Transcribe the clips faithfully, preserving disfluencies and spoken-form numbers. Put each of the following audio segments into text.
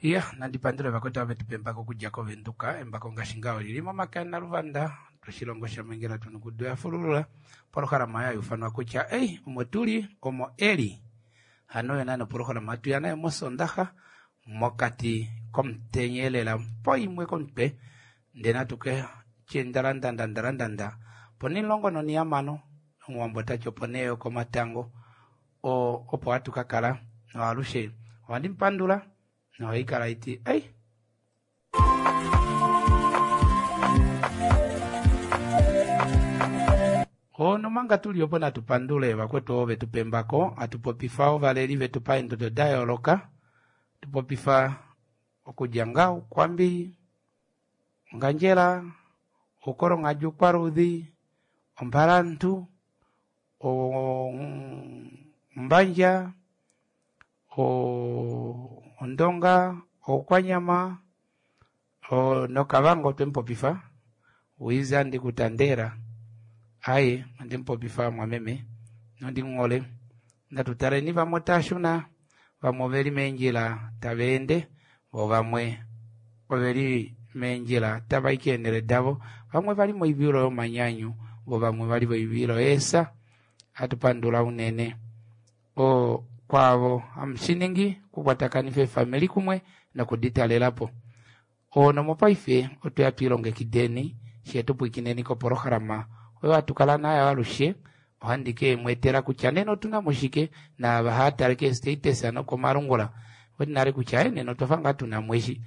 Iya, nandi pandule vakwetu ava vetupa embako okudja kovenduka. Embako ngaashi ngaho olili momake aNaluvanda toshilongo shamengela tunukudu yafululula polohalama oyo hayuufanwa kutya ei omo tuli omo eli. Hano oyo naana opolohalama hatuya nayo mosondaxa mokati komutenya elela poimwe komutwe ndee natu katye ndalandanda ndalandanda ponimulongo nonihamano omuwambo otati opo nee yokomatango oo opo hatu kakala noalushe ohandi mupandula nohaikala iti ei. Nomanga tuli opo natu pandule vakwetu ovo vetupa embako, hatu popifa ovaleli vetu paendodo da yooloka, tupopifa okudja ngaa Ukwambi, Ongandjera, Uukolonghadi Uukwaluudhi, Ombalantu, Ombandja, Ondonga, Oukwanyama noKavango twemupopifa Wiza Ndikutandela aaye ondemupopifa mumwameme nondimuhole. Natu taleni vamwe otaashuna, vamwe oveli meendjila tava ende, voo vamwe oveli meendjila tavai keenele davo, vamwe vali moivilo yomanyanyu, voo vamwe vali moivilo yeesa. Ohatu pandula unene oo kwaavo hamushiningi okukwatakanifa eefamili kumwe nokuditalelapo. Nomopaife otweya twiilongekideni fyee tupwiikineni kopolohalama oyo hatu kala nayo alushe. Ohandi kemweetela kutya nena otunamo shike naava haatale kee status nokomalungula oweti nale kutya nena otwafa ngaa tunamo eshi.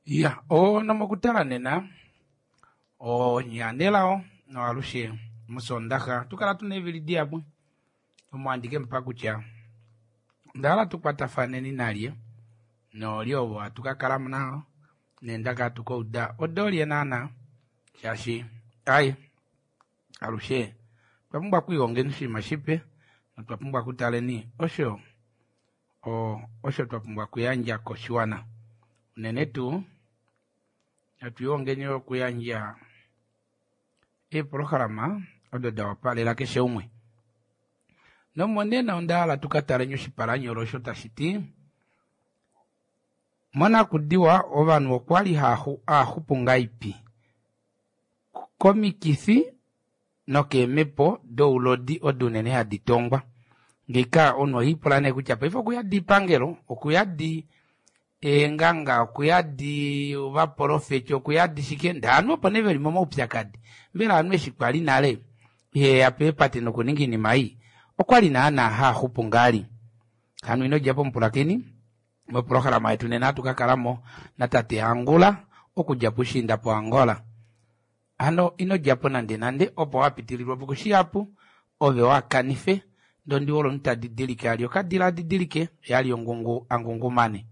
Iya, nomokutala nena onyanelao noalushe musondaxa tukala tuna eevili dihapu omo handi kemupa kutya ondahala tukwatafaneni nalye noolye ovo hatu kakala navo neendaka hatu kauda odoolye naana shaashi aaye alushe otwa pumbwa okwiilongeni oshinima shipe notwa pumbwa okutaleni osho osho twa pumbwa okuyandja koshiwana. Unene tuu natu okuyandja eepolohalama odo da wapalela keshe umwe. Nomonena onda hala tukataleni oshipalanyolo osho tashi ti monakudiwa ovanhu okwali haaxupu ngahelipi komikifi nokeemhepo doulodi odo unene hadi tongwa. Ngeika omunhu ohiipula nee kutya paife okuyadi ipangelo, okuyadi eenganga, okuyadi ovaprofeti, okuyadi shike ndee ovanhu opo nee veli momaupyakadi. Mbela ovanhu eshi kwali nale iheya peepate nokuninga oinima ei okwali naana haaxupu ngaali. Hano ino djapo mupulakeni moprograma yetu nena ohatu kakalamo natate Angula okudja pushiinda po Angola. Hano ino djapo nande nande opo wapitililwapo kushihapu ove waakanife ndee ondiwole omunhu tadidilike ali okadila adidilike yeali ongungu angungumane.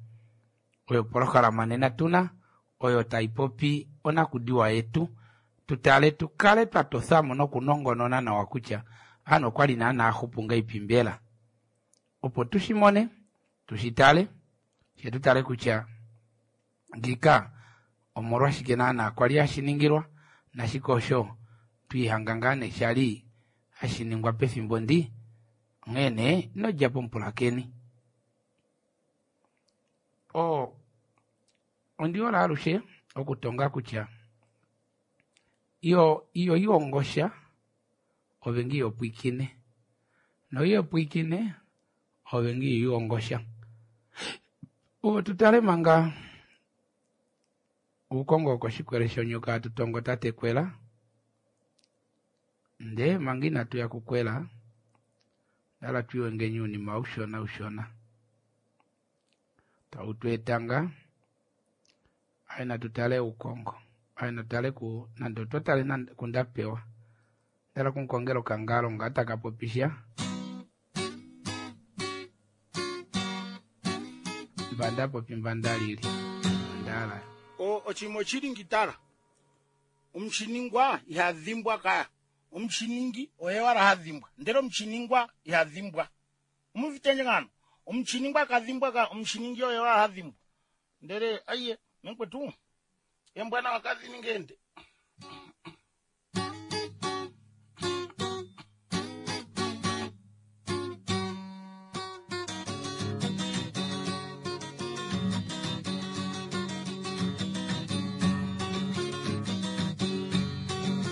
Oyo oprograma nena tuna oyo taipopi onakudiwa yetu tutale tukale twatothamo nokunongonona nawa kutya ovanhu okwali naana haaxupu ngahelipi mbela. Opo tushimone tushitale fyee tutale kutya ngiika omolwashike naana kwali hashiningilwa nashike osho twiihanga ngaa nee shali hashiningwa pefimbo ndi. Onghee nee inodjapo mupulakeni. Oo ondihole alushe okutonga kutya iyo iyo ihongosha ove nge ihopwiikine noihopwiikine ove nge ihongosha. Tutale manga uukongo wokoshikwele shonyoka hatu tongo tate Kwela ndee manga inatuya kukwela ondahala twiiwengeni ounima ushona ushona tautweetanga aye natutale uukongo aye natutale ku nande otwa tale kundapewa ondahala okumukongela okangalo nga takapopisha mbandapopi mbandalili ondahala Oshinima oshili ngitala omushiningwa ihadhimbwa kaya omushiningi oye wala hadhimbwa ndele omushiningwa ihadhimbwa omuvitendje ngano omushiningwa kadhimbwa ka omushiningi oye wala hadhimbwa ndele aiye mekwetu embwana wakadhiningende.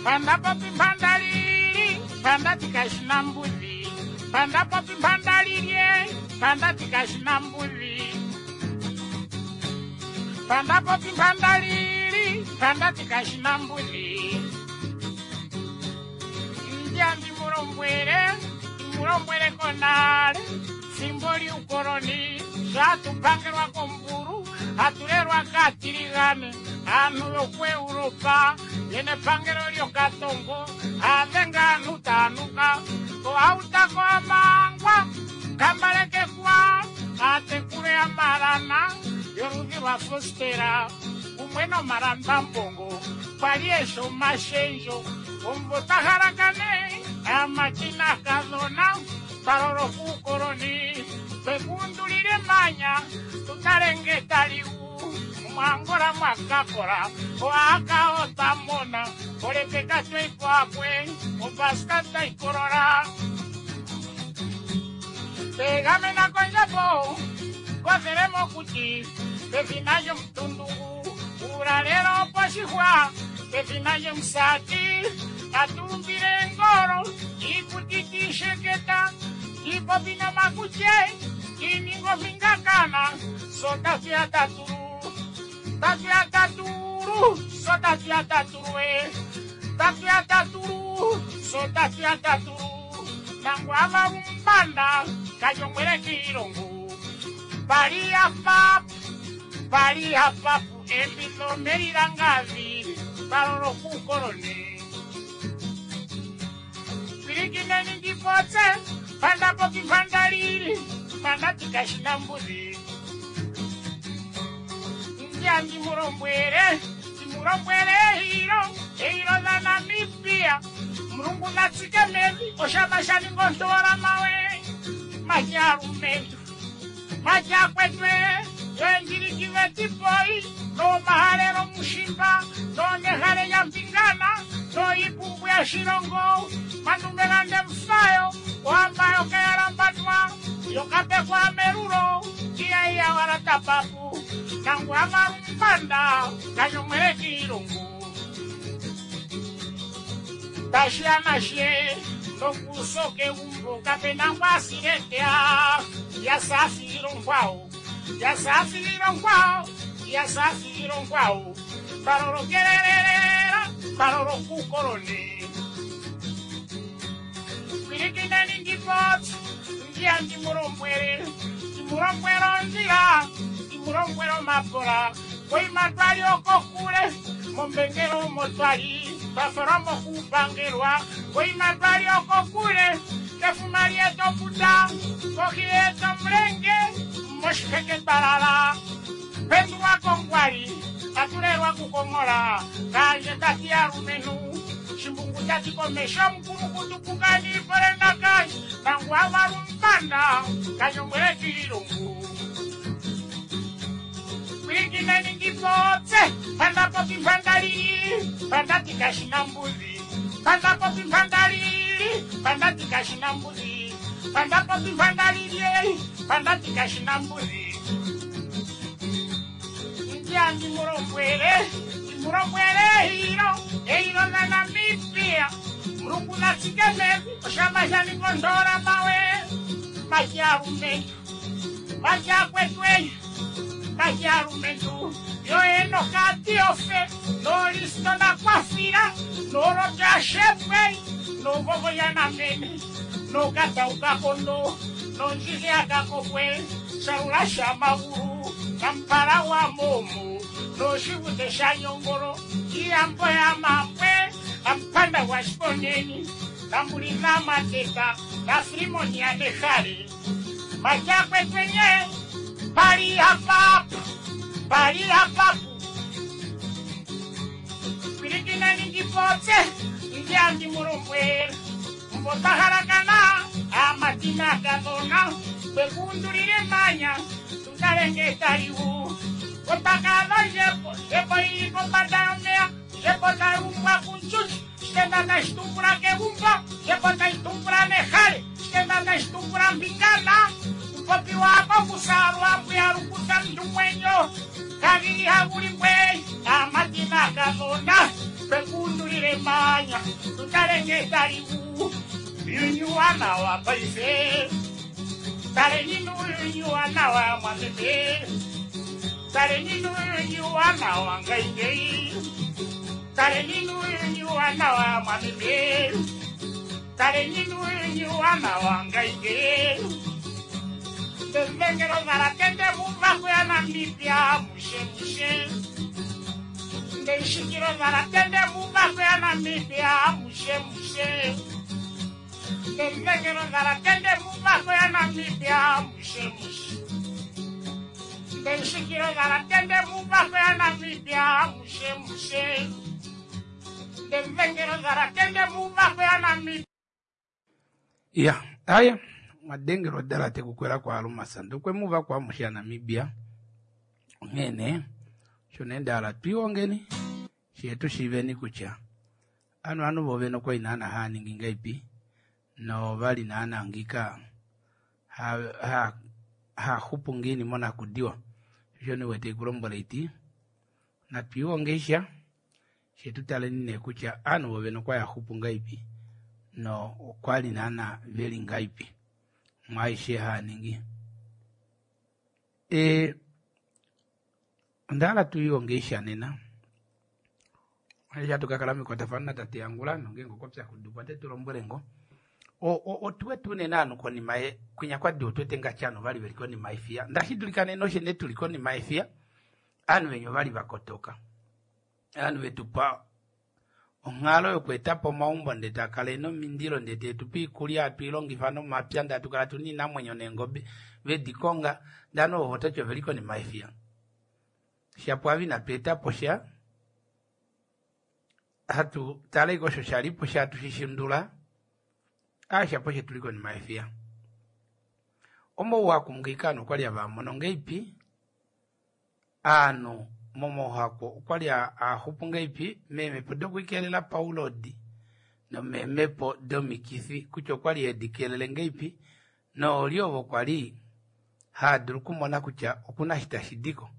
Panda popi mpanda lili, panda tikashina mbuzi. Panda popi mpanda lilye, panda tikashina mbuzi. Panda popi mpanda lili, panda tikashina mbuzi. Ndjambi mulombwele, mulombwele konale, fimbo liukoloni, shatupangelwa komburu, hatulelwa katiligane, aanhu yokuEuropa yene pangelo lyokatongo adhenga aanhu taanuka koautako amangwa kambalekekwa atekule amalana yoludhi lwa fostera umwe nomalambambongo kwali esho omashendjo omumvo twahalakane amakina kadhona twalolo kuukoloni twekundulile manya tutalenge taliu mwangola mwakakola oaka otamona olepeka tweikwakwe opaska taikolola tegamena kondjapo kothele mokuti pefina lyomutundugu uulalelo poshixwa pefina lyomusati atumbile engolo iikuti tiisheketa tiipopi nomakutye tiininga omingakana sotatuya tatulu tatuya tatulu so tatuya tatulu e tatuya tatulu so tatuya tatulu nangu ava umbanda kajongwele kiilongo pali apapu pali apapu embilo melilangavi palolo kukoloni pilikineni ndipotse pandapopi pandalili pandatikashina mbuzi ndjambi mulombwele ndimulombwele ehilo ehilo la Namibia mulungu natsike mevi oshama shaninga ontola mawe majalumentu majakwetwe yoendjilikive tipoi nomahalelo mushimba nonehale lyampingana noipumbu ya shilongo mandumelande mfayo ohamba yokeyalambatwa yokapekwa melulo iyaiya wala tapapu nangu amalumbanda kanyomwele kiilungu tashiya nashe Nokusoke umbo kapena ngwasiletea yasafiro nkwao yasafiro nkwao yasafiro nkwao paroro kererera paroro kukorone kwirikinani ndipotsi ndiya ndimurombwere ndimurombwero nzira ndimurombwero mapola koimatwali okokule mombengero motwali baforomo kupangelwa koimatwali okokule tefumali etoputa kohi etomulenge moshiheke balala pendulwa kongwali atulelwa kukongola kanje tati alumenu shimbungu tati komesho mukulu kutupukani polena kanje tangu awalumpanda kanyombwele kililungu kwilikinani ngipotse pandapopi mpandalili pandati kashina mbuzi pandapopi mpandalili pandati kashina mbuzi pandapopi mpandalili pandati kashina mbuzi ndiya ndimurombwele ndimurombwele hilo eilo la Namibia mulungu natsikemezi oshama shanikondola mawe majalumentu majakwetwe majalumentu yoenokatiofe nolisto nakwafila nolotyashepwe novovoyanamene nokataukakondo nonjilyakakopwe shalula shamagulu nampala wa momo noshivute shanyongolo iyambo ya mambwe ampanda wa shiponeni nambulina mateta na filimoni ya nehale majakwetwenye pali hapapu pali hapapu kwilikinani ngipotse ndiya ndimulombwela mbotahalakana amatina kadona kwekundulile manya tutalenge taliwu kotakala jepo jepo ili kombanda yomeya jepo talumbwa kunchuchi shitenda tashitumbula kegumbo jepo tashitumbula nehale shitenda tashitumbula mbingana kupopi wako kusalwa mbuya lukuta mndumwenyo kavili hakulimbwe amatina kadona kwekundulile manya tutalenge taliwu yunyuwana wa paife taleninu yunyuwana wa mwameme taleninu yunyuwana wa ngaingei taleninu yunyuwana wa mwameme taleninu yunyuwana wa ngaingei tembengelo zalatende muvako ya Namibia mushe mushe ndeishikilo zalatende muvako ya Namibia mushe mushe tembengelo zalatende muvako ya Namibia mushe mushe ndeishikilo zalatende muvako ya Namibia mushe mushe tembengelo zalatende muvako ya Namibia. Ya aya mwadengelo dala tekukwela kwa lumasa ndokwe muva kwa musha Namibia ngene shone ndala twiwongeni shetu shiveni kucha anu anu voveno kwa inana haningi ngaipi no vali nana ngika ha ha ha hupungini mona kudiwa shone wete kulombola iti na twiwongesha shetu taleni ne kucha anu voveno kwa ya hupunga ipi no kwali nana veli ngaipi mwaishe haningi e ndala tuiwongesha nena aisha tukakala mikwatafana tate yangula nongengo kopya kudupwa tetulombolengo o o otuwe tune nanu koni mae kwinya kwadi otwete ngachano vali veliko ni maifia ndashidulikane noshe netuliko ni maifia anu venyo vali vakotoka anu vetupa onghalo yokuetapo maumbo ndete akale nomindilo ndete etupa ikulya atwilongifa nomapya ndatukala tuni inamwenyo nengobe vedikonga ndano ovotacho veliko ni maifia shapo avi natuetapo sha hatu tale osho shalipo shatushishindula ashapo shetuliko ni maifia omo wakumgikano okwali avamono ngeipi anu momohako okwali ahupu ngeipi memepo dokuikelela paulodi nomemepo domikithi kutya okwali edikelele ngeipi nooli ovo kwali haadulu kumona kutya okuna shitashidiko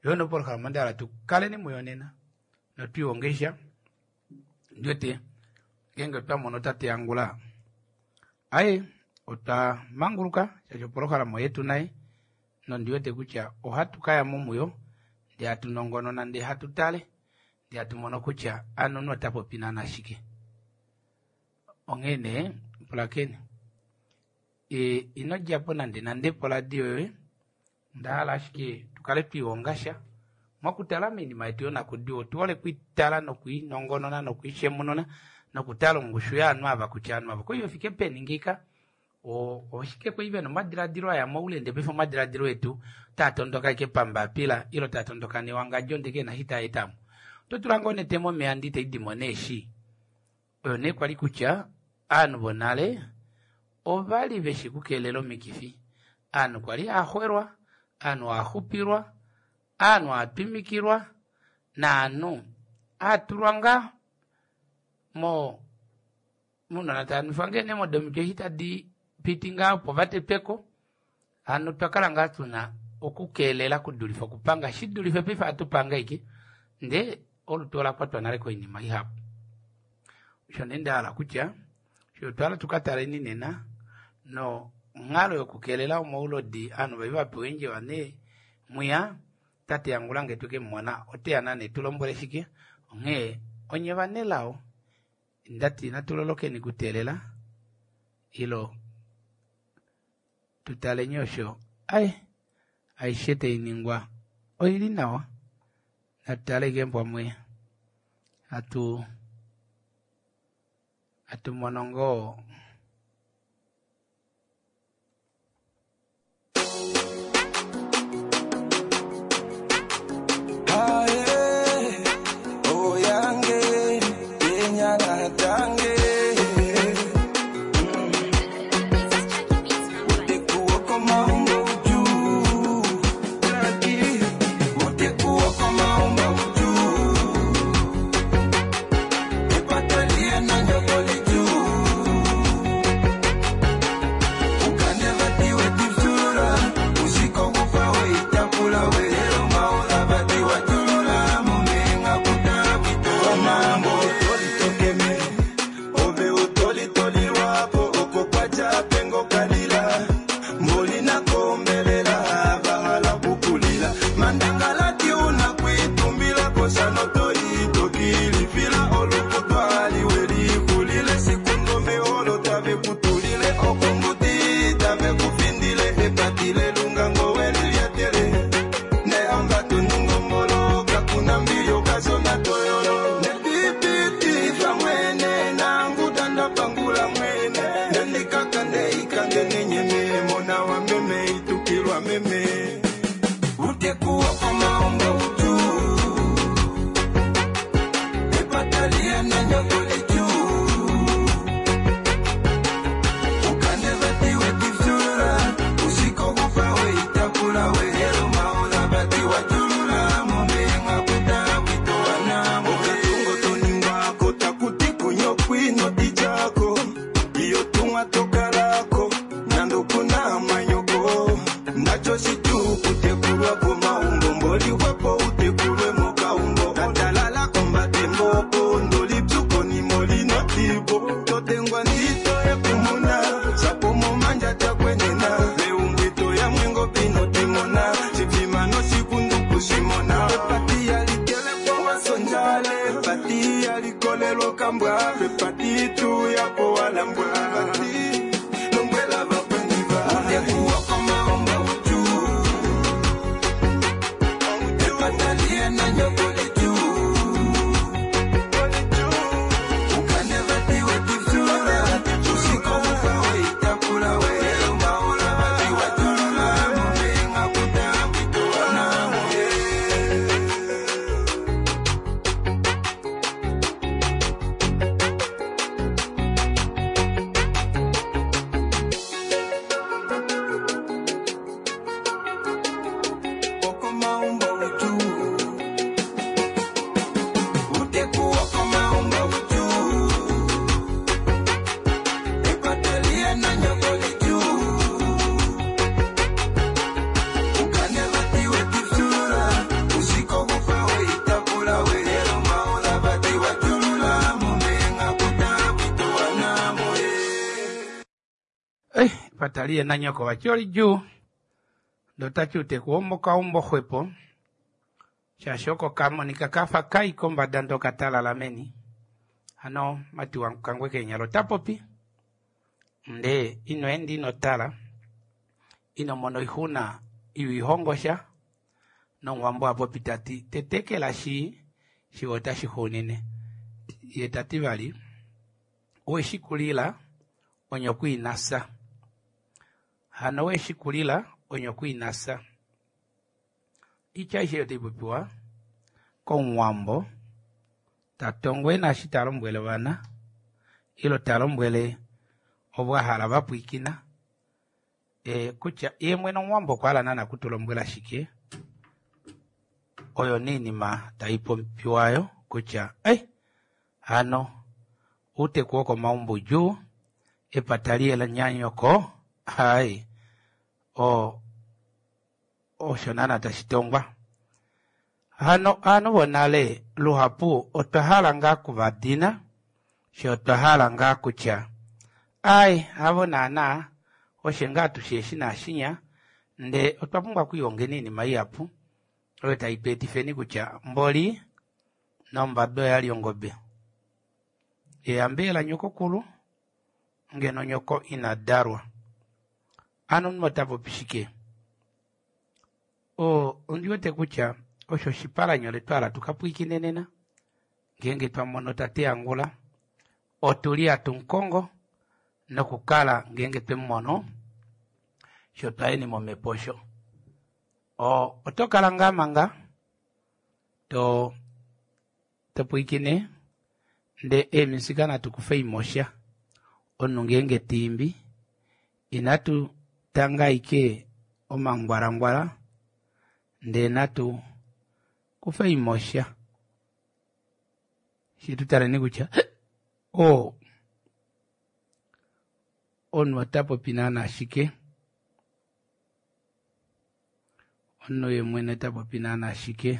yono polohalama ndala tukaleni muyonena notwiwongesha ndiote Ngeenge twamono tate Angula, aye otwa manguluka shaashi opolohalama oyetu naye nondiwete kutya ohatu kaya mo muyo ndee hatu nongonona ndee hatu tale ndee hatu mono kutya ano omunhu ota popi naana shike. Onghee nee pulakeni, e, ino djapo nande nande poradio yoye, onda hala ashike tukale twiihonga sha mokutala moinima yetu yonakudiwa. Otuhole okwiitala nokwiinongonona nokwiishemununa nokutala ongushu yovanhu ava kutya ovanhu ava okwali vefike peni ngeika, oshike kwali vena omadilaadilo aya moule ndee paife omadilaadilo etu otaa tondoka ashike pambapila ile taa tondoka newangadjo ndee kena eshi taa etamo. Oto tula ngoo onete momeya ndee itaidimo neeshi. Oyo nee kwali kutya ovanhu vonale ovali veshi kukeelela omikifi. Ovanhu kwali haaxwelwa, ovanhu haaxupilwa, ovanhu haatwimikilwa naanhu haatulwa ngaa mo mounona taanwifwa ngoo nee modomiti eshi tadi piti ngaa opo vatetweko. Hano otwakala ngaa tuna okukeelela kudulife okupanga, shidulife paife ohatu pange ashike ndee olutu olakwatwa nale koinima ihapu. Osho nee ndahala kutya osho otwahala tukataleni nena nonghalo yokukeelela omaulodi ovanhu vali vapewa eendjeva nee mwiya tate Angula ngee twekemumona oteya naana etulombwele shike. Onghee onye vanelao ndati natulolokeni kuteelela ilo tutaleni osho ai aishe tainingwa oili nawa, natutale ashike pamwe hatu hatu mono ngoo. Lombwela vakweni va. Epata liye nanyoko vati olidjuu ndee otati outeku womokaumbo xwepo shaashi oko kamonika kafa kai kombada ndee okatalala meni. Hano mati wakangwe keenyala otapopi ndee ino enda inotala inomona oixuna iwiihongosha nomuwambo ohapopi tati tetekela shii shiwa otashixuunine yee tati vali weshikulila onyoko inafya hano weshikulila onyoko inafya oitya aishe ei otaipopiwa komuwambo tatongo ena eshi talombwele ovana ile talombwele ovo ahala vapwiikina ee kutya yeemwene omuwambo okwahala naana okutulombwela shike oyo nee oinima taipopiwa aayo kutya ai hano outeku wokomaumbo oudjuu epata lihe nanyoko aaye oo osho naana tashitongwa. Hano ovanhu vonale luhapu otwahala ngaa okuvadina fyee otwahala ngaa kutya aaye havo naana ofye ngaa tushi eshi naashinya ndee otwa pumbwa okwiilongeni oinima ihapu oyo taitweetifeni kutya mboli nombada oyali ongobe eyambo lanyokokulu ngeno nyoko inadalwa hano omunhu otapopi shike oo ondiwete kutya osho oshipalanyole twahala tukapwiikine nena ngenge twamono tate angula otuli hatumukongo nokukala ngenge twemumono fyee otwayeni momepo osho oo otokala ngaa manga too topwiikine ndee eemusika natu kufeimosha omunhu ngenge taimbi inatu tanga ashike omangwalangwala ndee natu kufeimosha fyee tutaleni kutya oo omunhu otapopi naana shike omunhu yeemwene otapopi naana shike.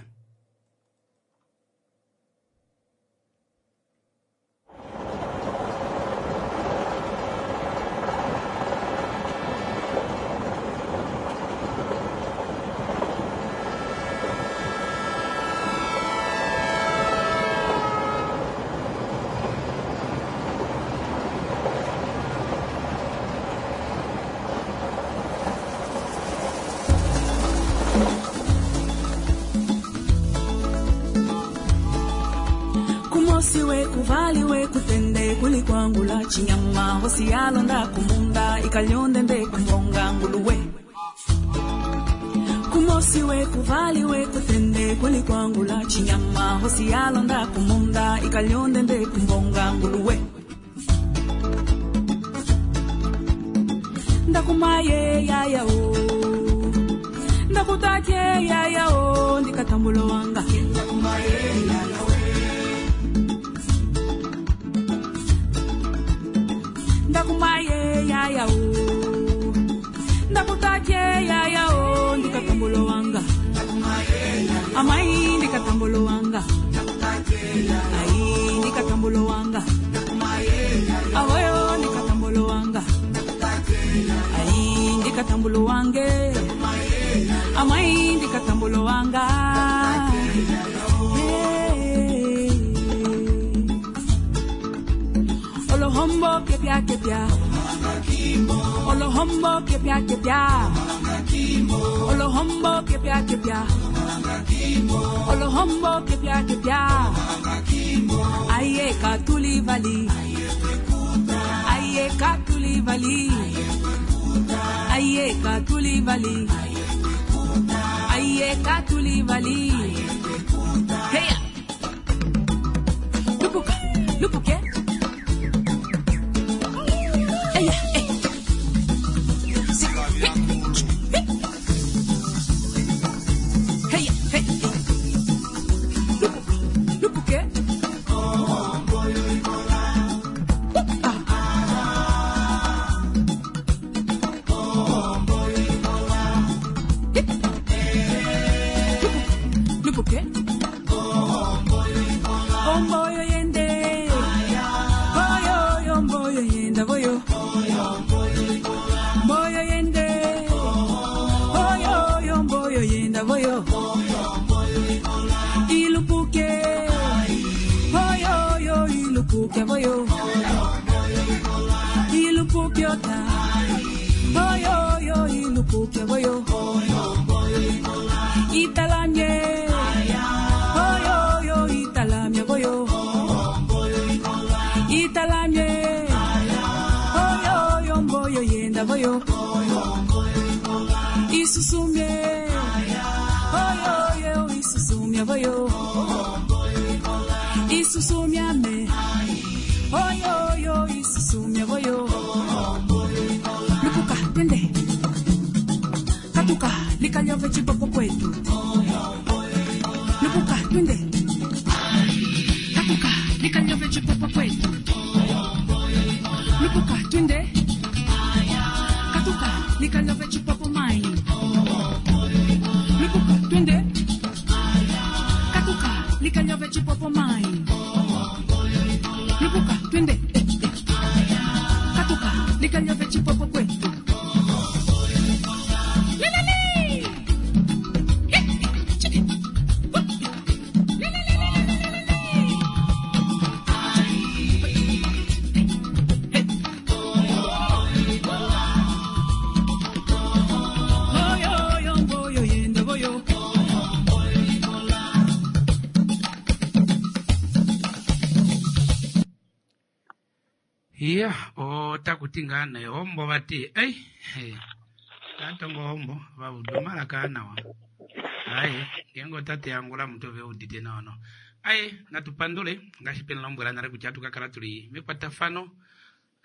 Kumosi we kuvali we kutende kulikwangula chinyama hosi yalonda kumunda ikalyonde nde kumbonga nguluwe kumosi we kuvali we kutende kulikwangula chinyama hosi yalonda kumunda ikalyonde nde kumbonga nguluwe ndakumaye yaya o ndakutate yaya o ndikatambulo wanga ndakumaye yaya o ndakutate yaya o ndikatambulo wanga amai ndikatambulo wanga ai ndikatambulo wanga avoyo ndikatambulo wanga ai ndikatambulo wange amai ndikatambulo wanga. Hey. Olohombo kepia kepia Olohombo kepia kepia Olohombo kepia kepia Olohombo kepia kepia Aye katuli vali Aye katuli vali Aye katuli vali Aye katuli vali Hey Lupuka lupuke Eya, eh. Si, hey, hey. Hey, hey. Lupuka, lupuke. Ah. Lupuka, lupuke. Ipupya voyo Italamye Oyo yo italamye voyo Italamye Oyo yo mboyo yenda voyo Isusumye Oyo yo isusumye voyo Isusumyame Oyo yo isusumye voyo Lupuka twende Katuka likalyove chipopo kwetu Lupuka twende Katuka likalyove chipopo kwetu Lupuka twende Katuka likalyove chipopo mai Lupuka twende Katuka likalyove chipopo mai Lupuka twende eh, eh. Katuka likalyove chipopo kwetu Lelele! Eh, chiki. Whoop. Lelelelelelele. Oyo, oyo, mboyo, yenda, boyo. Iya, otakuti ngaa nee hombo vati ei he, tatongo hombo vaudumala nawa aye ngenge otate angula mutu veudite nawa no aye natupandule ngaashi pena lombwela nale kutya atu kakala tuli mekwatafano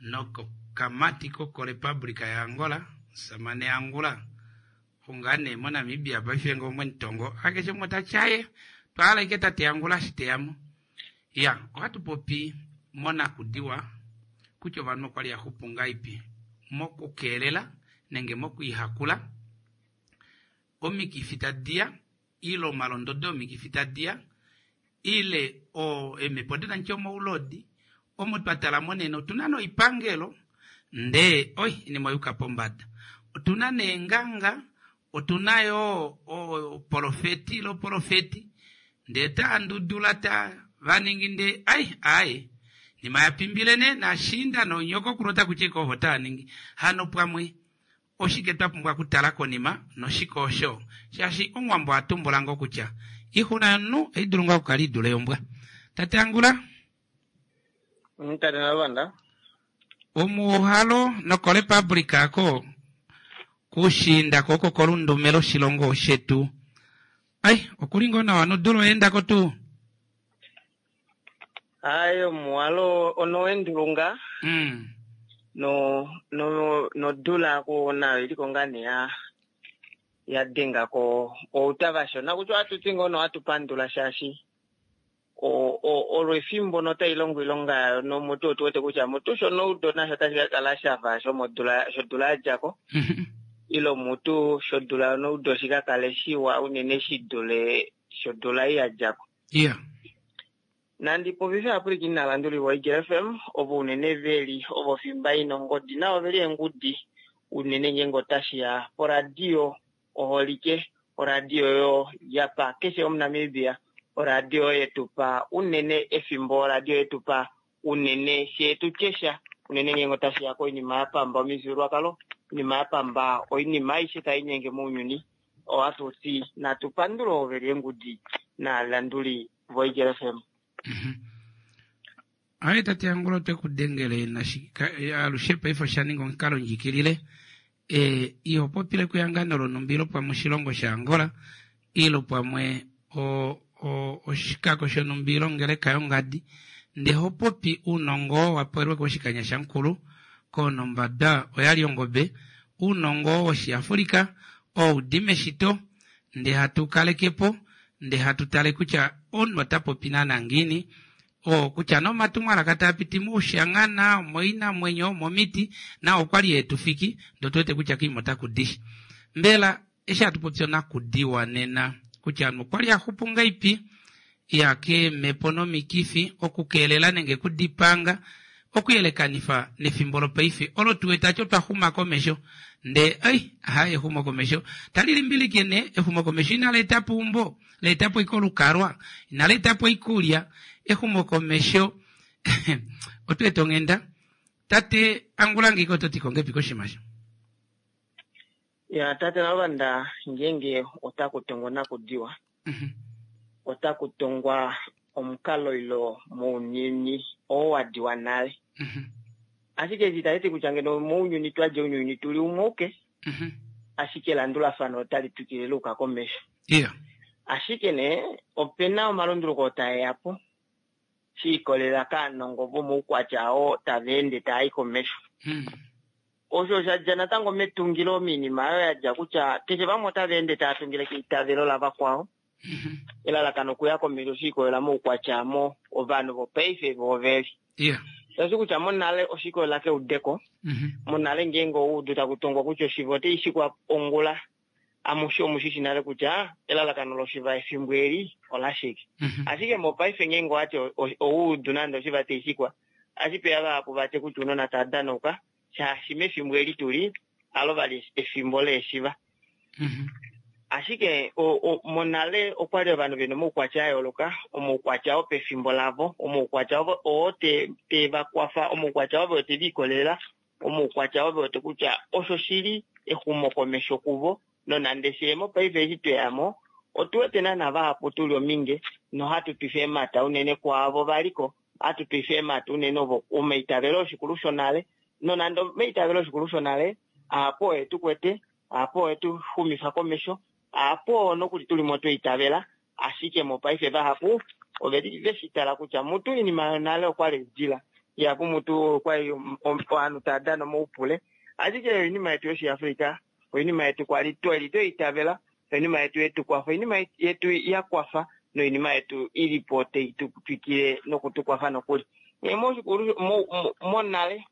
nokokamati kokorepublica ya Angola samane Angola ungane moNamibia paife ngomwenitongo akeshe umwe tatyaye twala ike tate Angola shiteyamo ya ohatu popi monakudiwa kutya ovanhu okwali yaxupu ngaipi mokukeelela nenge mokwiihakula omikifi tadiya ile omalondodo omikifi tadiya ile o emepo denanche omoulodi omo twatala monene otuna noipangelo ndee oi inima oyuka pombada otuna neenganga otuna yo oprofeti ile oprofeti ndee taandudula ta vaningi ndee ai ai nima yapimbile ne nashinda nonyoko kulota kucheka ovo taaningi hano pamwe oshike twapumbwa okutala konima noshike osho shaashi omuwambo atumbula ngo kutya ixuna yomunhu oidulu ngoo okukala idule yombwa. Tate Angula Tate Naluvanda omuuhalo nokorepublica ako kushinda ko oko kolundume loshilongo shetu ai okuli ngoo nawa nodula oyeendako tuu? Ayi omuwalo ono wendulunga mm. no no nodula ko nayo iliko ngaa nee ya yadengako outa vashona kutya ohatuti ngoo nohatupandula shaashi o- o- olo efimbo notai longo oilonga yayo nomutu otuwete kutya mutu shonoudo nasho otashi kakala shafa shomodula shodula yadjako ile mutu shodula yonoudo shikakale shiwa unene shidule shodula ei yadjako. Iya Nandi popife aapuliki naalanduli voIgel F M ovo unene veli ovo fimba ina ongodi navo veli eengudi unene ngeenge otashiya poradio oholike oradio oyo yapa keshe omuNamibia oradio yetupa unene efimbo oradio yetupa unene sheetutyesha unene ngeenge otashiya koinima yapamba omifyuululwakalo oinima yapamba oinima aishe tainyenge mounyuni ohatuti natupandule ovo veli eengudi naalanduli voIgel F M. Aye tate Angula otwekudengele alushe paife oshaninga omukalo ndjikilile e, iho popile kuyangano lonumba ilo pamwe oshilongo sha Angola ilo pamwe o, o, oshikako shonumba ilo ongeleka yongadi ndee hopopi uunongo wapewelwe koshikanya shamukulu konombada oyali ongobe uunongo woshiAfrika oudi meshito ndee hatu kalekepo ndee hatu tale kutya omunhu ota popi naana ngiini o kutya nomatumwalaka taapiti moushangana moinamwenyo momiti nao okwali etufiki ndee otuwete kutya koima otakudisha. Mbela eshi hatu popi onakudiwa nena kutya ovanhu okwali axupu ngaipi ya keemhepo nomikifi okukeelela nenge okudipanga okuyelekanifa nefimbo lopaife olo tuwete ati otwaxuma komesho ndee ai haye exumokomesho tali limbilike nee exumokomesho inali etapo eumbo laetapo ashike olukalwa inali etapo oikulya exumokomesho otweeta onghenda. Tate Angula ngeike ototi kongepi koshimasho? Ya tate Naluvanda ngeenge otaku tongwa nakudiwa Mhm. otaku tongwa omukalo ilo mounyuni oo wadiwa nale. Mhm. Ashike eshi itashi ti kutya ngeno mounyuni twadja ounyuni tuli umwe uke, Mhm. ashike elandulafano otali twikile luuka komesho. Iya. Ashike nee opena omalunduluko tae ya po shi ikolelela kaanongo vomoukwatya oo tava ende taa yi komesho. Mm. Osho osha dja natango metungilo miinima oyo ya dja kutya keshe vamwe otava ende tava tungile keitavelo lavakwao. Mhm. Elalakano okuya komesho shi ikolelela moukwatya mo ovanhu vopaife vooveli. Iya. Tashi kutya monale oshi ikolelela keudeko. Mhm. Monale ngeenge oudu taku tongwa kutya oshiva otashi shikwa ongula, amushe omushishi nale kutya elalakano loshiva efimbo eli olashike. Mhm. Ashike mopaife ngeenge owati oudu nande oshiva tashi shikwa, ashipeya vahapu vatye kutya ounona tava danauka, shaashi mefimbo eli tuli alo vali efimbo leeshiva. Mhm. Ashike o- o- monale okwali ovanhu vena omaukwatya a yooloka, omaukwatya oo pefimbo lavo, omaukwatya ovo oo te te va kwafa, omaukwatya ovo te likolelela, omaukwatya ovo te kutya osho shili exumokomesho kuvo, nonande fye mopaife eshi tweyamo otu wete naana vahapu tuli ominge nohatu twifa eemhata unene kwaavo valiko, hatu twifa eemhata unene ovo omaitavelo oshikulu shonale, nonande omaitavelo oshikulu shonale aapo oye tu kwete, aapo oye tu xumifa komesho, aapo nokuli tuli mo tweitavela, ashike mopaife vahapu oveli veshi tala kutya mutu oinima yonale okwali idila, ihapu mutu okwali ovanhu tava dana omaupule, ashike oinima yetu yoshiAfrika, oinima yetu kwali tweli tweitavela, oinima yetu yetu kwafa, oinima yetu ya kwafa noinima yetu ilipo tai tu twikile nokutukwafa nokuli. Nghee moshikulu mo- mo- monale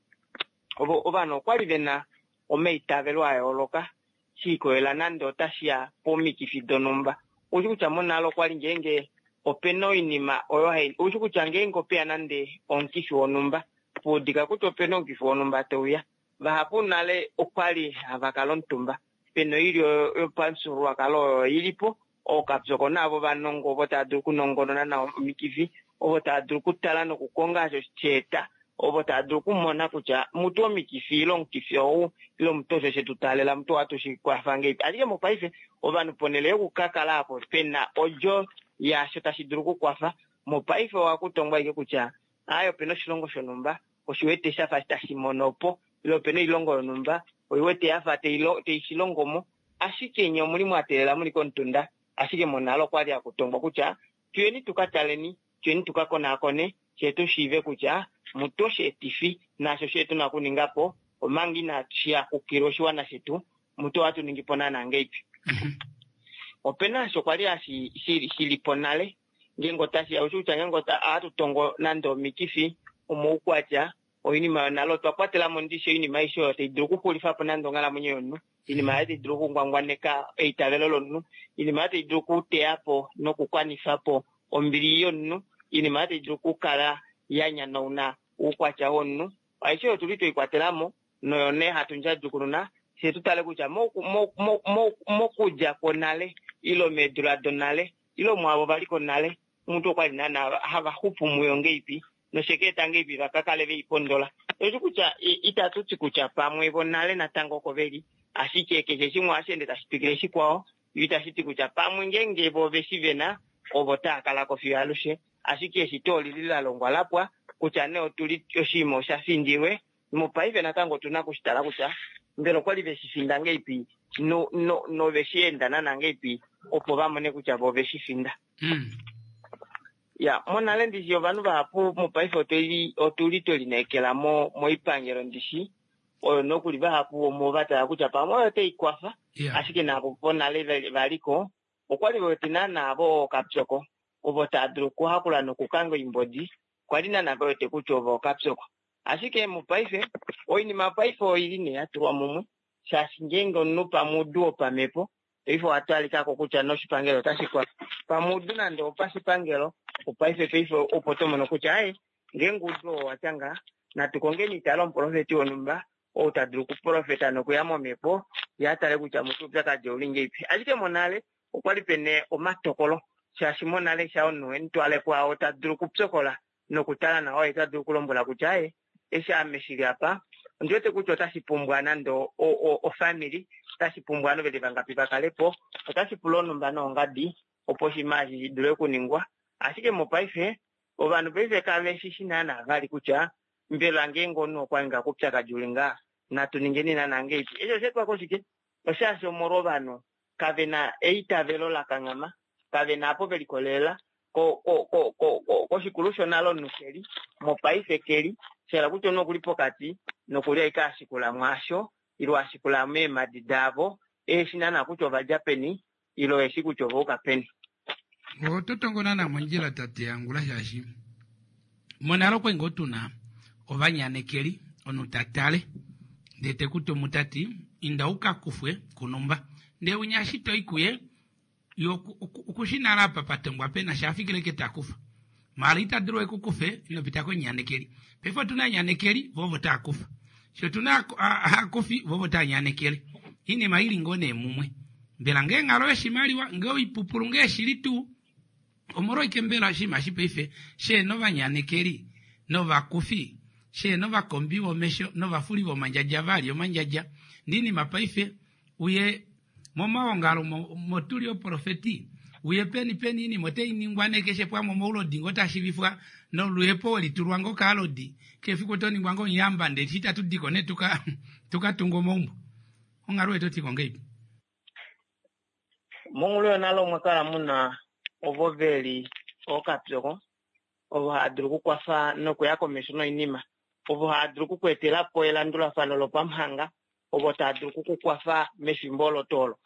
ovo ovanhu okwali vena omaitavelo a yooloka shi ikolelela nande otashi ya pomikifi donhumba. Oushi kutya monale okwali ngeenge opena oinima oyo hai, oushi kutya ngeenge opeya nande omukifi wonhumba, puudika kutya opena omukifi wonhumba teuya, vahapu nale okwali hava kala omutumba pena oilyo yopamufyuululwakalo oyo ilipo, ookapyoko naavo vanongo ovo tava dulu okunongonona nawa omikifi, ovo tava dulu okutala nokukonga osho sheeta, ovo tava dulu okumona kutya mutu omikifi ile omukifi ou ile omutu osho shetu taalela mutu ohatu shi kwafa ngeipi. Ashike mopaife ovanhu ponhele yokukakala apo pena odjo yaasho tashi dulu okukwafa, mopaife ohakutongwa ashike kutya aaye opena oshilongo shonhumba oshiwete shafa tashi mono po, ile opena oilongo yonhumba oiwete yafa tai shi longo mo, ashike nye omuli mwa teelela muli komutunda. Ashike monale okwali hakutongwa kutya tuyeni tuka taleni, tuyeni tuka konaakone, fye tu shiive kutya mutu osheetifi naasho she tuna okuninga po omanga inashi yakukila oshiwana shetu, mutu ohatu ningi po naana ngeipi. Opena osho kwali hashi shili po nale ngeenge otashi ya, oushi kutya ngeenge ohatu tongo nande omikifi, omaukwatya, oinima yonale otwa kwatela mo ndishi oinima aishe oyo tai dulu okuxulifa po nande onghalamwenyo yomunhu, oinima oyo tai dulu okungwangwaneka eitavelo lomunhu, oinima oyo tai dulu okuteya po nokukwanifa po ombili yomunhu, oinima oyo tai dulu okukala ya nyanauna oukwatya womunhu, aishe oyo tuli tweikwatela mo noyo nee hatu ndjadjukununa fye tu tale kutya mokudja kwonale ile meedula donale ile mwaavo valiko nale omuntu okwali naana hava xupu muyo ngeipi nosheka eta ngeipi vakakale veipondola. Oshi kutya itatu ti kutya pamwe vonale natango oko veli, ashike keshe shimwe ohashi ende tashi twikile shikwao, itashi ti kutya pamwe ngeenge vo veshi vena ovo tava kala ko fiyo alushe, ashike eshito olili la longwa lapwa kutya nee otuli oshinima osha findilwe mopaife natango otuna okushitala kutya mbela okwali veshi finda ngeipi no no noveshi enda naana ngeipi opo va mone kutya vo veshi finda. Mm. Ya monale ndishi ovanhu vahapu mopaife otuli otuli twelineekela mo moipangelo ndishi oyo nokuli vahapu omo va tala kutya pamwe oyo tai kwafa, Yeah. ashike navo ponale valiko okwali vewete naana vo ookapyoko ovo tava dulu okuhakula nokukanga oimbodi, kwali naana vewete kutya ovo ookapyoko. Ashike mopaife oinima paife oili nee ya tulwa mumwe, shaashi ngeenge omunhu pamwe udu wopamhepo paife owa talikako kutya noshipangelo otashi kwafa, pamwe udu nande opashipangelo opaife paife opo to mono kutya aye ngeenge udu oo watya ngaa natu kongeni itale omuprofeti wonhumba ou ta dulu okuprofeta nokuya momhepo ye a tale kutya mutu oupyakadi ouli ngeipi. Ashike monale okwali pena omatokolo, shaashi monale sha omunhu emutwale kwaao ta dulu okupyokola nokutala nawa oye ta dulu okulombwela kutya aye eshi ame shili apa Ondi wete kutya otashi pumbwa nande ofamily, otashi pumbwa ovanhu veli vangapi vakalepo, otashi pula onumba noongadi opo oshinima eshi shi dule okuningwa. Ashike mopaife ovanhu paife kave shi shi naana vali kutya mbela ngeenge omunhu okwa ninga koupyakadi uli ngaa natu ningeni naana ngeipi. Eshi osha etwa koshike? Oshaashi omolwa ovanhu kave na eitavelo la kanghama, kave na apo ve likolelela koshikulu shonale omunhu keli mopaife keli, shahala kutya omunhu okuli pokati nokuli ashike ashikula mwaasho ile ashikula meemadi daavo eheshi naana kutya ovadja peni ile eshi kutya ovauka peni. Oto tongo naana mondjila tate Angula shaashi monale okwali ngoo tuna ovanyanekeli omunhu ta tale ndee te ku tumu tati inda uka kufwe kunumba ndee unya eshi toyi kuye ye okushi nale apa patongwa pena shaafikile ke takufa maala ita dulu ekukufe inopita konyanekeli. Paife otuna anyanekeli vo ovo taakufa, shi otuna aakufi vo ovo taanyanekele. Oinima ili ngoo nee mumwe. Mbela ngee onghalo yoshimaliwa ngee oipupulu ngee shili tuu omolwaike mbela oshinima eshi paife sheena ovanyanekeli novakufi sheena ovakombi vomesho novafuli vomandjadja vali omandjadja ndee oinima paife uye momaongalo motuli oprofeti uye peni peni oinima otainingwa nee keshe pamwe omaulodi ngoo tashivifwa noluhepo welitulwa ngoo kaalodi keshe efiku otoningwa ngoo omuyamba ndee eshi itatu diko nee tuka tukatunga omaumbo. Onghalo yetu otiko ngeipi? Mongulu yonale omwa kala muna ovo veli ookapyoko, ovo hava dulu okukwafa nokuya komesho noinima, ovo hava dulu okukweetela po elandulafano lopamuhanga, ovo tava dulu okukukwafa mefimbo olo tuu olo.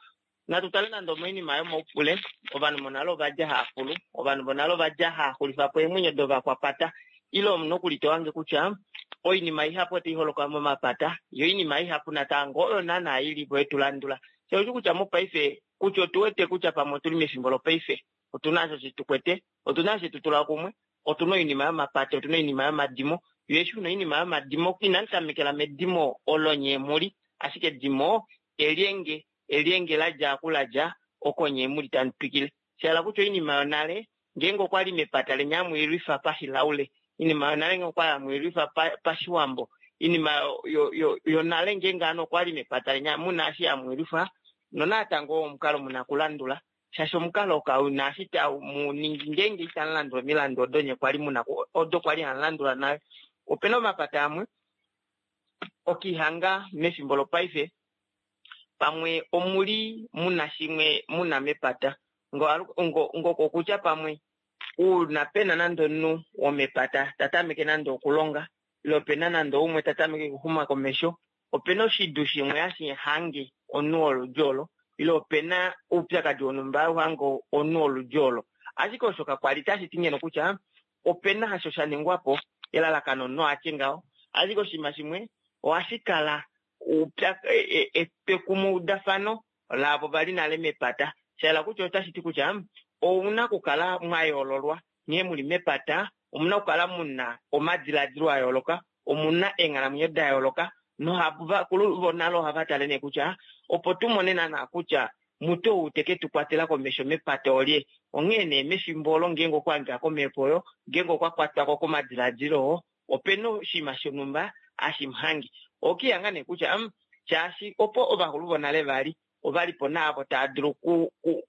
Natu tale nande omoinima yomaupule, ovanhu monale ovadja hava fulu, ovanhu vonale ovadja hava xulifa po eemwenyo dovakwapata, ile omunhu okulitowange kutya oinima ihapu otai holoka momapata, yo oinima ihapu natango oyo naana ilipo yetulandula. Shaushi kutya mopaife kutya otuwete kutya pamwe otuli mefimbo lopaife, otuna osho shitukwete, otuna osho tutula kumwe, otuna oinima yomapata, otuna oinima yomadimo. Yo eshi una oinima yomadimo inamu tamekela medimo olo nye muli, ashike edimo elyenge, elyenge ladja aku ladja oko nye muli tamu twikile. Shahala kutya oinima yonale ngeenge okwali mepata lenya hamu ilwifa pashilaule, oinima yonale ngeenge okwali hamu ilwifa pashiwambo, oinima yonale ngeenge hano okwali mepata lenya muna eshi hamu ilwifa, nonatango omukalo muna kulandula shaashi omukalo kauna eshi tau mu ningi ngeenge itamu landula omilandu odo nye kwali muna odo kwali hamu landula nale. Opena omapata amwe okihanga mefimbo lopaife pamwe omuli muna shimwe muna mepata ngokokutya pamwe uuna pena nande omunhu womepata tatameke nande okulonga ile opena nande umwe tatameke okuxuma komesho, opena oshidu shimwe hashi hange omunhu woludi olo ile opena oupyakadi wonhumba hauhange omunhu woludi olo. Ashike osho kakwali tashi ti ngeno kutya opena osho sha ningwapo elalakano omunhu atye ngaho, ashike oshinima shimwe ohashi kala etwekumweudafano laavo vali nale mepata. Shahala kutya otashi ti kutya ouna okukala mwa yoololwa nghee muli mepata, omuna okukala muna omadiladilo a yooloka, omuna eenghalamwenyo da yooloka, nohavakulu vonale ohava tale nee kutya opo tumone naana kutya mutu ou teke tu kwatela komesho mepata olye. Onghee nee mefimbo olo ngeenge okwa hangika komhepo oyo, ngeenge okwa kwatwako komadiladilo oo, opena oshinima shonhumba hashi muhange. Okihanga nee kutya shaashi opo ovakulu vonale vali ovalipo naavo tava dulu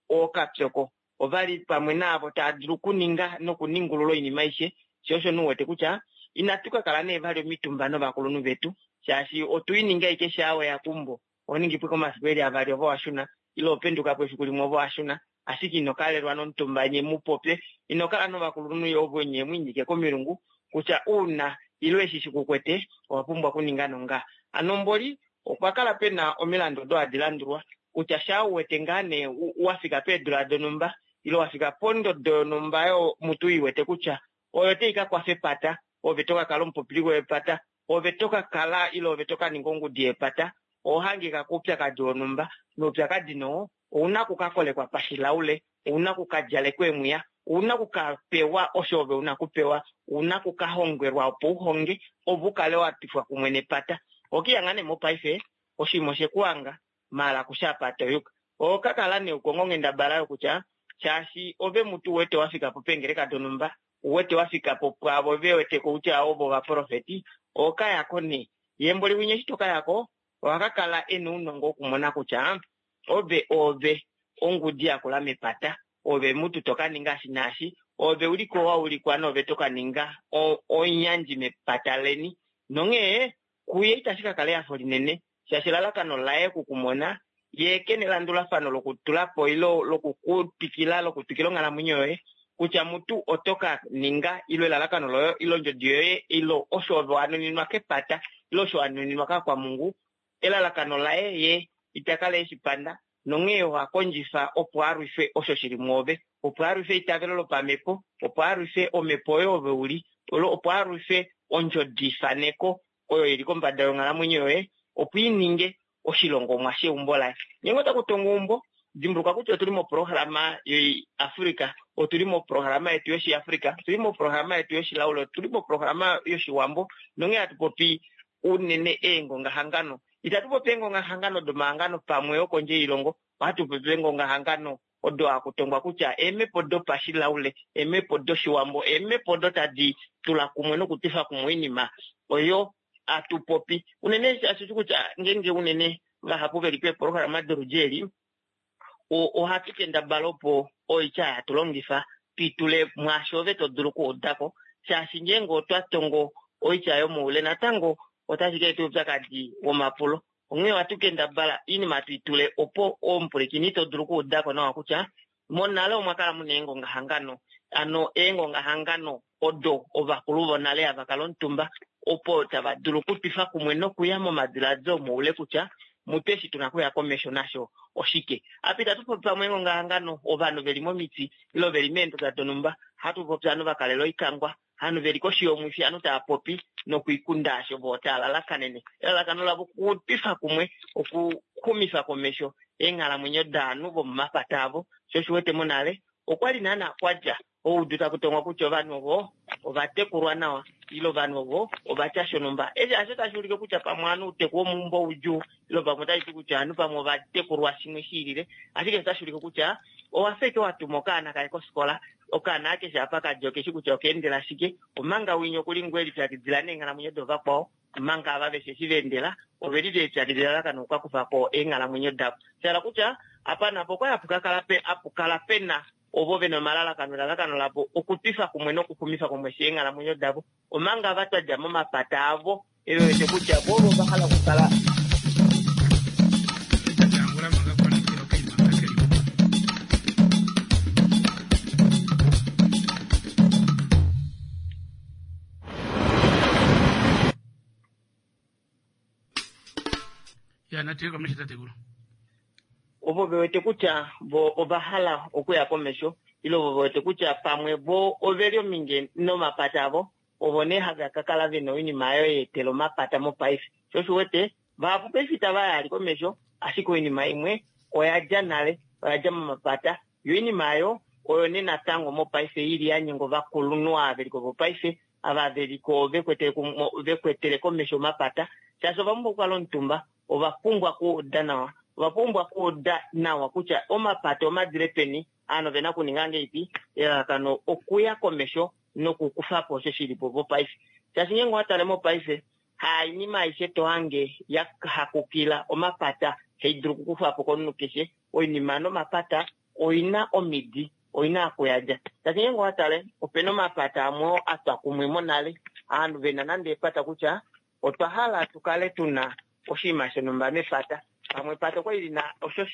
ookapyoko, ovali pamwe naavo tava dulu okuninga nokuningulula oinima aishe. Sho osho nuwete kutya inatu ka kala nee vali omitumba novakulunhu vetu shaashi otuininga ashike shaa weya keumbo ohoningi po omafiku eli avali ove washuna ile openduka po efiku limwe ove washuna, ashike ino kalelwa nomutumba nye mupopye, ino kala novakulunhu ovo nye mwiinyike komilungu kutya uuna ile eshi shikukwete owa pumbwa okuninga nonga. Hano mboli okwa kala pena omilandu odo hadi landulwa kutya shaa uwete ngaa nee wafika peedula donhumba ile wafika pondodo yonhumba yo mutu iwete kutya oyo tai ka kwafa epata, ove to ka kala omupopiliko wepata, ove to ka kala ile ove to ka ninga ongudi yepata, oho hangika koupyakadi wonhumba noupyakadi noo ouna okukakolekwa pashilaule, ouna okukadjalekwa emwiya, ouna okukapewa osho ove una okupewa, ouna okukahongwelwa opo uhonge ove ukale watwifwa kumwe nepata. Okihanga nee mopaife oshinima oshekuhanga maala kusha apa toyuka. Oho ka kala nee ukonga onghendabala yokutya shaashi ove mutu uwete wafika po peengeleka donhumba, uwete wafika po pwaavo vewete kutya ovo ovaprofeti, oho kayako nee Yembo liwinye eshi toka yako oha ka kala ena ounongo wokumona kutya ove ove ongudi yakula mepata, ove mutu toka ninga shi naashi, ove uliko waulikwa nove toka ninga onyandji mepata leni. Nonghee kuye itashi ka kala ehafo linene, shaashi elalakano laye okukumona ye kena elandulafano lokutulapo ilo lokukutwikila lokutwikila onghalamwenyo yoye kutya mutu otoka ninga ilo elalakano loye ilo ondjodi yoye ilo osho ove wanuninwa kepata ilo osho wanuninwa kakwamungu. Elalakano laye ye itakala eshipanda nonghee oha kondjifa opo alwife osho shili mwoove, opo alwife eitavelo lopamhepo, opo alwife omhepo oyo ove uli, opo alwife ondjodifaneko oyo ili kombada yonghalamwenyo yoye opo ininge oshilongomwa sheumbo laye. Ngeenge otaku tongo eumbo, dimbuluka kutya otuli moprograma yoAfrica, otuli moprograma yetu yoshiAfrica, otuli moprograma yetu yoshilaula, otuli moprograma yoshiwambo, nonghee hatu popi unene eengongahangano. Itatu popi eengongahangano domahangano pamwe okondje yoilongo, ohatu popi eengongahangano odo hakutongwa kutya eemhepo dopashilaule, eemhepo doshiwambo, eemhepo odo tadi tula kumwe nokutwifa kumwe oinima oyo atu popi. Unene shaashi kutya ngeenge unene vahapu veli peeprograma doludji eli, ohatu kendabala opo oitya hatu longifa tuitule mwaasho ove to dulu okuudako, shaashi ngeenge otwa tongo oitya yomoule natango otashi ka eta oupyakadi womapulo. Onghee ohatu kendabala oinima tuitule opo omupulikini to dulu okuudako nawa kutya monale omwa kala muna eengongahangano, ano eengongahangano odo ovakulu vonale hava kala omutumba opo tava dulu okutwifa kumwe nokuya momadiladilo moule kutya mutu eshi tuna kuya komesho nasho oshike. Apa itatu popi pamwe eengongahangano ovanhu veli momiti ilo veli meenduda donhumba, hatu popi ovanhu vakalela oikangwa, ovanhu veli koshi yomwifi, ovanhu tava popi nokuikunda asho vo tava lalakanene. Elalakano lavo okutwifa kumwe, okuxumifa komesho eenghalamwenyo daanhu vomomapata avo. Sho osho wete monale okwali naana kwadja oudu taku tongwa kutya ovanhu ovo ovatekulwa nawa ilo ovanhu ovo ovatya shonhumba. Eshi hasho tashi ulike kutya pamwe ovanhu outeku womeumbo oudjuu ilo pamwe otashi ti kutya ovanhu pamwe ovatekulwa shimwe shiilile, ashike otashi ulike kutya owafa eke watuma okaana kaye kofikola, okaana akeshe apa kadja okeshi kutya okeendela shike, omanga winya okuli ngoo elipyakidila neenghalamwenyo dovakwao, omanga ava veshe eshi vaendela oveli velipyakidila lalakano okukakufako eenghalamwenyo davo. Shahala kutya apa napo okwali hapukala pena ovo vena omalalakano, elalakano lavo okutwifa kumwe nokuxumifa komesho eenghalamwenyo davo, omanga ava twadja momapata avo eve wete kutya vo ovo va hala okukala. Ya natiye komesho tatekulu. Ovo vewete kutya vo ova hala okuya komesho ilo vo vewete kutya pamwe vo oveli ominge nomapata avo, ovo nee hava ka kala vena oinima oyo yeetela omapata mopaife. Sho osho wete vahapu paife itava yali komesho, ashike oinima imwe oya dja nale, oya dja momapata, yo oinima oyo oyo nee natango mopaife ili ya nyenga ovakulunhu ava veliko vopaife, ava veliko vekwetele komesho omapata, shaashi ova pumbwa okukala omutumba, ova pumbwa okuuda nawa, ova pumbwa okuuda nawa kutya omapata omadile peni, aanhu ovena okuninga ngeipi, elalakano okuya komesho nokukufa po osho shilipo vopaife. Shaashi ngeenge owatale mopaife hainima aishe tohange ya hakukila omapata haidulu okukufwapo komunhu keshe. Oinima nomapata oina omidi, oina okuyadja. Shaashi ngeenge owatale opena omapata amwe atwa kumwe monale, aanhu vena nande epata kutya otwa hala tukale tuna oshinima shonhumba mepata, pamwe epata okwali lina osho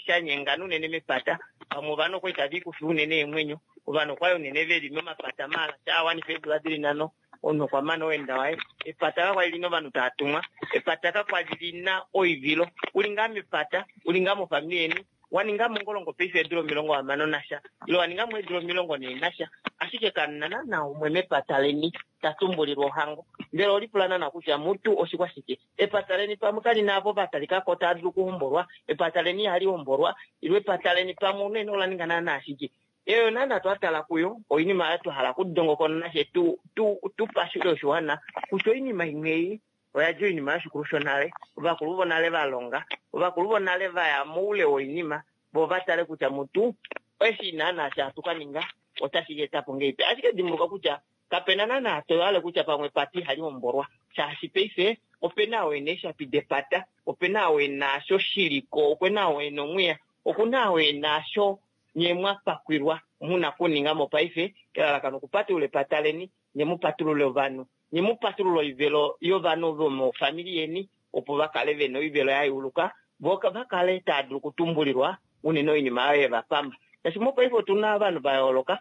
shanyengana unene mepata, pamwe ovanhu okwali tava ikufa unene eemwenyo, ovanhu okwali unene veli momapata maala shaawanifa eedula dili nhano, omunhu okwa mana owenda waye. Epata kakwali lina ovanhu tava tumwa, epata kakwali lina oivilo, uli ngaa mepata, uli ngaa mofamili yeni, waninga mongolongo paife eedula omilongo hamano nasha ilo waninga mo eedula omilongo nhee nasha, ashike kamuna naana umwe mepata leni ta tumbulilwa ohango. Mbela olipula naana kutya mutu oshikwa shike? Epata leni pamwe kalina avo vatalikako tava dulu okuhombolwa, epata leni ihali hombolwa, ilo epata leni pamwe unene ola ninga naana shike? Eyo naana twatala kuyo oinima oyo twa hala okudongokonona she tu tu tupashule oshiwana kutya oinima imwe ei oya dja oinima yoshikulu shonale, ovakulu vonale va longa, ovakulu vonale vaya moule woinima, vo vatale kutya mutu eshi naana hatu ka ninga otashi ka eta po ngeipi. Ashike dimbuluka kutya kapena naana toyale kutya pamwe epata ihali hombolwa, shaashi paife Opena oo ena eeshapi depata, opena oo ena osho shiliko, opena oo ena omwiya, okuna oo ena osho nye mwapakwilwa muna kuninga mopaife elalakano okupatulula epata leni, nye mupatulule ovanhu, nye mupatulule oivelo yovanhu vomofamili yeni opo vakale vena oivelo yayuuluka, vo vakale tava dulu okutumbulilwa unene oinima oyo yevapamba. Shaashi mopaife otuna ovanhu vayooloka,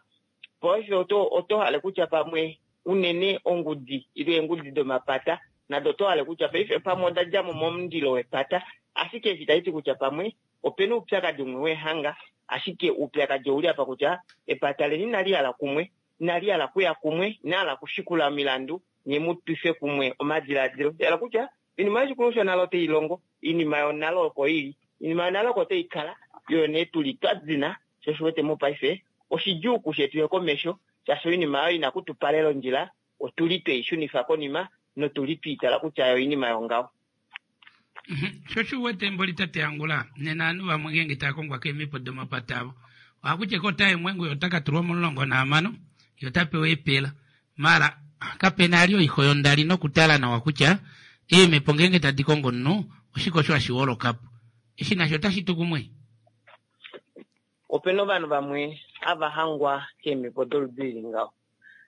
paife oto oto hale kutya pamwe unene ongudi ile eengudi domapata nado oto hale kutya paife pamwe oda djamo momundilo wepata, ashike eshi taiti kutya pamwe opena oupyakadi umwe wehanga, ashike oupyakadi ouli apa kutya epata leni inali hala kumwe, inali hala kuya kumwe, inali hala kushikula omilandu, nye mutwife kumwe omadiladilo. Hala kutya oinima yoshikulu shonale otai longo, oinima yonale oko ili, oinima yonale oko tai kala, yo nee tuli twa dina, sho osho wete mopaife oshidjuu kushe tuye komesho, shaashi oinima oyo ina kutupalela ondjila, otuli tweishunifa konima notuli twiitala kutya oinima yongaho. Sho shi wete mboli tate Angula, nena ovanhu vamwe ngeenge tava kongwa keemhepo domapata avo, ohakutya ko otaye mwengu ye ota ka tulwa momulongo nahamano, ye ota pewa eepela. Mara kapena ali oixo yondali nokutala nawa kutya eemhepo ngeenge tadi kongo omunhu, oshike osho hashi holokapo. Eshi nasho otashi tu kumwe. Opena ovanhu vamwe hava hangwa keemhepo doludi lili ngaho,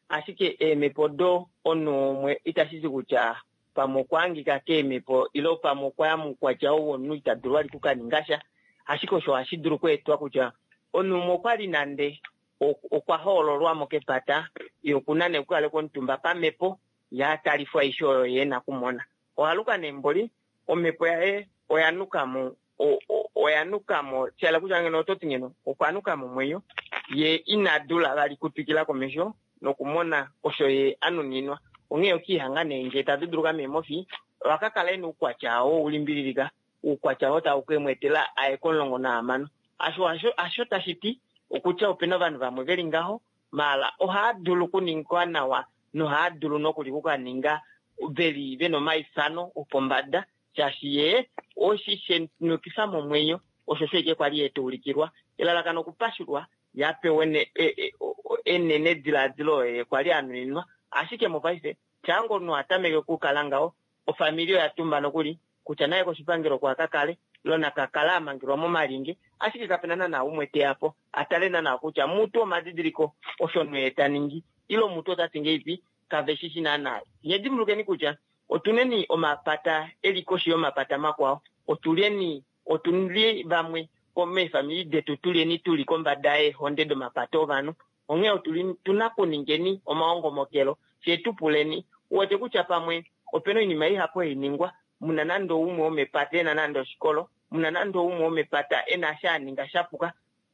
ashike eemhepo do omunhu umwe itashi ti kutya pamwe okwa hangika keemhepo ile pamwe okwaya moukwatya ou womunhu ita dulu vali okukaninga sha, ashike osho ohashi dulu okweetwa kutya omunhu umwe okwali nande okwa hoololwamo kepata, ye okuna nee okukalekwa omutumba pamhepo, ye atalifwa aishe oyo ye ena okumona. Ohaluka nee mboli omhepo yaye oya nukamo, oya nukamo, shala kutya ngeno ototi ngeno okwa nukamo omwenyo, ye ina dula vali kutwikila komesho nokumona osho ye anuninwa. Onghee okiihanga nee ngee taduduluka meemofi, ohakakala ena oukwatya oo ulimbililika, oukwatya oo tau kemweetela aye komulongo nahamano. Asho asho tashi ti okutya opena ovanhu vamwe veli ngaho, maala ohaa dulu okuningwa nawa nohaa dulu nokuli okukaninga veli vena omaifano opombada, shaashi ye oshi shenukifa momwenyo, osho sho ike kwali etuulikilwa. Elalakano okupashulwa ye apewe enene diladilo ye kwali anuninwa, ashike mopaife shaango omunhu atameke okukala ngaho, ofamili oya tumba nokuli kutya naye koshipangelo okwa kakale lona kakala amangelwa momalinge, ashike kapena naana umwe teyapo atale naana kutya mutu omadidiliko osho nwee taningi ile mutu otati ngeipi kave shishi naana. Nye dimbulukeni kutya otuneni omapata eli koshi yomapata makwao, otuleni otuli vamwe meefamili detu tuleni tuli kombada yeehonde domapata ovanhu, onghee otuli tuna kuningeni omaongomokelo fye tupuleni. Uwete kutya pamwe opena oinima ihapu hainingwa, muna nande umwe womepata ena nande oshikolo, muna nande umwe womepata ena sha aninga shapuka,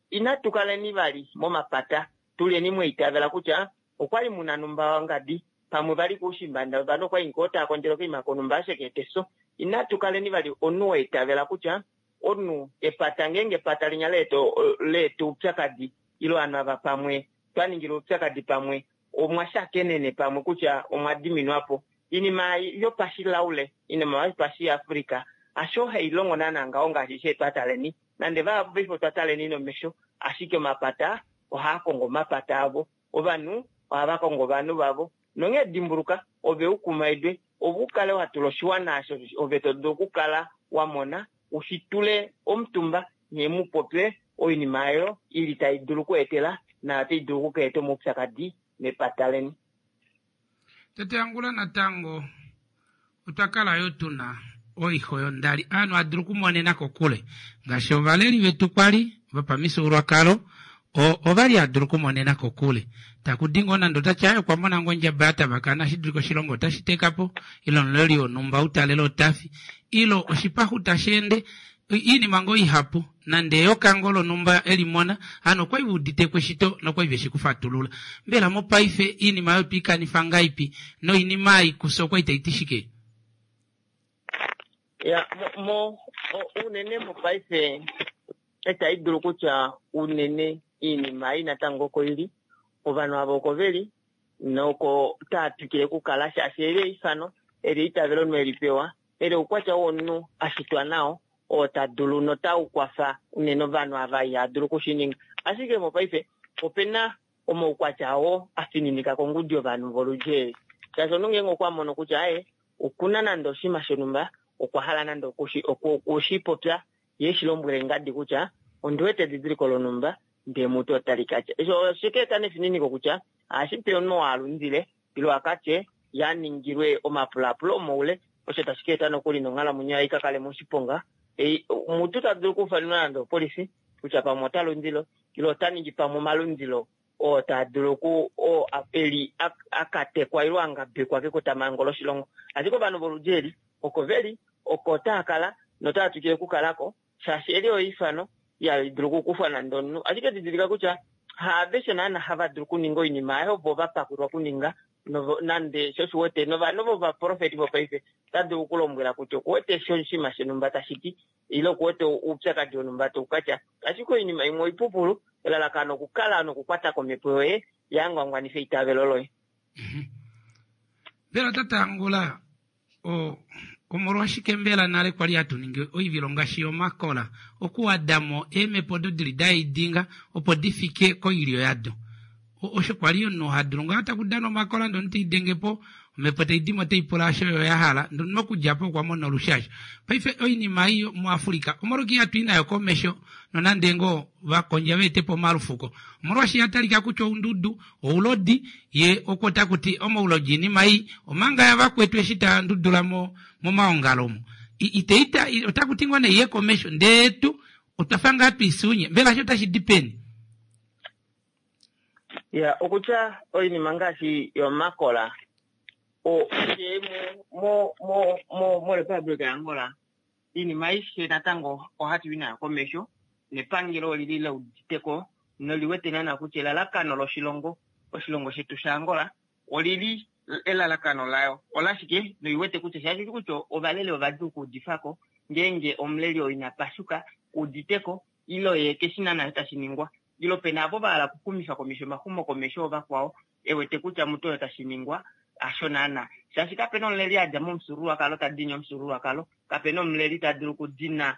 inatu kaleni vali momapata, tuleni mweitavela kutya okwali muna numba wangadi, pamwe vali kuushimbanda ovanhu okwali ngoo tava kondjele okoima konumba asheketeso. Inatu kaleni vali omunhu waitavela kutya omunhu epata ngeenge epata linya leeta oupyakadi ile ovanhu ava pamwe twaningile oupyakadi pamwe omwa shakenene pamwe kutya omwa diminwapo. Iinima yopashilaule, iinima yopashiafrika asho hailongo naana ngaho ngaashi she twataleni, nande vahapu paife otwa taleni nomesho, ashike omapata ohaa kongo omapata avo, ovanhu ohava kongo ovanhu vavo. Nonghee dimbuluka ove ukumaidwe ove ukale watula oshiwana osho ove to dulu okukala wamona ushitule omutumba nye mupopye oinima oyo ili tai dulu okweetela nayo otai dulu okukeeta omaupyakadi mepata leni. Tate Angula, natango otwa kala yo tuna oixo yondali ovanhu adulu okumonena kokule ngaashi ovaleli vetu kwali vopamifyuululwakalo ovali adulu okumonena kokule takudi ngoo nande otati aye okwa mona ngoo ondjaba ya tavakana shi dulike oshilongo otashi tekapo ile omuleli wonhumba utalele otafi ile oshipaxu tashi ende iinima ngoo ihapu nande eyoka ngoo lonhumba elimona hano okwali veuditeko eshito nokwali veshi kufatulula. Mbela mopaife iinima oyo twiikanifa ngaipi noinima ei kufye okwali taiti shike? Ya mo unene mopaife itayi dulu kutya unene iinima ei natango oko ili, ovanhu ava oko veli noko taa twikile okukala shaashi eli eifano, eli eitavelo omunhu eli pewa, eli oukwatya womunhu ashitwa nao oo ta dulu notau kwafa unene ovanhu ava iha dulu okushininga. Ashike mopaife opena omaukwatya oo afininika kongudi yovanhu voludji eli, shaashi omunhu ngeenge okwa mono kutya aye okuna nande oshinima shonhumba okwa hala nande okushipopya ye shi lombwele ngadi kutya ondi wete edidiliko lonhumba ndee mutu otali katya. Osho oshike eta nefininiko kutya ohashi pe omunhu oo alundile ile akatye yaningilwe omapulapulo omoule, osho tashi ka eta nokuli nonghalamwenyo yaye ika kale moshiponga. Mutu ta dulu okuufanenwa nande opolifi kutya pamwe ota lundilo ile ota ningi pamwe omalundilo oo taa dulu oku oo eli akatekwa ile angabekwa kekotamhango loshilongo. Ashike ovanhu voludi eli oko veli oko taa kala notaa twikile okukalako shaashi eli oifano ihali dulu okukufwa nande omunhu. Ashike didilika kutya haaveshe naana hava dulu okuninga oinima ayo vo vapakulwa okuninga nande sho oshiwete novanhu vovaprofeti vopaife ota dulu okulombwela kutya okuwete oshinima shonhumba tashi ti ile okuwete oupyakadi wonhumba taukatya. Ashike oinima imwe oipupulu, elalakano okukala nokukwata komhepo yoye yangwangwanifa eitavelo loye. Mbela tate Angula, omolwashike mbela nale kwali hatu ningi oivilo ngaashi yomakola okuwadamo eemhepo odo dili daidinga opo difike koilyo yado? Osho kwali omunhu hadulu ngaa taku dana omakola ndee omunhu teidengepo omhepo taidimo otaipula osho yo yahala ndee omunhu okudjapo okwa mona olushasho. Paife oinima ei muAfrika omolwashike ihatu i nayo komesho nonande ngoo vakondja vaetepo omalufuko? Omolwaashi yatalika kutya oundudu oulodi ye oko takuti omaulodi oinima ei omanga yavakwetu eshi tandudula momaongalo omo iteita otakuti ngoo nee iye komesho ndee tu otwafa ngaa twiisunye. Mbela osho otashi di peni? Ya okutya oinima ngaashi yomakola mo mo mo moRepublic yaAngola iinima aishe natango ohatu i nayo komesho nepangelo olili leuditeko noliwete naana kutya elalakano loshilongo oshilongo shetu shaAngola olili elalakano layo olashike noiwete kutya shaashi kutya ovaleli ovadjuu okuudifako ngeenge omuleli oo ina pashuka uditeko ile ye keshi naana tashi ningwa ile pena avo vahala okuxumifa komesho omaxumo komesho ovakwao ewete kutya mutu oyo tashi ningwa hasho naana shaashi kapena omuleli adja momufyuululwakalo tadini omufyuululwakalo, kapena omuleli ta dulu okudina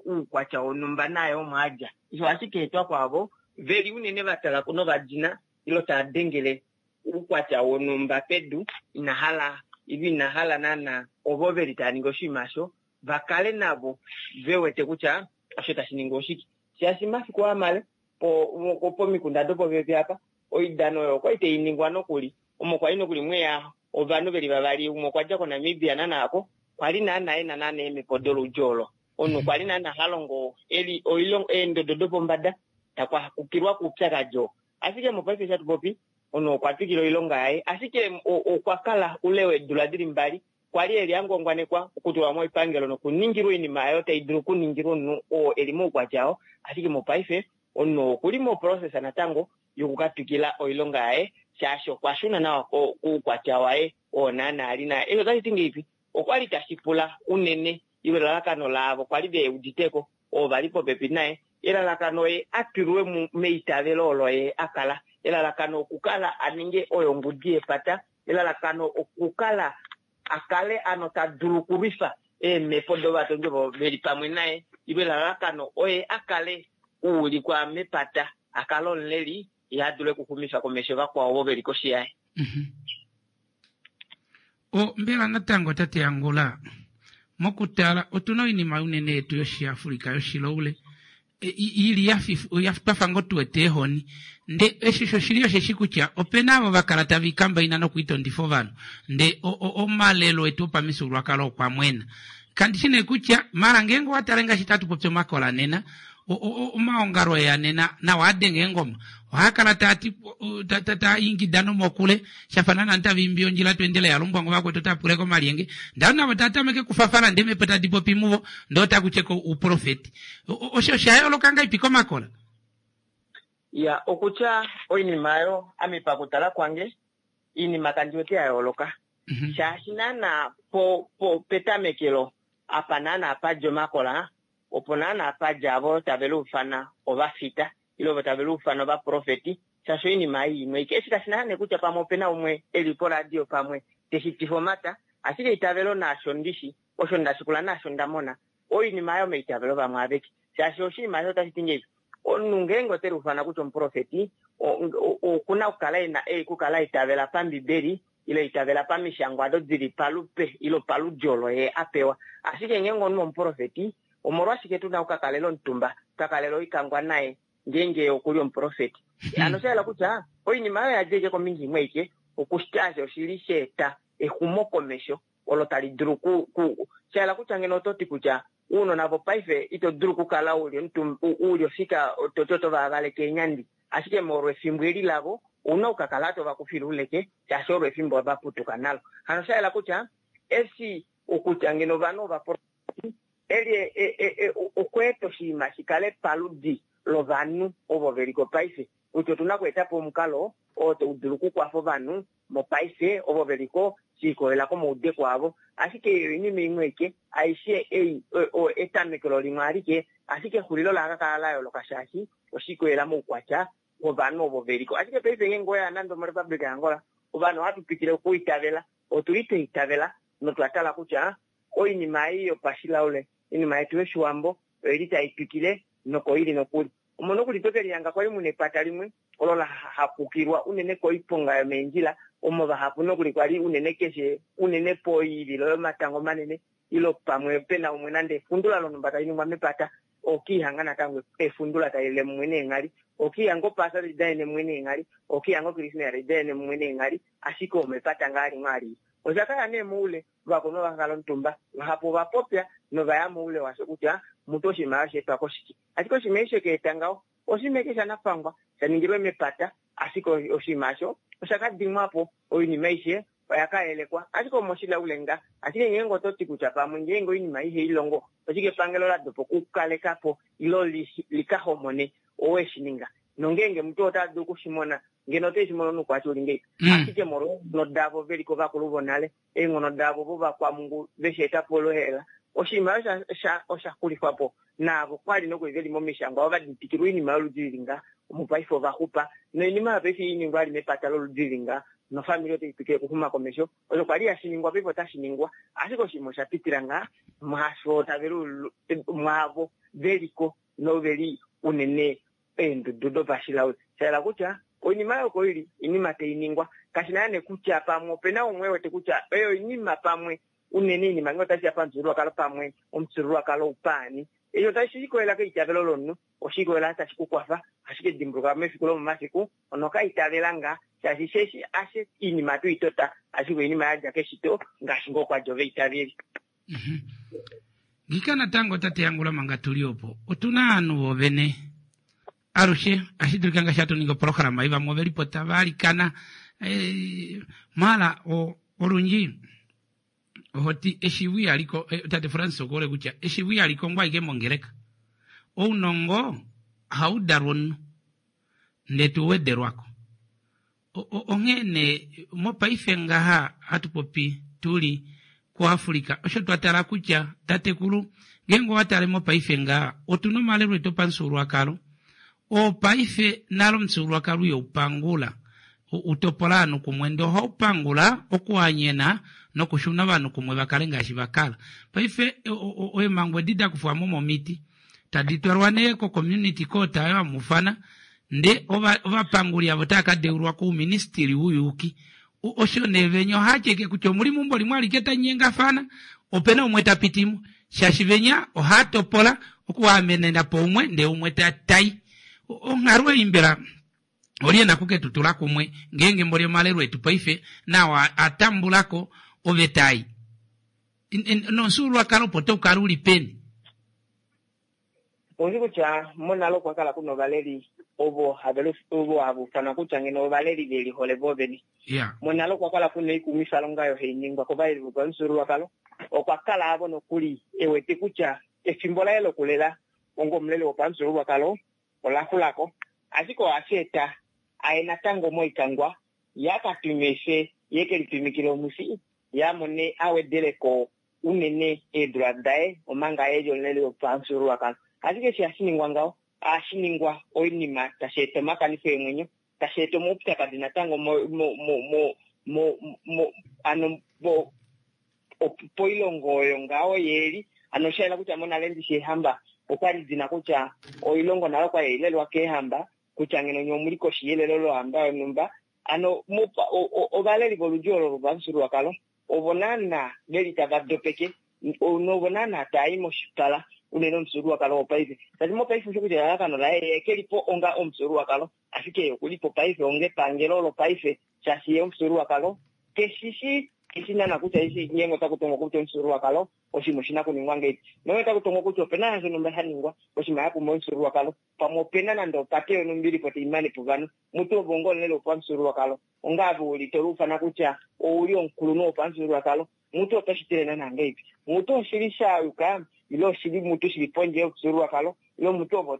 uukwatya wonhumba naye omo adja. Osho ohashi ka etwa kwaavo veli unene vatala novadina ile taa dengele uukwatya wonhumba pedu ina hala ile ina hala naana ovo veli tava ningi oshinima osho vakale navo vewete kutya osho tashi ningwa oshike. Shaashi mafiku amale po pomikunda dopopepi apa oidano oyo okwali tainingwa nokuli omo kwali nokuli mweya ovanhu veli vavali, umwe okwa dja koNamibia nanaako kwali naana ena naana eemhepo doludji olo. Omunhu kwali naana ha longo eli oilongo eendodo dopombada takwakukilwa kuupyakadi oo. Ashike mopaife eshi hatu popi omunhu okwa twikila oilonga yaye ashike okwa kala ule weedula dili mbali kwali eli angwangwanekwa okutulwa moipangelo nokuningilwa oinima ayo tai dulu okuningilwa omunhu oo eli moukwatya oo. Ashike mopaife omunhu okuli moprocess natango yokukatwikila oilonga yaye shaashi okwa shuna nawa kuukwatya waye oo naana ali naye. Eshi otashi ti ngeipi? Okwali tashi pula unene ile elalakano laavo kwali veuditeko oo vali popepi naye, elalakano ye atulwe meitavelo olo ye akala, elalakano okukala aninge oyo ongudi yepata, elalakano okukala akale ano ta dulu okulwifa eemhepo dovatondi ovo veli pamwe naye, ile elalakano oye akale uulikwa mepata akale omuleli ye adule okuxumifa komesho vakwao ovo veli koshi yaye. O mbela natango tate Angula mokutala otuna oinima unene yetu yoshiAfrika yoshiloule ili twafa ngoo tuwete eehoni nde eshi shoshili osheshi kutya opena avo vakala tava ikambaina nokuitondifa ovanhu nde omalelo etu opamifyuululwakalo okwa mwena. Kandishi nee kutya mala ngeenge owatale ngaashi tatu popi omakola nena omaongalo eya nena nawa adenge eengoma ohaakala taati taa ingida nomokule shafa naana tava imbi ondjila tweendele yalumbwa ngo vakwetu otapule komalyenge ndee navo taatameke kufafala ndee eemhepo tadi popi muvo ndee otakutyeko ouprofeti. Osho osha yooloka ngahelipi komakola? Ya okutya oinima ayo ame pakutala kwange iinima kandi wete ya yooloka shaashi naana po po petamekelo apa naana padja omakola opo naana padja avo tave luufana ovafita ile ovo tave luufana ovaprofeti shaashi oinima ei imwe eshi kashi na nee kutya pamwe opena umwe eli poradio pamwe teshi tifa omata, ashike eitavelo naasho ndishi osho ndashikula naasho ndamona oinima ayo meitavelo vamwe aveke shaashi oshinima osho otashi ti ngeipi omunhu ngeenge ote luufana kutya omuprofeti okuna okukala ena okukala eitavela pambibeli ile itavela pamishangwa ado dili palupe ilo paludi olo ye a pewa. Ashike ngeenge omunhu omuprofeti, omolwashike tuna okukakalela omutumba, twakalela oikangwa naye ngeenge okuli omuprofeti? Ano osha yela kutya oinima oyo yadja ike kombinga imwe ike, okushitaasha oshili sha eta exumokomesho olo tali dulu ku, ku sha yela kutya ngeno oto ti kutya uunona vopaife ito dulu okukala uli omutumba, uli ofika toti oto va valeke eenyandi, ashike molwa efimbo eli lavo ouna okukakala to va kufile uleke shaashi olo efimbo va putuka nalo. Hano osha yela kutya eshi okutya ngeno ovanhu ovaprofeti eli okweeta oshinima shi kale paludi lovanhu ovo veliko paife, kutya otuna okweeta po omukalo oo tau dulu okukwafa ovanhu mopaife ovo veliko shi ikolelela komaudeko avo. Ashike oinima imwe ike aishe ei etamekelo limwe alike, ashike exulilo la ka kala la yooloka shaashi oshi ikolelela moukwatya wovanhu ovo veliko. Ashike paife ngeenge oya nande omoRepublic yaAngola, ovanhu ohatu twikile okuitavela, otuli twa itavela notwa tala kutya oinima ei yopashilaule, oinima yetu yoshiwambo oili tai twikile nokoili nokuli. Omo nokuli toke lihanga kwali muna epata limwe olo la hapukilwa unene koiponga yomeendjila, omo vahapu nokuli kwali unene keshe unene poivilo yomatango manene ilo pamwe pena umwe nande efundula lonhumba tali ningwa mepata, okiihanga natango efundula tali lile mumwe neenghali, okiihanga opaasa tali danene mumwe neenghali, okiihanga okrismesa tali danene mumwe neenghali, ashike omepata ngaa limwe alile. Osha kala nee moule, ovakulunhu ova kala omutumba, vahapu ova popya novaya moule washo kutya mutu oshinima osha etwa koshike. Ashike oshinima eshi sheka eta ngaho oshinima eke shanafangwa sha ningilwe mepata, ashike oshinima osho osha ka dimwa po, oinima aishe oya ka yelekwa, ashike omoshilaule nga. Ashike ngeenge oto ti kutya pamwe ngeenge oinima ihai longo, oshike epangelo la dopa okukaleka po ilo li ka homone owe shi ninga? Nongeenge omuntu ota dulu okushimona, ngeno ote shi mono noukwatya uli ngei. Ashike molwa eenghono davo veli kovakulu vonale, eenghono davo vovakwamungu veshi eta po lohela, oshinima osho osha xulifwa po. Naavo kwali nokuli veli momishangwa ova ditikilwa oinima yoludi lili nga, mopaife ova xupa. Noinima oyo paife iningwa ali mepata loludi lili nga, nofamili otai twikile okuxuma komesho. Osho kwali hashi ningwa paife otashi ningwa, ashike oshinima osha pitila ngaa mwaasho tave mwaavo veliko noveli unene eendudu dopashilaule. Sha yela kutya oinima oyo koili oinima tai ningwa, kashi na nee kutya pamwe opena umwe wete kutya oyo oinima pamwe unene oinima ngee otashi ya pamufyuululwakalo pamwe omufyuululwakalo upaani. Eshi otashi ikolelela keitavelo lomunhu, oshi ikolelela tashi ku kwafa, ashike dimbuluka mefiku lomomafiku ono ka itavela ngaa, shaashi sheshi ashe oinima tu itota, ashike oinima yadja keshito ngaashi ngoo kwa dja ovaitaveli. Ngika natango tate Yangula manga tuli opo, otuna ovanhu vovene alushe ashi dulika ngaashi hatu ningi oprograma ei, vamwe ovelipo tava alikana maala olundji ohoti eshiivo ihaliko, tate Francis okuhole kutya eshiivo ihali kongwa ashike mongeleka. Ounongo ohau dalwa omunhu ndele to wedelwako. Onghee nee mopaife ngaha hatu popi tuli kuAfrika, osho twa tala kutya tatekulu ngeenge owa tale mopaife ngaha otuna omalelo etu opamufyuululwakalo oo paife nale omufyuululwakalo ihaupangula utopola ovanhu kumwe, ndee ohaupangula okuhanyena nokushuna ovanhu kumwe vakale ngaashi vakala. Paife eemhango edi dakufwamo momiti tadi twalwa nee ko community court ayo amufana, ndee ovapanguli avo otava ka deulwa kouministili wouyuuki. Osho nee venya ohaasheke kutya omuli meumbo limwe alike tanyengafana, opena umwe tapitimo, shaashi venya ohaatopola okuamenena po umwe ndee umwe tai. Onghalo ei mbela olye na kuketutula kumwe ngeenge mboli omalelo etu paife nao atambulako oveta ei nomufyuululwakalo opo taukala uli peni? Oushi kutya monale okwa kala kuna ovaleli ovo have ovo hava ufanwa kutya ngeno ovaleli ve lihole voovene. Monale okwa kala kuna oikumwifalonga oyo hai ningwa kovaleli vopamufyuululwakalo. Okwa kala avo nokuli e wete kutya efimbo laye lokulela onga omuleli wopamufyuululwakalo ola xulako, ashike ohashi eta aye natango moikangwa ya ka tumife ye ke litumikile omwifi ya mone a wedeleko unene eedula daye omanga eli omuleli wopamufyuululwakalo. Ashike eshi hashi ningwa ngaho, ohashi ningwa oinima tashi eta omakanifo eemwenyo, tashi eta omaupyakadi natango mo mo mo mo mo ano po poilongo oyo ngaho yeeli. Ano osha yela kutya monale ndishi eehamba okwali dina kutya oilongo nale okwali hailelwa keehamba, kutya ngeno nye omuli koshi yelelo lohamba yonhumba, Ano ovaleli voludi olo lopamufyuululwakalo ovo naana veli tava dopeke novo naana taayi moshipala unene omufyuululwakalo wopaife. Tati mopaife osho kutya elalakano laye ye kelipo onga omufyuululwakalo, ashike okulipo paife onga epangelo lopaife, shaashi ye omufyuululwakalo keshishi keshi naana kutya eshi ngeenge otaku tongwa kutya omufyuululwakalo oshinima oshina kuningwa ngeipi. Nonge otaku tongwa kutya opena sha shonhumba sha ningwa oshinima sha pumba omufyuululwakalo, pamwe opena nande opate yonhumba ilipo taimane po ovanhu, mutu ove onga omuleli wopamufyuululwakalo, onga ove uli toluufana kutya ouli omukulunhu wopamufyuululwakalo, mutu oto shitile naana ngeipi? Mutu oshili shayuka ile oshili mutu shili pondje yomufyuululwakalo, ile mutu ove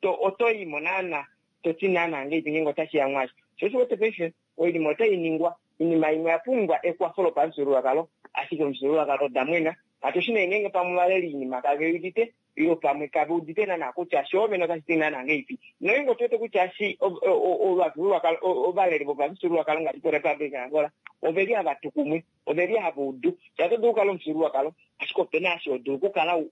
otoyimo naana toti naana ngeipi ngeenge otashiya mwaasho. Sho osho uwete paife oinima otai ningwa, oinima imwe oya pumbwa ekwafo lopamufyuululwakalo, ashike omufyuululwakalo odamwena. Katushi nee ngeenge pamwe ovaleli oinima kave udite ile pamwe kave udite naana kutya shoovene otashi ti naana ngeipi. Nongeenge otuwete kutya shi ovafyuululwakalo ovaleli vopamufyuululwakalo ngaashi koRepublic yaAngola oveli hava tu kumwe, oveli hava udu. Shaashi oto dulu okukala omufyuululwakalo ashike opena eshi ho dulu okukala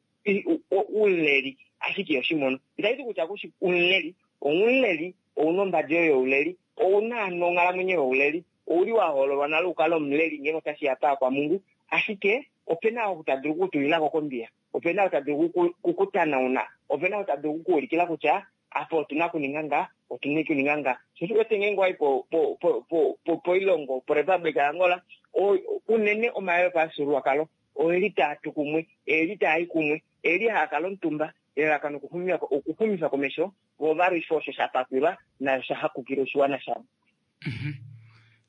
umuleli ashike ihoshimono. Itashi ti kutya kushi umuleli, oumuleli ouna ombadi yoye youleli, ouna hano onghalamwenyo youleli, ouli wa hoololwa nale ukale omuleli ngeenge otashiya paakwamungu, ashike opena ou ta dulu okukutulilako kombiya, opena ou ta dulu okukutanauna, opena ou ta dulu okukuulikila kutya apa otuna okuninga nga, otuna okuninga nga. Sho osho uwete ngeenge owayi poilongo poRepublic yaAngola, unene omalelo opamufyuululwakalo oeli taa tu kumwe, eeli taa i kumwe, eeli haa kala omutumba, elalakano okuxumifa komesho vo ovalwife osho sha pakwilwa nayo sha hakukila oshiwana shavo.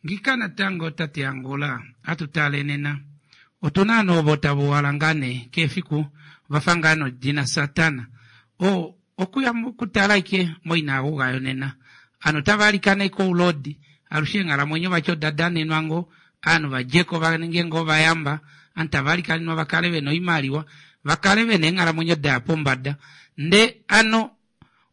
Ngika natango tate Angola atu tale nena otuna ovanhu ovo tava uhala ngaa nee keefiku vafa ngaa nodina Satana o okuya okutala ike moinaaguga yonena ovanhu otava alikana ike oulodi alushe eenghalamwenyo vati oda danenwa ngoo ovanhu vadjeko vaninge ngoo ovayamba ovanhu tava alikanenwa vakale vena oimaliwa vakale vena eenghalamwenyo daya pombada ndee ano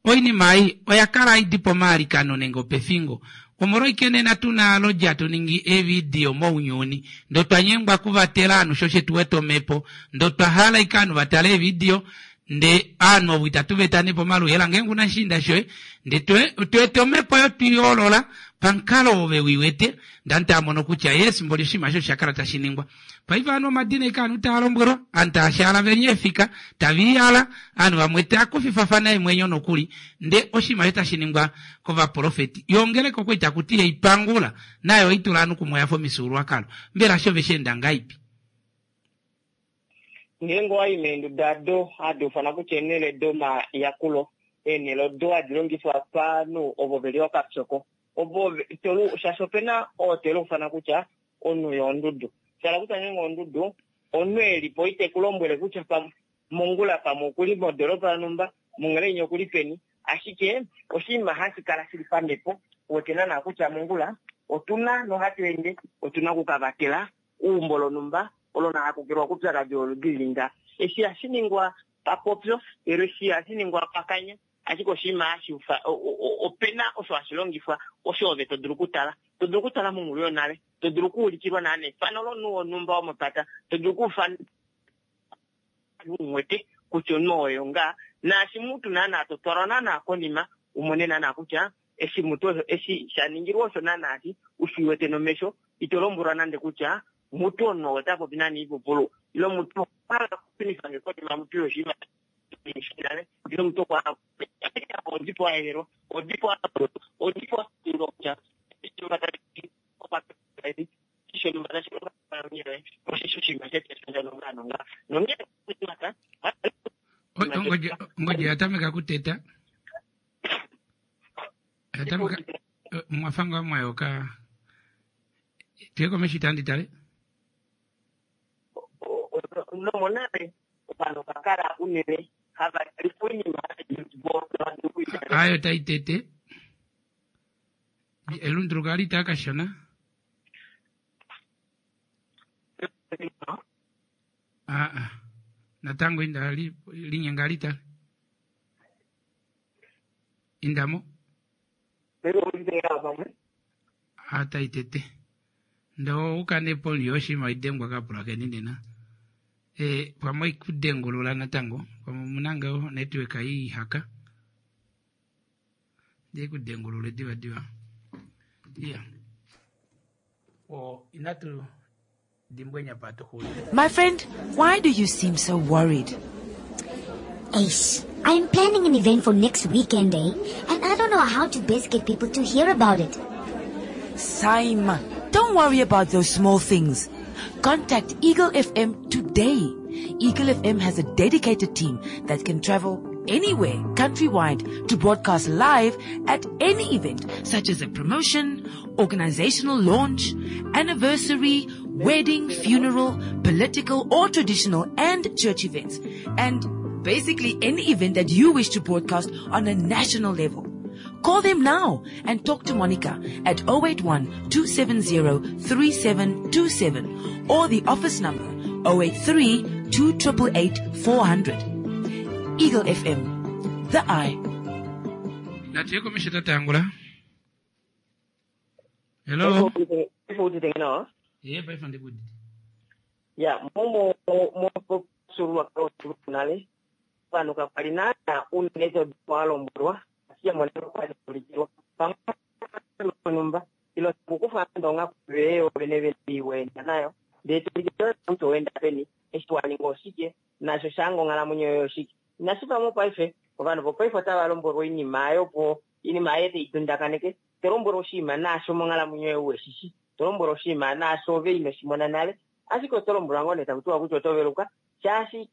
oinima ei oya kala haidi pomaalikano nenge opefingo omolwaike nena tuna aloji hatu ningi eevidio mounyuni ndee otwa nyengwa okuvatela ovanhu sho shetu wete omhepo ndee otwa hala ike ovanhu vatale eevidio ndee ovanhu ovo itatu veta nee pomaluhela ngeenge una oshiinda shoye ndee tweeta omhepo oyo twiihoolola pamukalo ove wiwete ndee ovanhu taamono kutya yes mboli oshinima eshi oshakala tashi ningwa. Paife ovanhu omadina ike ovanhu taa lombwelwa ovanhu taashaala veli eefika taviihala ovanhu vamwe taakufifafana eemwenyo nokuli ndee oshinima osho tashi ningwa kovaprofeti yoo ongeleka okwali takuti yeipangula nayo oitula ovanhu kumwe oyafa omifyuululwakalo mbela sho vesheenda ngahaipi? Ngeenge owayi meenduda do hadi ufanwa kutya eenhele domayakulo, eenhele odo hadi longifwa pavanhu ovo veli okapyoko, ovo shaashi opena oo teluufana kutya omunhu yondudu. Shala kutya ngeenge ondudu, omunhu elipo ite kulombwele kutya mongula pamwe okuli modoropa yonhumba, mongula okuli peni, ashike oshinima hashi kala shili pamhepo, uwete naana kutya mongula otuna nohatu ende, otuna okukavatela uumbo lonhumba olo lahakukilwa koupyakadi woludi linga. Eshi hashi ningwa papopyo, eshi hashi ningwa pakanya, ashike oshinima hashi opena osho hashi longifwa osho ove to dulu okutala, to dulu okutala monghulu yonale, to dulu okuulikilwa naana efano lomunhu wonhumba womepata, to dulu okuufana umwete kutya omunhu oyo ngaa, naashi mutu naana to twalwa naana konima umone naana kutya eshi mutu eshi shaningilwa osho naana eshi ushiwete nomesho, ito lombwelwa nande kutya mutu omunhu ota popi nani ipupulu, ile mutu okwa okushunifa nge konima mutu yoshinima nale, ile mutu okwa odipo aelelwa, odipo odipo kutya Ongodji oyatameka okuteta oyatameka mwafa ngaa mwayoka tuye komesho itandi tale nomonale ovanhu ovakala unene hava lifa oinima ayo taitete elunduluko ali taa kashona aa natango inda linyenga litale indamo ataitete ndo ukanepo yoshima idengwa kapulakeni nena e pamwe ikudengulula natango pamwe omunanga network ihaka ndikudengulule diva diva iya. O inatu dimbwenya pa tuxulile. My friend, why do you seem so worried? Eish, I'm planning an event for next weekend, eh? And I don't know how to best get people to hear about it. Saima, don't worry about those small things. Contact Eagle F M today. Eagle F M has a dedicated team that can travel anywhere countrywide to broadcast live at any event, such as a promotion, organizational launch, anniversary, wedding, funeral, political or traditional and church events, and basically any event that you wish to broadcast on a national level. Call them now and talk to Monica at oh eight one two seven zero three seven two seven or the office number oh eight three two eight eight four hundred. Eagle F M, the eye. Natuye komisho tatangula. Hello. Ife nawa. Ye paife ndikuditi. Ya, momo mosulwa nale pano kapali nana unezo walombulwa asiya mwanero kwalikulikirwa pamwe ilo kukufa ndonga kuveyo vene vene nayo ndetulikirwa mtu wenda peni eshi waninga oshike nasho shango onghalamwenyo yoyo oshike inashipamo paife ovanhu vopaife otava lombwelwa oinima ayo po iinima aye teidundakaneke tolombwelwa oshinima naasho monghalamwenyo yoye weshishi tolombwelwa oshinima naasho ove inoshimona nale ashike oto lombwelwa ngoo nee takutiwa kutya oto veluka shaashi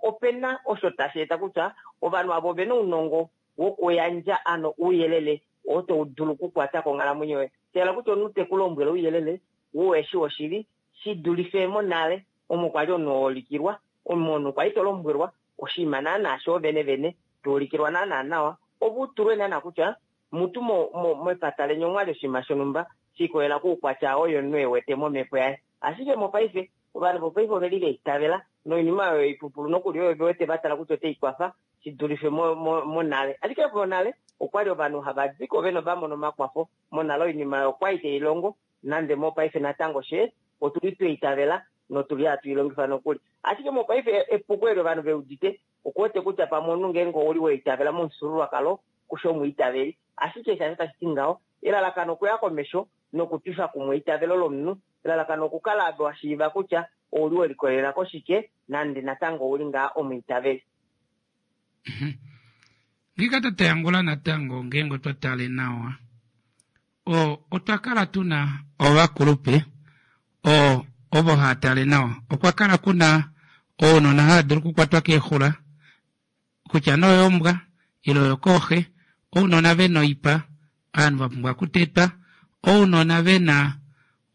opena osho tashi eta kutya ovanhu avo ovena ounongo wokuyandja ano ouyelele oo tau dulu okukwata konghalamwenyo yoye tela kutya omunhu teku lombwele ouyelele woweshi woshili shi dulife monale omo kwali omunhu oolikilwa omunhu kwali to lombwelwa oshinima naana sho vene vene tuulikilwa naana nawa opo utulwe naana kutya mutu mepata leni omwali oshinima shonumba shiikolela kuukwatya oyo omunhu ewete momhepo yaye. Ashike mopaife ovanhu vopaife oveli veitavela noinima oyo ipupulu nokuli oyo vewete vatala kutya otaikwafa shidulife monale. Ashike monale okwali ovanhu hava diko vene vamona omakwafo monale oinima oyo okwali tailongo nande mopaife natango she otuli tweitavela notuli hatu ilongifa nokuli. Ashike mopaife epuko eli ovanhu veudite okuwete kutya pamwe omunhu ngeenge ouli weitavela momufyuululwakalo kusho omwiitaveli ashike shasho tashi ti ngaho elalakano okuya komesho nokutwifa kumwe eitavelo lomunhu elalakano okukala wa shiiva kutya ouli welikolelela koshike nande natango ouli ngaa omwiitaveli. Ngika tatayangula natango ngeenge otwa tale nawa o otwa kala tuna ovakulupe o ovo haatale nawa okwa kala kuna ounona hava dulu okukwatwa keexula kutya noyombwa ile oyokooxe ounona vena oipa ovanhu vapumbwa okutetwa ounona vena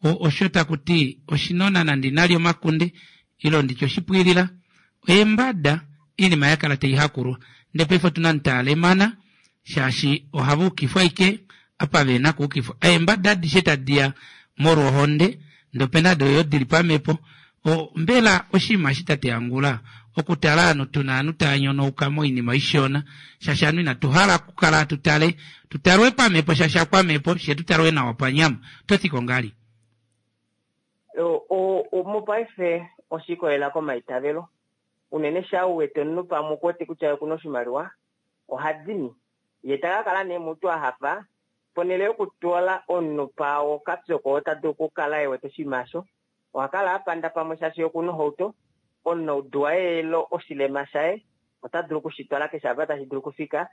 osho takuti oshinona nande inali omakunde ile nditye oshipwiilila eembada iinima yakala taihakulwa ndee paife otuna mutaalemana shaashi ohava ukifwa ashike apa vena okuukifwa eembada adishe tadiya molwa ohonde ndee opena doyo dili pamhepo. Mbela oshinima eshi tate Angula okutala ovanhu tuna ovanhu tava nyonauka moinima ishona shaashi ovanhu inatuhala okukala tutale tutalwe pamhepo shaashi akwamhepo shee tutalwe nawa panyama ototi ngali. Mopaife oshiikolela komaitavelo unene shaa uwete omunhu pamwe okuwete kutya okuna oshimaliwa ohadini ye takakala nee mutu ahafa ponele yokutwala omunhu paawo kapyoko ota dulu okukala ewete oshinima osho ohakala apanda pamwe shaashi okuna ohauto omunaudu waye elo oshilema shaye ota dulu okushitwala keshe apa tashi dulu okufika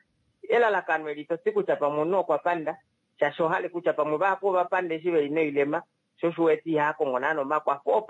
elalakano eli toti kutya pamwe omunhu okwa panda shaashi ohale kutya pamwe vahapu ovapanda eshi veli noilema sho osho uwete ihakongo naana omakwafo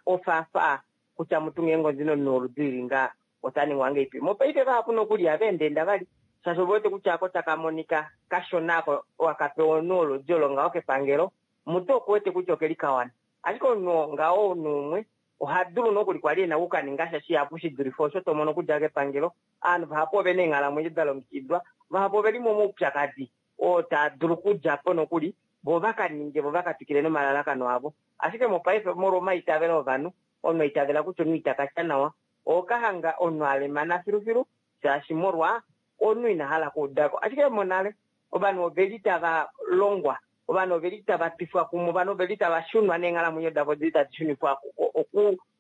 ofaafaa kutya mutu ngeenge ondina omunhu woludi lili ngaa ota ningwa ngeipi. Mopaife vahapu nokuli ihava endaenda vali shaashi ovewete kutya ako taka monika kashona ako wakapewa omunhu woludi olo ngaho kepangelo mutu okuwete kutya okeli kawana ashike omunhu ngaho omunhu umwe oha dulu nokuli kwali ena okukaninga sha shihapu shidulife osho tomono okudja kepangelo. Ovanhu vahapu ovena eenghalamwenyo da longekidwa vahapu oveli momaupyakadi oo taa dulu okudjapo nokuli vo vakaninge vo vakatwikile nomalalakano avo. Ashike mopaife molwa omaitavelo ovanhu omunhu aitavela kutya omunhu itakatya nawa okahanga omunhu alemana filufilu shaashi molwa omunhu ina hala okuudako. Ashike monale ovanhu oveli tava longwa ovanhu oveli tava twifwa kumwe ovanhu oveli tava shunwa neenghalamwenyo davo dili tadi shunifwa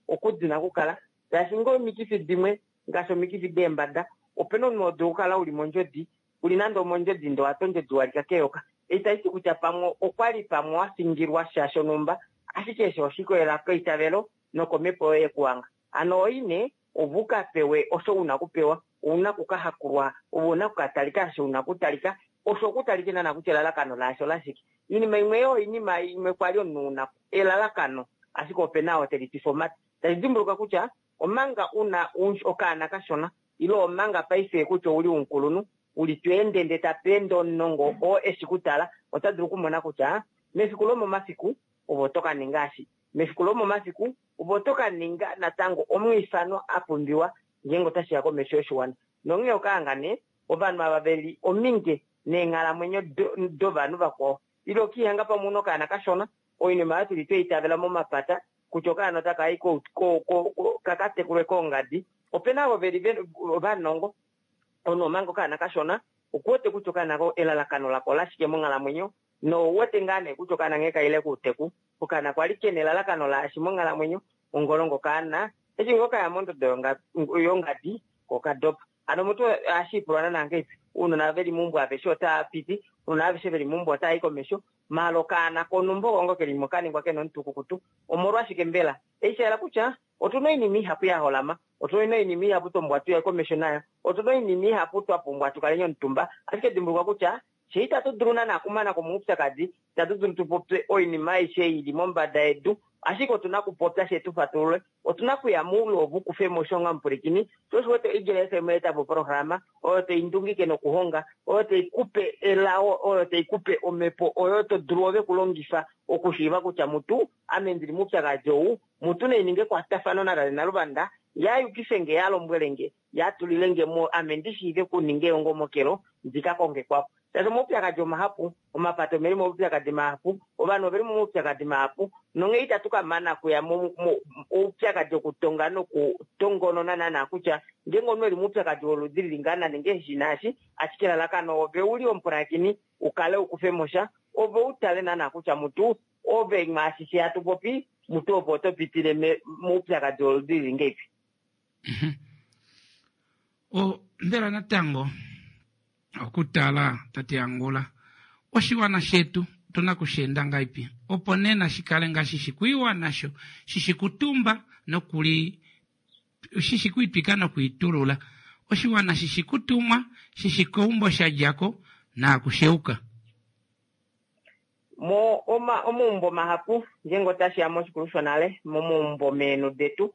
okudina okukala shaashi ngee omikifi dimwe ngaashi omikifi deembada opena omunhu odulu okukala uli mondjodi uli nande omondjodi ndee owatwa ondjodi walika keyoka. Itashi ti kutya pamwe okwali pamwe wa fingilwa sha shonhumba, ashike eshi oshikolela keitavelo nokomhepo yoye yekuwanga. Ano oine ove u ka pewe osho una okupewa, ouna okukahakulwa, ove una okukatalika osho una okutalika, osho okutalike naana kutya elalakano laasho olashike. Oinima imwe yo oinima imwe kwali omunhu una elalakano, ashike opena oo telitwifa omate. Tashi dimbuluka kutya omanga una okaana kashona ile omanga paife kutya ouli omukulunhu, uli tweende ndee tapeende omunongo oo eshi kutala, ota dulu okumona kutya mefiku lomomafiku ove oto ka ninga eshi, mefiku lomomafiku ove oto ka ninga natango omwiifano a pumbiwa ngeenge otashiya komesho yoshiwana. Nonghee okaanga nee ovanhu ava veli ominge neenghalamwenyo dovanhu vakwao, ile okiihanga pamwe una okaana kashona, oinima oyo tuli tweitavela momapata kutya okaana otakayi kakatekulwe koongadi. Opena ovo veli ovanongo, omunhu omanga okaana kashona okuwete kutya okaana elalakano lako olashike monghalamwenyo, nouwete ngaa nee kutya okaana nghee kaile kouteku, okaana kwali kena elalakano laashi monghalamwenyo, ongolongo okaana eshi ngoo kaya mondodo yongadi kokadopa. Ano omuntu ohashi ipulwa naana ngahelipi, ounona veli meumbo aveshe otava piti, ounona aveshe veli meumbo otava i komesho, maala okaana konhumba oko ngoo kelimo kaningwa kena omutukukutu. Omolwashike mbela? Eshi sha yela kutya otuna oinima ihapu ya holama, otuna oinima ihapu twa pumbwa tuye komesho nayo, otuna oinima ihapu twa pumbwa tukaleni omutumba, ashike dimbuluka kutya fye itatu dulu naana okumana ko moupyakadi, itatu dulu tupopye oinima aishe ili mombada yedu, ashike otuna okupopya fye tufatulule, otuna okuya moule ove ukufemo osho onga omupwilikini. Sho osho uwete Eagle F M oya po oprograma oyo tai ndungike nokuhonga, oyo tai kupe elao, oyo tai kupe omhepo oyo to dulu ove kulongifa okushiiva kutya mutu ame ndili moupyakadi ou, mutu naininge ekwatafano natate Naluvanda, ya yukife nge, ya lombwele nge, ya tulile nge mo, ame ndi shiive okuninga eongomokelo ndi ka konge kwafo. Shaashi omaupyakadi omahapu, omapato omeli moupyakadi mahapu, ovanhu oveli momaupyakadi mahapu, nonghee itatu ka mana kuya moupyakadi okutonga nokutongonona naana kutya ngeenge omunhu eli moupyakadi woludi lili ngaa naninge eshi naashi, ashike elalakano ove uli omupulakeni ukale ukufe mo sha, ove utale naana kutya mutu ove mwaashi she hatu popi, mutu ove oto pitile moupyakadi woludi lili ngeipi. O mbela natango okutala tate Angula oshiwana shetu otuna kusheenda ngaipi opo nena shikale ngaashi shikuiwa nasho shishikutumba nokuli shishikuitwika nokuitulula, oshiwana shishikutumwa shishikeumbo shadjako naakusheuka. Mo oma omaumbo mahapu ngeenge otashiya moshikulu shonale, momaumbo meenhu detu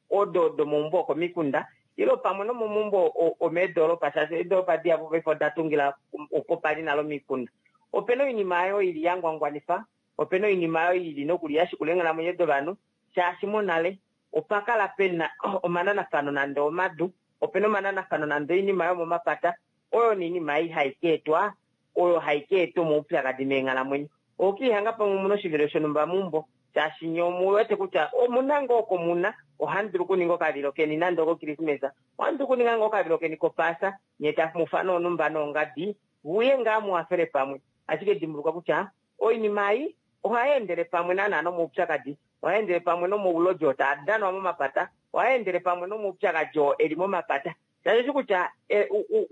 odo domaumbo okomikunda ile pamwe nomomaumbo omeedoropa, shaashi eedoropa dihapu paife oda tungila opo pali nale omikunda. Opena oinima oyo ili ya ngwangwanifa, opena oinima oyo ili nokuli ya shikula eenghalamwenyo dovanhu, shaashi monale opa kala pena omananafano nande omadu, opena omananafano nande oinima yomomapata, oyo noinima ei hai ka etwa, oyo hai ka eta omaupyakadi meenghalamwenyo. Okiihanga pamwe omuna oshivilo shonhumba meumbo, shaashi nye omuwete kutya omuna ngoo komuna, ohamu dulu okuninga okavilo keni nande okokrismesa, ohamu dulu okuninga ngoo okavilo keni kopaasa, nye tamu onumba noongadi, vuye ngaa muhafele pamwe. Ashike dimbuluka kutya oinima ei ohai endele pamwe naana nomaupyakadi, ohai endele pamwe nomaulodi oo taa danwa momapata, ohai endele pamwe nomaupyakadi oo eli momapata. Shaashi kutya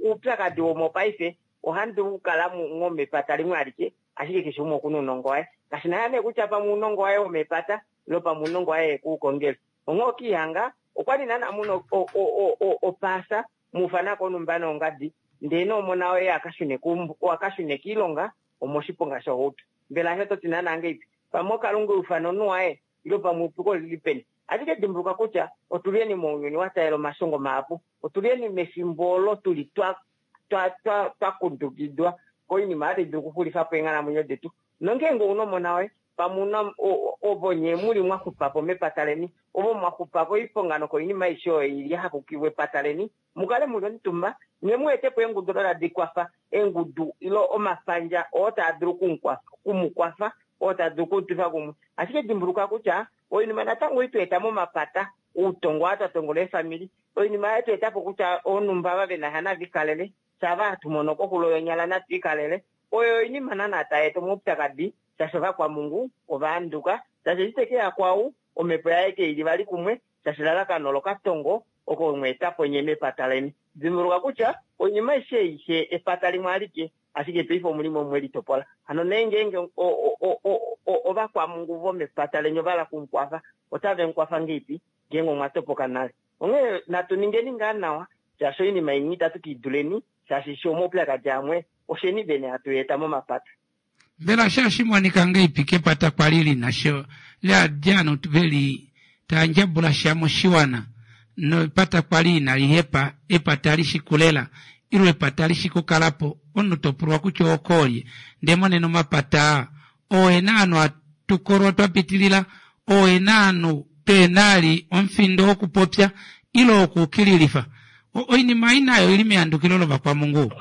oupyakadi womopaife ohamu dulu okukala mepata limwe alike, ashike keshe umwe okuna ounongo waye. Kashina nee kutya pamwe ounongo waye womepata ile pamwe ounongo waye ekuukongele. Onghee okiihanga okwali naana muna opaasa muufanako onumba noongadi, ndee nomona woye akashune kiilonga omoshiponga shohauto. Mbela osho toti naana ngeipi? Pamwe okalunga eufano omunhu waye ile pamwe epuko lili peni. Ashike dimbuluka kutya otulieni mounyuni wa taalela omashongo mahapu, otulieni mefimbo olo tuli twa twa twa twakundukidwa koinima oyo tai dulu okuxulifa po eenghalamwenyo detu. Nongeenge ouna omona woye pamwe una ovo nye muli mwaxupapo mepata leni, ovo mwaxupa koiponga nokoinima aishe oyo ili yahakukilwa epata leni, mukale muli omutumba nye mu etepo eengudu odo tadi kwafa, eengudu ile omapandja oo taa dulu okumukwafa, oo taa dulu okutwifa kumwe. Ashike dimbuluka kutya oinima natango itweeta momapata, outongo oo twa tongola eefamili, oinima oyo tweetapo kutya oonhumba ava vena sha navikalele, shava hatu mono koxulo yonyala natwiikalele, oyo oinima naana tai eta omaupyakadi, shaashi ovakwamungu ova handuka, shaashi eshi tekeya kwau omhepo yaye keili vali kumwe, Shaashi elalakano lokatongo oko mweetapo nye mepata leni. Dimbuluka kutya oinima aishe aishe epata limwe alike, ashike paife omulimo mwe litopola. Hano nee ngeenge ovakwamungu vomepata leni ovala kumukwafa, otave mukwafa ngeipi ngeenge omwa topoka nale. Onghee natu ningeni ngaa nawa, shaashi oinima imwe itatu kiiduleni, shaashi sho omaupyakadi amwe osheni vene hatu eta momapata. Mbela shashi monika ngeipi kepata kwali lina sho leadjano veli tandjabula sha moshiwana nopata kwali inali hepa epata lishikulela ilo epata lishikukalapo omunhu topulwa kutya okoolye ndee monena omapata oena ovanhu atukolwa twapitilila oena ovanhu peena ali omufindo wokupopya ilo wokuukililifa oinima ei nayo oili mehandukilo lovakwamungu.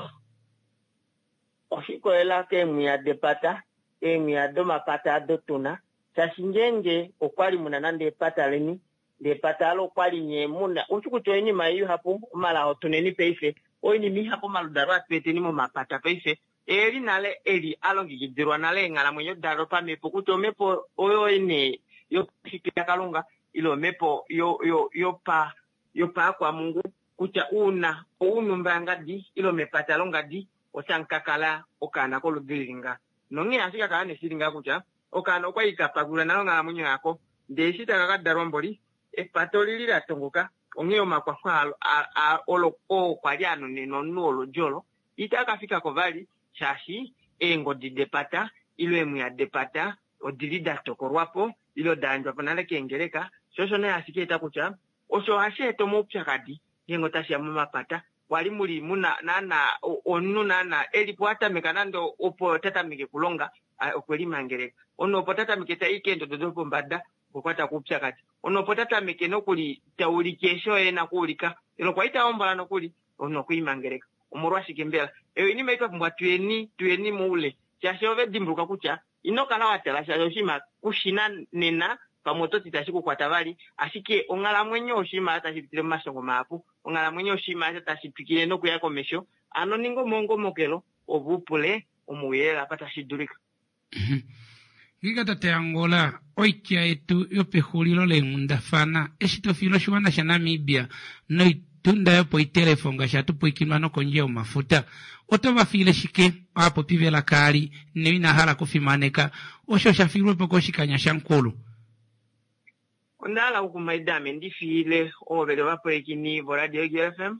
Oshikolela keemwiya depata, eemwiya domapata ado tuna, shaashi ngeenge okwali muna nande epata leni, ndee epata alo okwali nye muna ushi kutya oinima ihapu omalaho tuneni paife, oinima ihapu omaludalo atu eteni momapata paife eli nale eli alongekidilwa nale eenghalamwenyo dalo pamhepo kutya omhepo oyo ine yopashitwe yaKalunga ile omhepo yopa yopaakwamungu kutya uuna ounumba ngadi ile mepata longadi otamu ka kala okaana koludi lili nga. Nonghee ohashi ka kala neshili ngaa kutya okaana okwali ka pakulwa nale onghalamwenyo yako, ndee eshi taka ka dalwa mboli epata olili la tongoka, onghee omakwafo olo oo kwali anonenwa omunhu woludi olo itaa ka fikako vali, shaashi eengodi depata ile eemwiya depata odili da tokolwapo ile da yandjwapo nale keengeleka. Sho osho nee hashi ka eta kutya osho ohashi eta omaupyakadi ngeenge otashiya momapata. Kwali muli muna naana omunhu naana elipo atameka nande opo tatameke kulonga okwe limangeleka, omunhu opo tatameke tai keendodo dopombada okwa kwata koupyakadi, omunhu opo tatameke nokuli taulike eshi oye ena kuulika ile okwa ita hombola nokuli omunhu okwiimangeleka. Omolwashike mbela? Eyo oinima ei twa pumbwa tuyeni tuyeni moule, shaashi ove dimbuluka kutya ino kala wa tala shaashi oshinima kushina nena pamwe oto ti tashi kukwata vali, ashike onghalamwenyo oshinima tashi pitile momashongo mahapu, onghalamwenyo oshinima tashi twikile nokuya komesho. Ano ninga omaongomokelo ove upule omauyelele apa tashi dulika. Ngiika tate Angola, oitya yetu yopexulilo leenghundafana eshi tofiila oshiwana shaNamibia noitunda yopoitelefo ngaashi hatu pwiikinwa nokondje yomafuta, oto va fiile shike aapopi velaka ali noina hala kufimaneka osho sha fiilwepo koshikanya shamukulu? Onda hala okukumaida ame ndi fiile ovo veli ovapwilikini voRadio Eagle F M,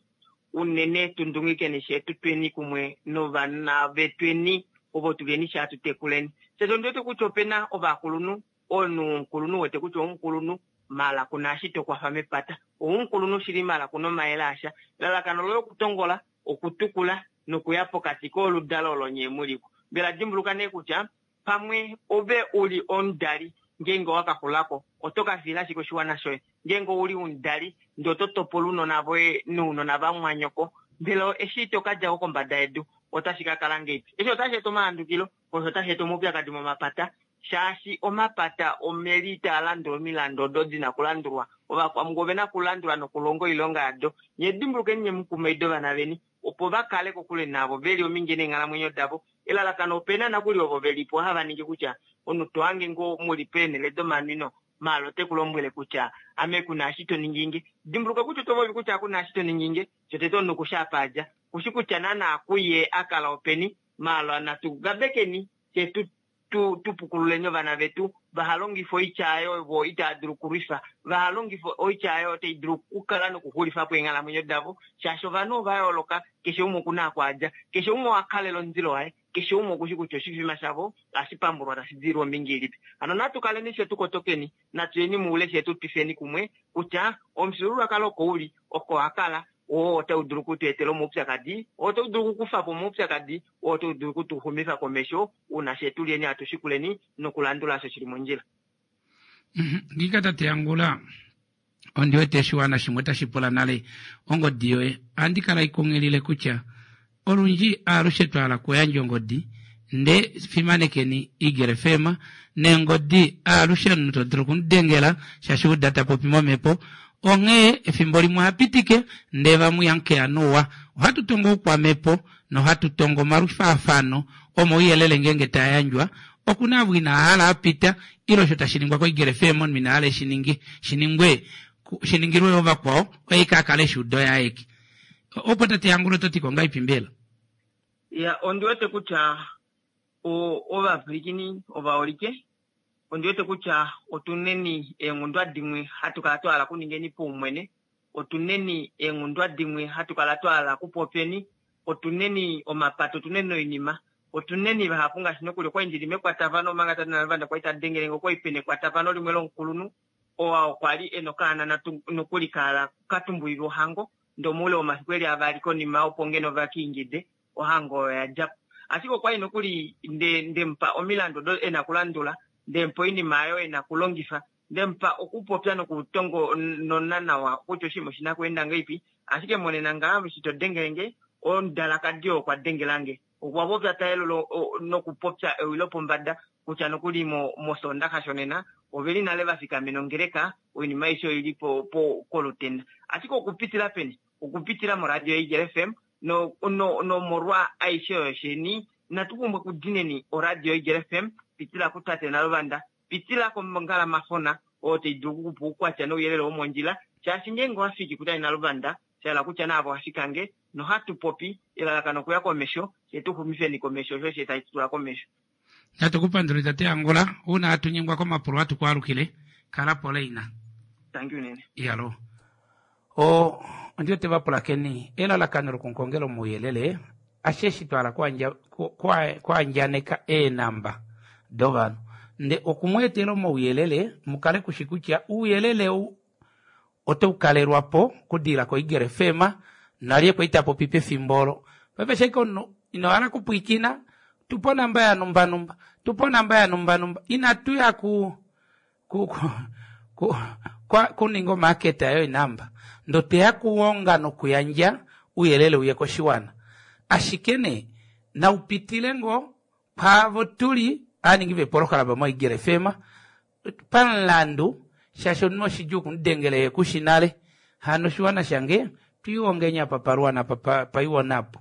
unene tundungikeni shetu tweni kumwe novana vetweni ovo tuleni sha tutekuleni. Shaashi ondi wete kutya opena ovakulunhu, omunhu omukulunhu wete kutya omukulunhu mala kuna eshi tokwafa mepata, omukulunhu shili mala kuna omayele asha. Elalakano loye okutongola, okutukula nokuya pokati koludalo olo nye muliko. Mbela dimbuluka nee kutya pamwe ove uli omudali ngeenge owakaxulako oto ka fiila ashike oshiwana shoye. Ngeenge ouli omudali ndee oto topola ounona voye nounona vamwanyoko, mbela eshi to ka djako kombada yedu otashi ka kala ngeipi? Eshi otashi eta omahandukilo, osho otashi eta omaupyakadi momapata, shaashi omapata omeli taa landula omilando odo dina kulandulwa. Ovakwamungu ovena kulandula nokulonga oilonga yado. Nye dimbulukeni nye mukumaido ovana veni opo va kale kokule navo veli ominge neenghalamwenyo davo. Elalakano opena nakuli ovo velipo hava ningi kutya omunhu to hange ngoo muli peenhele domanwino maalo ote ku lombwele kutya ame kuna eshi to ninginge. Dimbuluka kutya oto popi kutya kuna eshi to ninginge, shotete omunhu kushi apa adja, kushi kutya naana kuye a kala openi. Maalo natu gabekeni fye tu tupukululeni ovana vetu vaha longife oitya oyo vo itaa dulu okulwifa, vaha longife oitya oyo tai dulu okukala nokuxulifa po eenghalamwenyo davo, shaashi ovanhu ova yooloka, keshe umwe okuna apa adja, keshe umwe owa kalela omundilo waye, keshe umwe okushi kutya oshifima shavo ohashi pambulwa tashi dilwa ombinga ilipi. Hano natu kaleni fye tukotokeni, natu yeni moule fye tu twifeni kumwe kutya omufyuululwakalo oko uli, oko wa kala, oo otau dulu okutu etela omaupyakadi, oo otau dulu okukufa po omaupyakadi, oo otau dulu okutuxumifa komesho uuna fye tulyeni hatu shikuleni nokulandula osho shili mondjila. Ngiika tate Angula, ondi wete oshiwana shimwe otashi pula nale ongodi yoye. Ohandi kala ikunghilile kutya olundji aalushe twa hala okuyandja ongodi nde fimanekeni Eagle F M neengodi aalushe omunhu to dulu okumudengela shaashi uda ta popi momhepo. Onghee efimbo limwe ohapitike ndee vamwe ihamukeya nuwa. Ohatu tongo oukwamhepo nohatu tongo omalufaafano omauyelele ngeenge taa yandjwa. Okuna avo ina hala apita ile osho tashi ningwa koEagle F M omunhu ina hala eshi ninge shiningwe shiningilwe yo vakwao oye kakale shudo yaeke opo tate Hangulo to ti ko ngaipi mbela? Ya, ondi wete kutya ovapwilikini ovaholike, ondi wete kutya otuneni eenghundwa dimwe hatu kala twa hala kuningeni paumwene, otuneni eenghundwa dimwe hatu kala twa hala kupopeni, otuneni omapato, otuneni oinima, otuneni vahapu ngaashi nokuli okwali ndili mekwatafano omanga tate Naluvanda kwali ta dengele nge, okwali pena ekwatafano limwe lomukulunhu oo okwa li ena okaana nokuli kala katumbulilwa ohango, ndee omoule womafiku eli avali konima opo ngeno vakiingide ohango oyo yadjapo. Ashike okwali nokuli ndemupa omilandu odo ena okulandula, ndemupa oinima oyo ena okulongifa, ndemupa okupopya nokutongonona nawa kutya oshinima oshina okweenda ngahelipi. Ashike monena ngaa eshi to dengele nge, omudalakadi oo okwa dengela nge. Okwa popya ta yelula nokupopya ewi lopombada kutya nokuli mOsoondaxa shonena oveli nale vafikamena ongeleka, oinima aishe oili kolutenda. Ashike okupitila peni? Okupitila moradio Eagle F M nomolwa aishe oyo sheni natu pumbwa okudineni oradio Eagle F M, pitila kutate Naluvanda, pitila kongalamafona oyo tai dulu okukupa oukwatya nouyelele womondjila, shaashi ngeenge owafiki kutate Naluvanda shahala kutya naavo wafika nge nohatu popi elalakano okuya komesho, she tu xumifeni komesho osho she tashi tula komesho. Natu kupandule tate Angola, uuna hatu nyengwa komapulo hatu kwaalukile, kala po leina. Thank you nene. Iyalo. O ondi wete vapulakeni elalakano lokunkongela omauyelele ashe twala kuandjaneka eenamba dovanhu nde okumweetela omauyelele mukale kushi kutya ouyelele ou otau kalelwapo kudila ko Eagle F M nalye kwaita popi pefimbo olo. Paife sheke omunhu ino hala kupwikina, tupo onamba ya numba numba, tupo onamba ya numba numba, inatu ya ku, ku, ku, ku, kwa, kuninga omaketa yo inamba ndo teya kuonga nokuyandja uyelele uye koshiwana. Ashike ne naupitile ngo paavo tuli aningi vepolohalama mo Eagle F M pamulandu shaashi omunhu oshidjuu okumudengele kushinale hano oshiwana shange twiiongenya apa paluwana apa paiwonapo.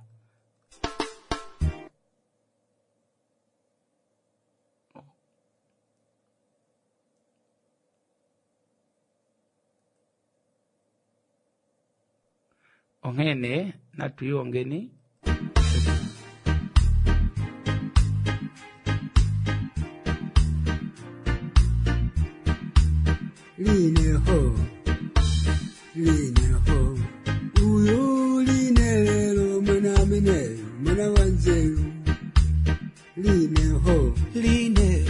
Onghene natwiiongeni. Line ho, line ho, uyu line lelo mwana mene, mwana wanzeru. Line ho, line,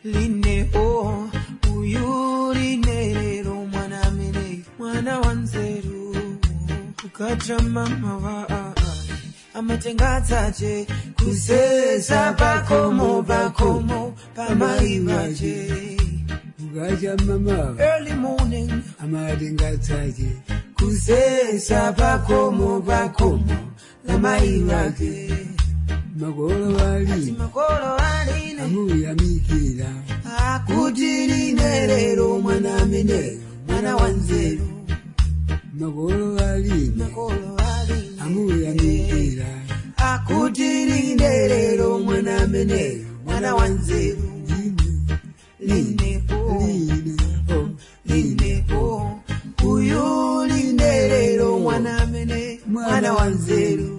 line ho, uyu line lelo mwana mene, mwana wanzeru. Ukacha mama wa amatengatsaje kusesa pakomo pakomo pamaivaje. Ukacha mama early morning amatengatsaje kusesa pakomo pakomo pamaivaje. Makolo ali makolo ali amuyamikira akuti line lero mwana mene mwana wanzeru. Makolo ali makolo ali amuyamikira akuti line lero mwana mene mwana wanzeru. Line o line o line o uyu line lero mwana mene mwana wanzeru.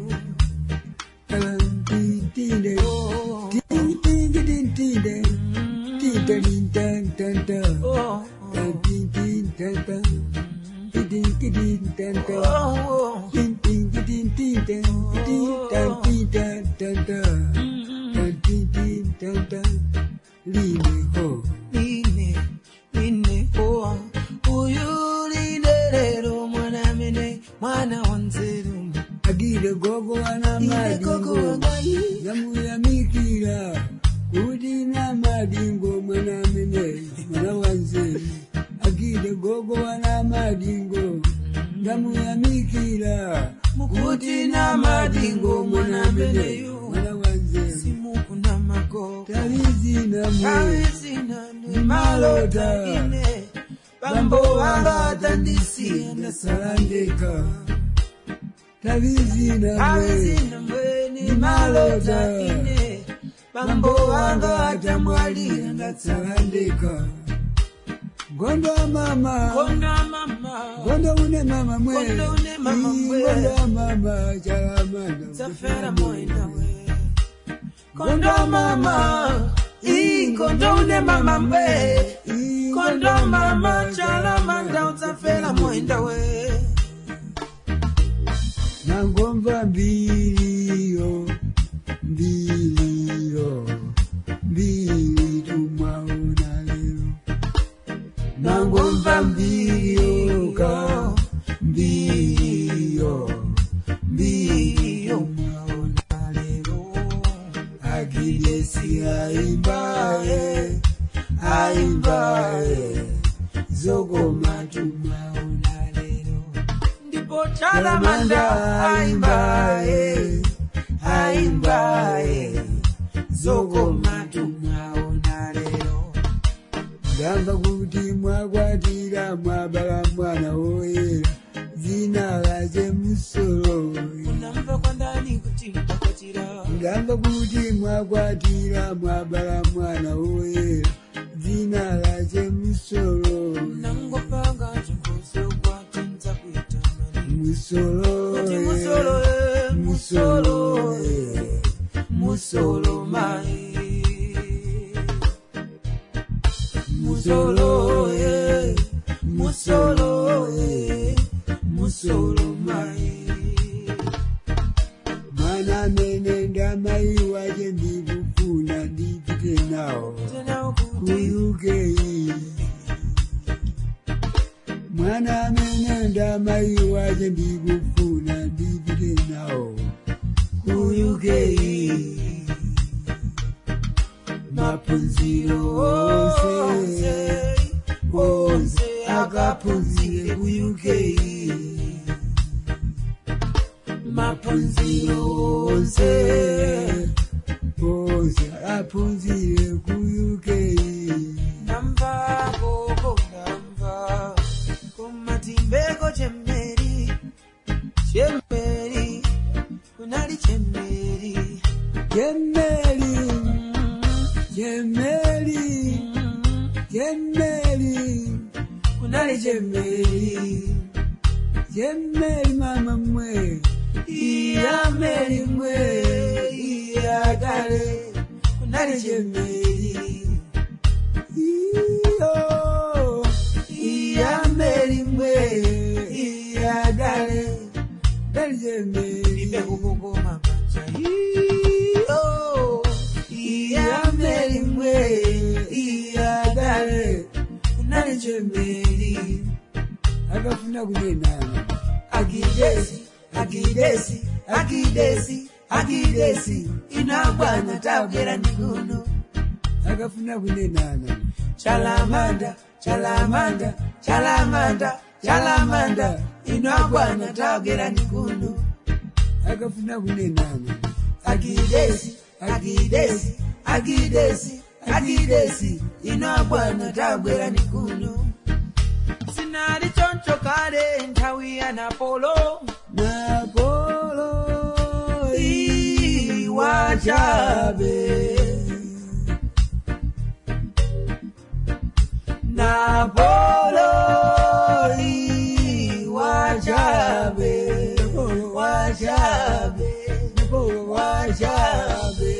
Line, line ho, uyu line lero mwana mene mwana wanzeru. Agire gogo wana madingo namuyamikira kuti na madingo mwana mene mwana wanzeru. Agire gogo wana madingo namuyamikira mukuti na madingo mwana mene mwana wanzeru. Simuku na magogo talizina mwe talizina ni malota ine bambo wanga tandisiya ndasalandeka. Talizina mwe talizina mwe ni malota ine bambo wanga atamwalira ndatsalandeka. Gondo mama. Gondo mama. Gondo une mama mwe. Gondo une mama mwe. Gondo mama chalamanda. Zafera moenda we. Kondo mama. Ii, kondo une mama mwe. Kondo mama chalamanda udzafera moenda we. Nangomva mbiliyo, mbiliyo, mbili tumwaona lero. Nangomva mbiliyo ka, mbiliyo, mbiliyo mwaona lero. Agidesi aimbaye, aimbaye, zogoma tumwaona lero. Ndipo chalamanda aimbaye, aimbaye, zogoma tumwaona lero. Ndamva kuti mwakwatira mwabala mwana woyera dzina lace musolo. Unamva kwandani kuti mtakwatira. Ndamva kuti mwakwatira mwabala mwana woyera dzina lace musolo. Nangopanga chikoso kwatinza kuitanani. Musolo, Kuti musolo, eh, musolo, musolo, eh, musolo mai. Musolo, eh, musolo, eh, musolo mai. Mwana amene ndamai wace ndikufuna ndipite nawo. Tena kuti ku U K. Mwana amene ndamai wace ndikufuna ndipite nawo ku U K. Maphunziro onse onse akaphunzire ku U K. Maphunziro onse onse aphunzire ku U K. Ndamva gogo ndamva kumatimbeko chemeri chemeri kunali chemeri Chemeri, chemeri, chemeri, kunali chemeri chemeri mama mwe, iya meri mwe iya dale kunali chemeri iyo, iya meri mwe iya dale dali chemeri, Ibekukukuma pacha iyo iya meri mwe iya dale kunali chemeri akafuna kunenana, Agidesi, agidesi, agidesi, agidesi, inagwana tabwera ndikuno. akafuna kunenana, Chalamanda, chalamanda, chalamanda, chalamanda, inagwana tabwera ndikuno. akafuna kunenana, Agidesi, agidesi, agidesi, agidesi, inagwana tabwera ndikuno. Sinali choncho kale nthawi ya Napolo. Napolo Iwachabe. Napolo iwachabe. Wachabe. Napolo Wachabe.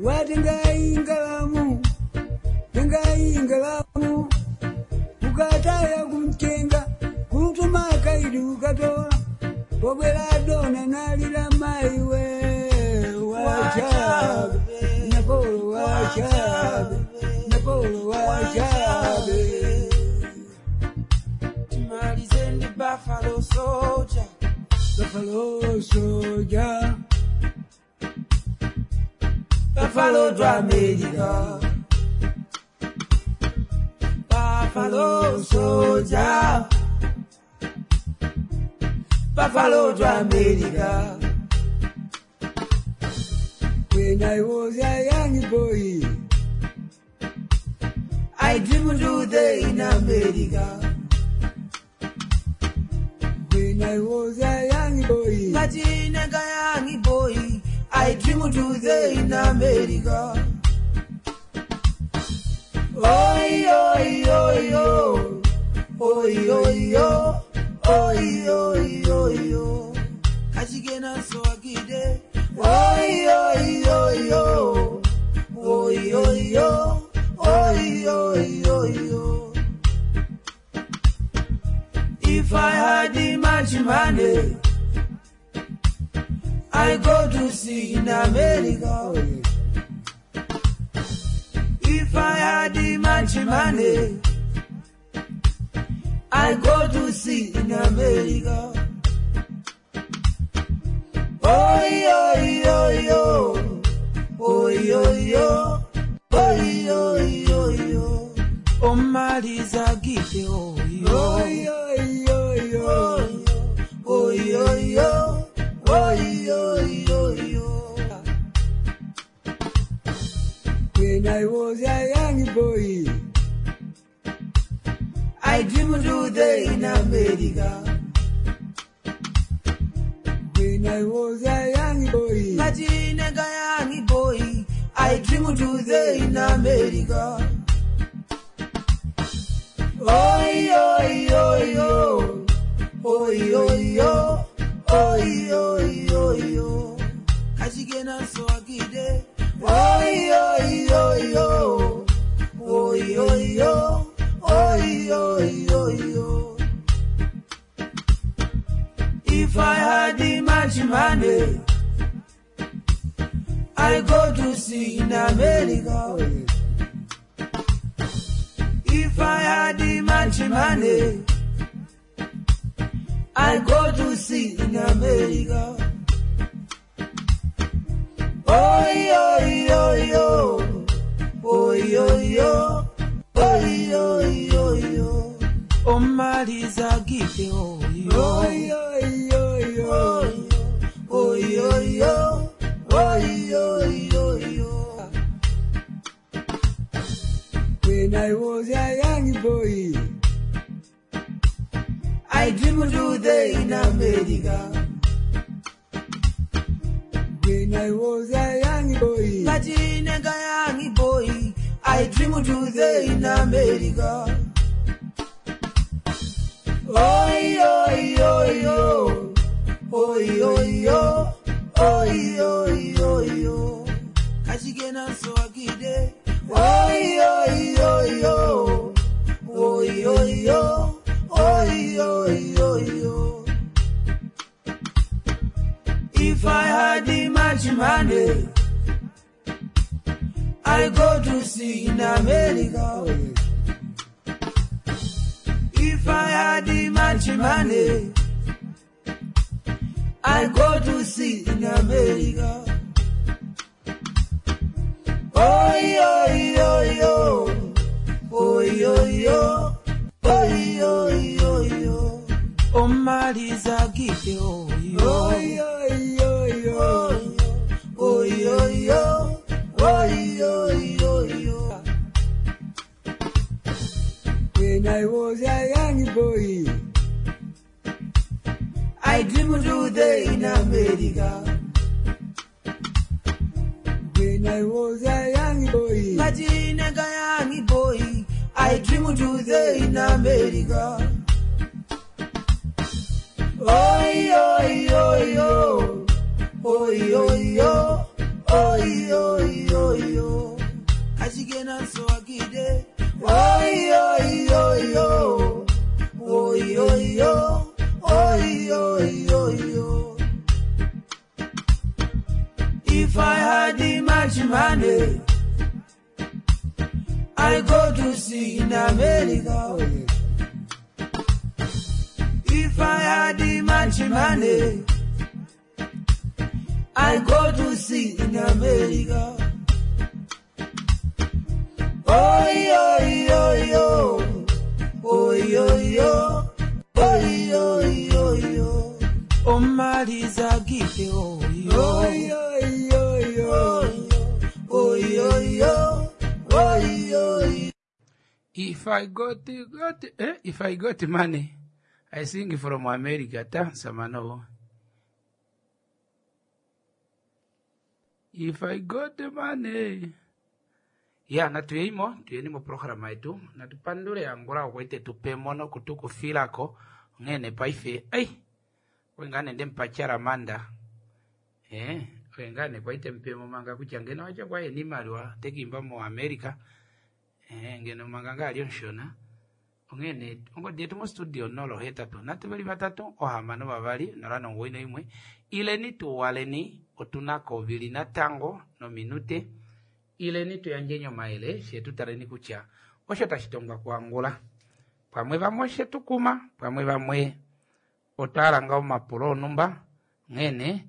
Watengai ngalamu, tengai ngalamu, ukataya kumtenga, kutuma kaidi ukatola, pobwera dona nalira maiwe, wachabe, Napolo wachabe, Napolo wachabe. Timalize ndi Buffalo Soldier. Buffalo soldier, Buffalo to America. Buffalo Soldier. Buffalo to America. When I was a young boy, I dreamed to the in America. When I was a young boy, Ngati young boy, I dreamed to the in America. Oi oi oi oi. Oi oi oi. Oi oi oi oi. Kachigena so agide. Oi oi oi oi. Oi oi oi. Oi oi oi oi. If I had the much money, I go to see in America. If I had the much money, I go to see in America. Oi, oi, oi, oi. Oi, oi, oi. Oi, oi, oi, oi. Omaliza gite oi, oi, oi, oi, oi. Oi, oi, oi. Oi, oi, oi, oi. When I was a young boy, I dreamed today in America. When I was a young boy, Ngatinega young boy, I dreamed today in America. Oi, oi, oi, oi. Oi, oi, oi. Oi, oi, oi, oi. Kachigena so agide. Oi, oi, oi, oi. Oi, oi, oi. Oi, oi, oi, oi. If I had the much money, I go to see in America. If I had the much money, I go to see in America. Oi, oi, oi, oi. Oi, oi, oi. Oi, oi, oi, oi. Omaliza gite oi, oi, oi. oi, oi, oi. Oi, oi, oi. Oi, oi, oi, oi. When I was a young boy, I dreamed today in America. When I was a young boy, Ngatinega young boy, I dreamed today in America. Oi, oi, oi, oi. Oi, oi, oi. Oi, oi, oi, oi. Kachigena so agide. Oi, oi, oi, oi. Oi, oi, oi. Oi, oi, oi, oi. If I had the much money, I go to see in America. If I had the much money, I go to see in America. Oi, oi, oi, oi. Oi, oi, oi. Oi, oi, oi, oi. Omaliza gite oi, oi, oi. oi, oi, oi. Oi, oi, oi. Oi, oi, oi, oi. When I was a young boy, I dreamed today in America. When I was a young boy, Ngatinega young boy, I dreamed today in America. Oi, oi, oi, oi. Oi, oi, oi. Oi, oi, oi, oi. Kachigena so agide. Oi, oi, oi, oi. Oi, oi, oi. Oi, oi, oi, oi. If I had the much money, I go to see in America. If I had the much money, I go to see in America. Oi, oi, oi, oi. Oi, oi, oi. Oi, oi, oi, oi. Omaliza gite oi, oi, oi. oi, oi, oi. Oi, oi, oi. Oi, oi. If I got, got eh, if I got money, I sing from America. Ta samano. If I got the money, Ya, natuyeimo, tuyeni moprograma yetu, natupandule Angola okwa tupe mono kutukufilako onghee paife ei oye ngaa nende mpacharamanda eh oye ngaa ne kwaite mpemo manga kutya ngeno acha kwa yena iimaliwa tekiimba mo America eh ngeno manga ngaa ali omushona onghee nee ongodi yetu mostudio nola ohetatu nhatu veli vatatu ohamano vavali nola nomugoyi noimwe ileni tuwaleni otunako ovili natango nominute ileni tuyandjeni omayele fye tutaleni kutya osho tashi tongwa kuAngola pamwe vamwe oshetukuma pamwe vamwe otwa nga omapulo onumba nghene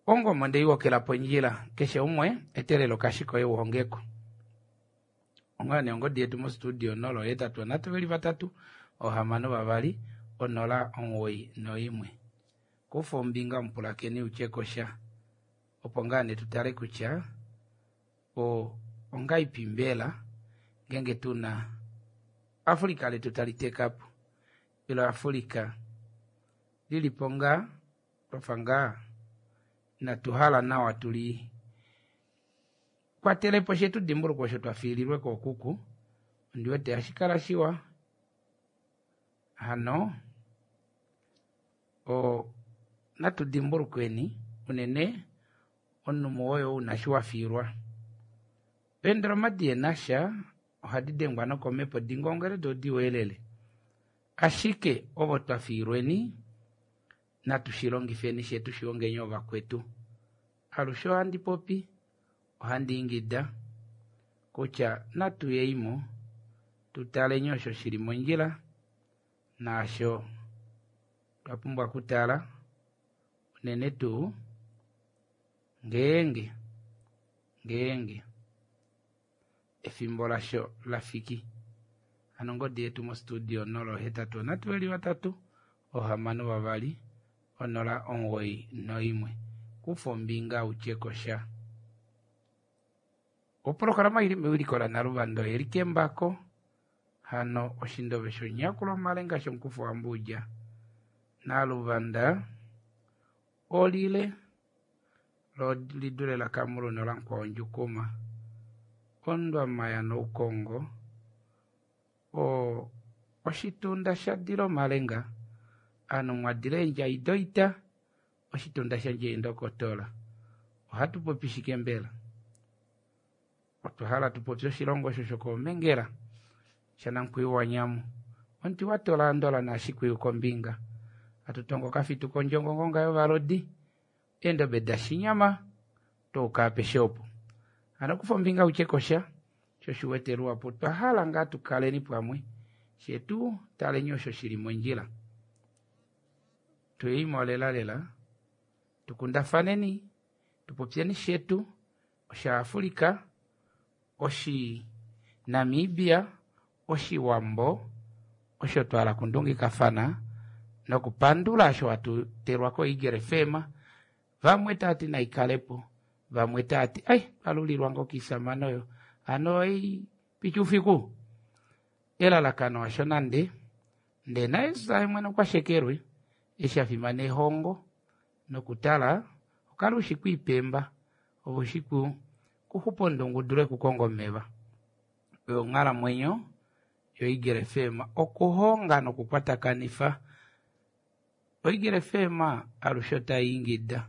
ongomo ndeiwokela pondjila keshe umwe etelelo kashiko euhongeko onghee nee ongodi yetu mostudio nola ohetatu nhatu veli vatatu ohamano vavali onola omugoyi noimwe kufa ombinga omupulakeni utyekosha opo ngaa nee tutale kutya o ongaipi mbela ngenge tuna Afrika letu tali tekapo ilo Afrika lilipo ngaa twafa ngaa inatuhala nawa tuli kwatelepo shetu dimbulukwa osho twafiililwe kookuku ondiwete hashi kala shiwa hano o natu dimbulukweni unene omunhu oyo una shi wafiilwa eendoloma dienasha ohadi dengwa nokomepo dingongele doo diweelele ashike ovo twafiilweni natu shilongifeni fye tushihongeni ovakwetu alushe ohandi popi ohandi ingida kutya natuyeimo tutaleni osho shili mondjila naasho twapumbwa okutala unene tuu ngeenge ngeenge efimbo lasho lafiki hano ongodi yetu mostudio nola ohetatu nhatu veli vatatu ohamano vavali onola omugoyi noimwe kufa ombinga utyekosha oprograma ili mewiliko laNaluvando oyeli kembako hano oshindove shonyakulwa omalenga shonkufu wambuja Naluvanda olile lo lidule lakamulu nolankwawo ndjukuma ondwamaya noukongo o oshitunda shadila omalenga anu mwadila eendjai doita oshitunda shandje eendokotola ohatu popi shike mbela otwa hala tupopye oshilongo osho shokoomengela shanankwiyu wanyamu omuti watola andola naashikwiyu kombinga atutongo kafitu kondjongo ngonga yovalodi eendobe dashinyama touka apeshe opo hano kufa ombinga utyekosha sho shiwete luhapu twahala ngaa tukaleni pamwe shetu taleni osho shili mondjila tuyeimo lelalela tukundafaneni tupopyeni shetu oshaAfrika oshi Namibia oshiwambo osho twala kundungikafana nokupandula osho hatutelwa koEagle F M vamwe taati naikalepo vamwe taati ai twalulilwa ngoo kiisamane oyo hano ei pichi ufiku elalakano asho nande ndee naye mwene okwashekelwe eshi afimana ehongo nokutala okala ushi kwiipemba ove ushi kuxupa ondungu udule okukonga omeva oyo onghalamwenyo yoEagle F M okuhonga nokukwatakanifa oEagle F M alushe otayiingida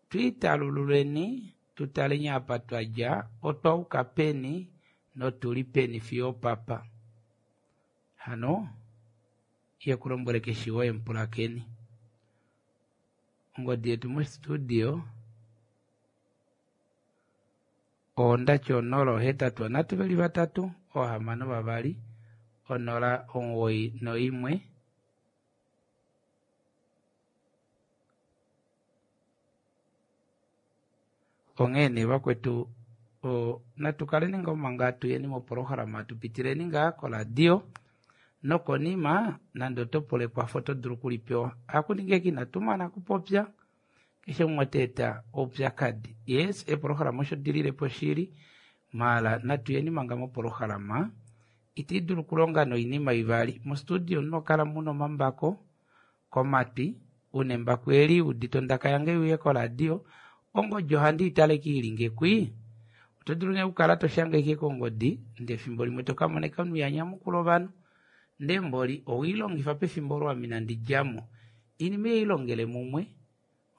twiitalululeni tutaleni apa twadja otwauka peni notuli peni fiyo opapa hano yekulombwele keshe woye mupulakeni ongodi yetu mostudio ondati onola ohetatu nhatu veli vatatu ohamano vavali onola omugoyi noimwe onghee nee vakwetu natukaleni ngoo manga tuyeni moprograma tupitileni ngaa koradio nokonima nande oto pula ekwafo oto dulu okulipewa hakuninga eke inatumana okupopya keshe umwe otaeta oupyakadi yes eprograma osho dililepo shili maala natuyeni manga moprograma iti dulu okulonga noinima ivali mostudio munokala muna omambako komatwi una embako eli udite ondaka yange iuye koradio Ongodi ohandi itale kiilinge kwii. Oto dulu nee okukala toshange kongodi ndee efimbo limwe tokamoneka omunhu yanyamukula ovanhu ndee mboli owiilongifa pefimbo olo ame inandi djamo. Oinima ei ilongele mumwe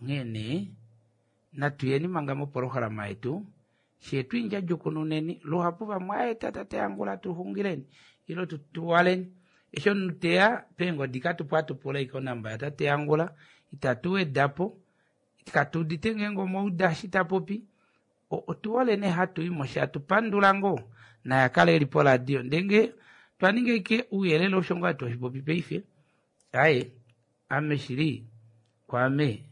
onghee nee natuyeni manga mopolohalama yetu shee twiindjadjukununeni luhapu vamwe aeta tate Angula tuxungileni ilo tutuwaleni eshi omunhu teya peengodi katupo atupula ashike onamba yatate Angula itatu wedapo katuudite ngeenge omauda eshi tapopi otuhole nee hatuyi sha tupandula ngoo naye akale eli poradio ndee ngee twaninga ashike ouyelele osho ngoo twashipopi paife aaye ame shili kwaame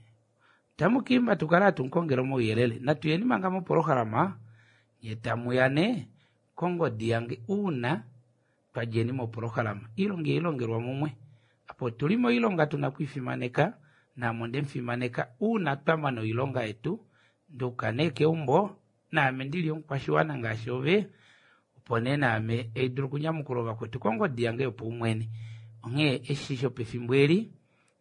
tamukiimba tukale hatumukongele omauyelele natuyeni manga mopolohalama nye tamuya nee kongodi yange uuna twadjeni mopolohalama iilonga ihailongelwa mumwe apa otuli moilonga tuna okwiifimaneka naame ondemufimaneka uuna twamana oilonga yetu nduuka nee keumbo naame ndili omukwashiwana ngaashi ove opo nee naame haidulu okunyamukula ovakwetu kongodi yange yopaumwene onghee eshi shopefimbo eli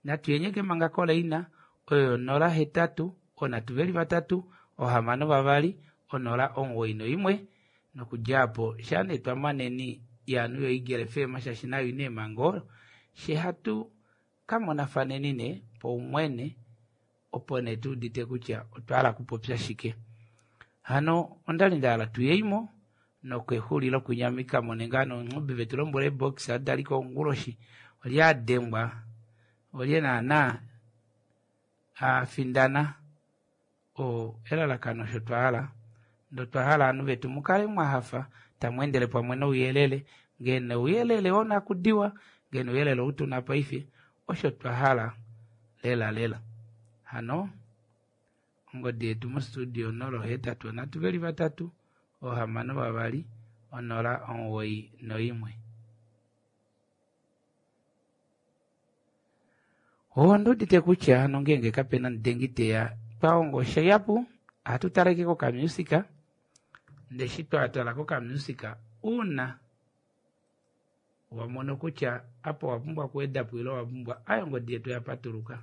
natuyenyeke manga koleina oyo nola hetatu onhatu veli vatatu ohamano vavali onola omuwoi noimwe nokudja aapo shaa nee twamaneni yaanhu yo Eagle F M shaashi nayo ina eemhango she hatu kamonafaneni nee paumwene opo nee tuudite kutya otwa hala okupopya shike. Hano ondali ndahala tuyeimo nokexulilo kunyamikamo nenga nonghubi vetu lombwela ebox adaliko onguloshi olye adengwa olye naana afindana o elalakano osho twahala ndo twahala ovanhu vetu mukale mwahafa tamweendele pamwe nouyelele ngee ouyelele wonakudiwa ngee ouyelele ou tuna paife osho twahala lela lela. Hano ongodi yetu mostudio nola ohetatu onhatu veli vatatu ohamano vavali onola omuwoi noimwe. Onduudite kutya hano ngeenge kapena mudengi teya twahonga oshihapu ohatu taleke kokamusika ndee eshi twatala kokamusika uuna wamono kutya apa owapumbwa okuwedapo ile owapumbwa ayo ongodi yetu yapatuluka.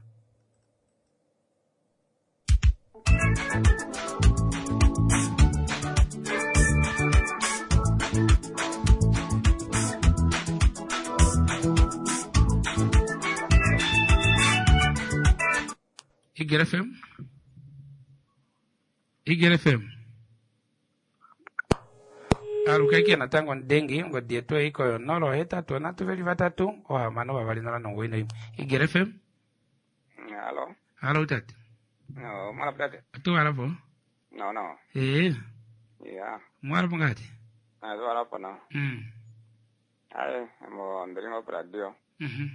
Eagle F M Eagle F M alukaike natango ndengi ongodi yetu eiko yo nola ohetatu onhatu veli vatatu ohamano vavali nola nomuwoi noimwe. Eagle F M Halo. Halo tate. No, mwalapo tate. Tuwalapo? No, no. Ee. Yeah. Mwalapo ngati? Ah, tuwalapo no. Mm. Aye, mo ndilingo radio. Mhm.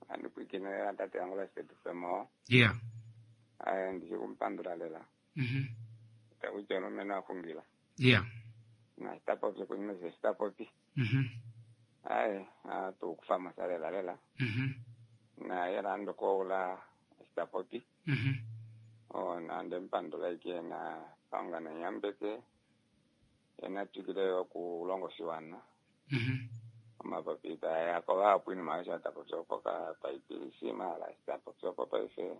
Andikuikine tate Angula State F M. Yeah. Aye, ndikumpandula lela. Mhm. Takuja nomeno akungila. Yeah. Na sitapopi kunyuma sitapopi. Mhm. Aye, atukufa masalela lela. Mhm. Na yela ndokoula sitapopi. Mhm. O na ndempandula ike na panga na nyambeke. Ena tukile okulongo shiwana. Mhm. Amapapi taya kola apwini maisha tapopyopo ka paipilisi mala sitapopyopo paife.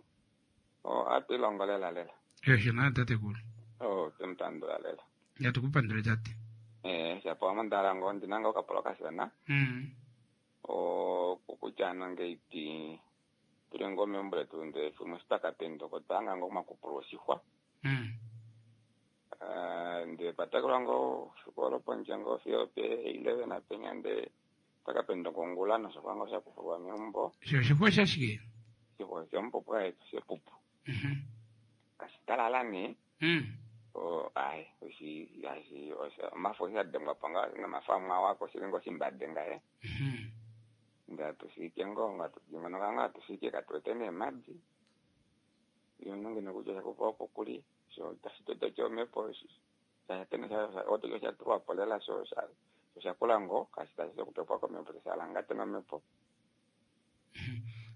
O atilongolela lela. Esho na tate kulu. O tumtandula lela. Yatukupandule tate. Eh, shapo amandala ngondi nanga okapolo kasana. Mm. O kukuchana ngeiti tuli ngome mbule tunde fumo sitakapendo kotanga ngo makupulo shihwa. Mm. Ah, nde patakula ngo shukolo ponje ngo fiope eleven apenya nde takapendo kongula no shikwango shakufulwa miumbo. Sho shihwa shashike? Shihwa shompo pwa shepupu. Mhm. Kashitalala ni. Mm. O ai oshi ashi osha mafo shadengwa panga na mafamwa wako shilingo shimbadenga eh. Mhm. Ngatusike ngo ngatusike ngatusike katwetene maji. Yononge nokuja kupopo kuli so tashitoto chomepo shatene sha oto sha tuwa polela so sha so shakula ngo kasita kupepwa komepo shalanga tena mepo.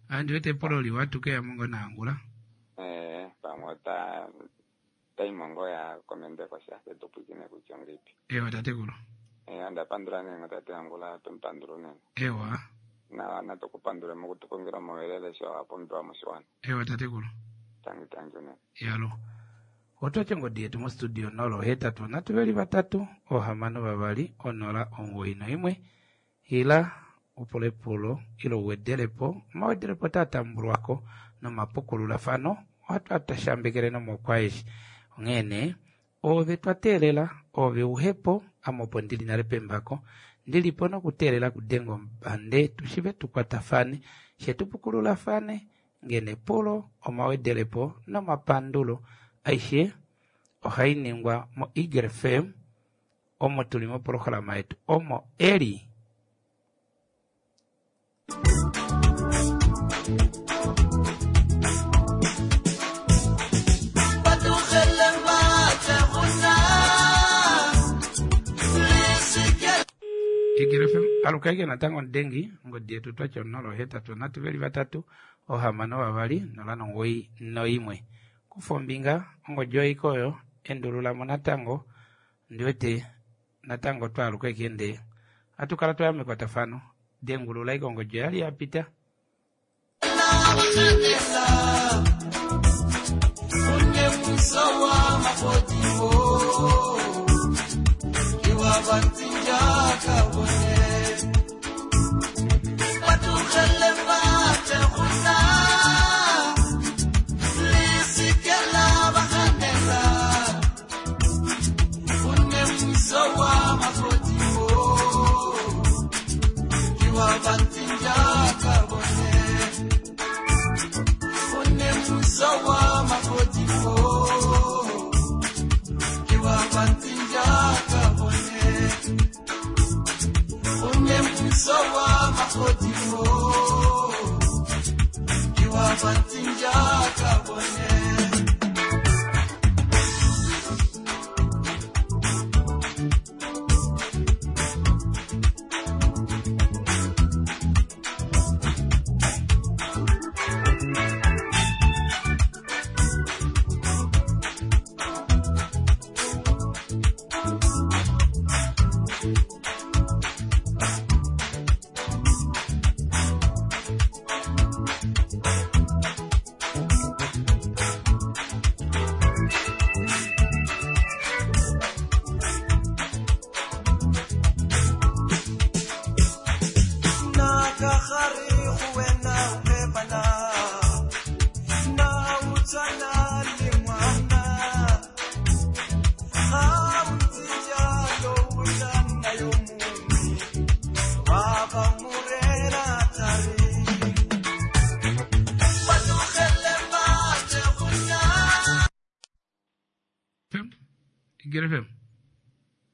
Andiwete polo liwatuke ya mongo na Angula. Eh, pamota taimongo ya komende kwa sha tupikine kuchongipi. Ewa tate kulu. Eh, andapandula nengo tate Angula tumpandulu nene. Ewa. Na na tukupandula mukutukongera moelele sho apombiwa mushiwana. Ewa tate kulu. Tangi tangi nene. Yalo. Otwatya ongodi yetu mostudio nolo hetatu nhatu veli vatatu ohamano vavali onola omugoyi noimwe ila upule epulo ile uwedelepo omawedelepo otaa tambulwako nomapukululafano ohatu atashambekele nomokwaeshi onghee nee ove twa teelela ove uhepo ame opo ndili nale pembako ndilipo nokuteelela kudenga ombande tushive tukwatafane she tupukululafane ngene epulo omawedelepo nomapandulo aishe ohai ningwa mo Eagle F M omo tuli mopolohalama yetu omo eli. Eagle F M alukaike natango ndengi ngodi yetu twatya onolo hetatu nhatu veli vatatu ohamano vavali nola nongoi noimwe. Kufa ombinga ongodi oiko oyo endululamo natango ndiwete natango twaaluka ekende atukala twaya mekwatafano dengulula iko ongodi oyali yapita.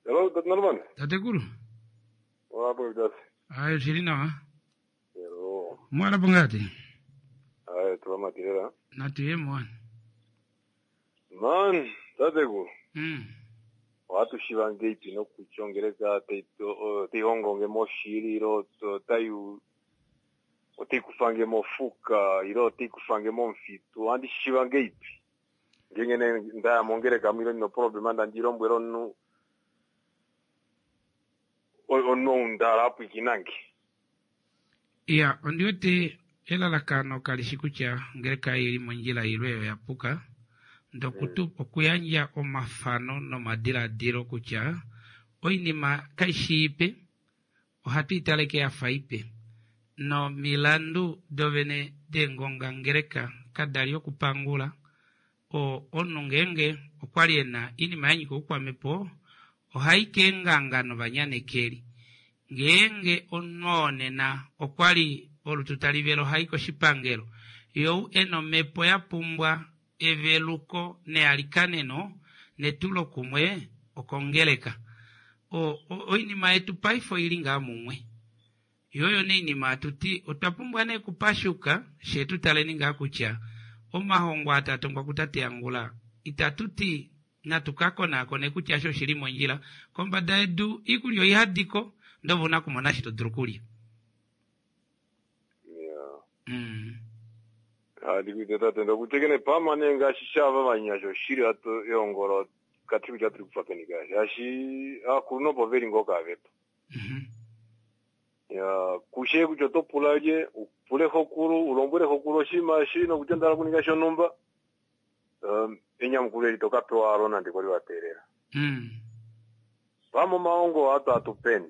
Hello, dat Norman. Tatekulu. Wapo dasi. Ayo shiri nawa. Hello. Mwana pongati. Ayo tuwa matirera. Natuye mwana. Man, tatekulu. Mm. Watu shivange ipi no kuchongereka teihongonge moshiri ilo tayu otikufange mofuka ilo otikufange momfitu andi shivange ipi. Ngenge ndaya mongereka mwilo nino problema ndandilombwela onu ono ndala apwikinange. Iya, ondiwete elalakano kalishi kutya ngereka ili mondjila ilwe oyo yapuka ndokutu mm. okuyandja omafano nomadiladilo kutya oinima kaishi ipe ohatu italeke yafa ipe nomilandu dovene dengonga ngereka kadali okupangula o omunhu ngeenge okwali ena inima yanyika oukwamepo ohai keenganga novanyanekeli ngeenge omunhu oo nena okwali olutu tali vele ohai koshipangelo you ena omhepo ya pumbwa eveluko nealikaneno netulokumwe okongeleka o oinima yetu paife oili ngaa mumwe yoyo neinima atuti otwa pumbwa nee kupashuka shetu taleni ngaa kutya omahongo atatongwa kutate Angula itatuti natukakonaakone kutya sho shili mondjila kombada yedu iikulya oihadiko ndovuna kumona shi todulu kulya. Mm. Hadi tate ndokutekene pamane ngaashi shava vanyasha oshili ato eongolo kati kutya turi kufa peni kashi ashi akulu nopo veli ngoo kavepo. Ya kushe kutya oto pula lye upule xokulu ulombwele xokulu oshinima eshi nokutya ndala kuninga shonhumba. Um, Enyamukulo eli toka pewa alo nande kwali wa teelela. Mm. Vamo omaongo atu atupeni.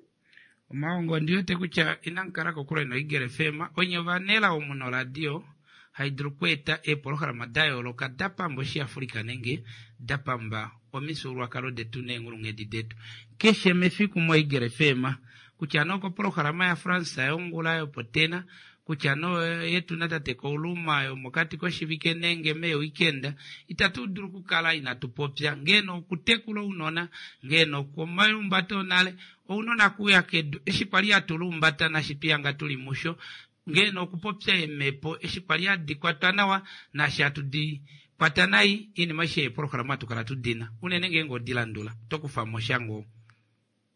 Omaongo ndiwete kutya inankala kokule noEagle F M onye ovanela omu noradio haidulu okweeta eepolohalama da yooloka da pamba oshiafrika nenge da pamba omifyuululwakalo detu neenghulunghedi detu keshe mefiku moEagle F M kutya nee okopolohalama yaFrance yongula yopotena kutya no yetu natate Kouluma yomokati koshivike nenge meeweekend itatu dulu okukala inatu popya ngeeno okutekula ounona ngeeno okomalumbato onale ounona kuya kedu eshi kwali hatulumbata nashi twihanga tuli musho ngeeno okupopya eemhepo eshi kwali hadi kwatwa nawa nashi hatu di kwata nai iinima aishe yeepolohalama hatu kala tudina unene ngeenge odilandula tokufa mo sha ngoo.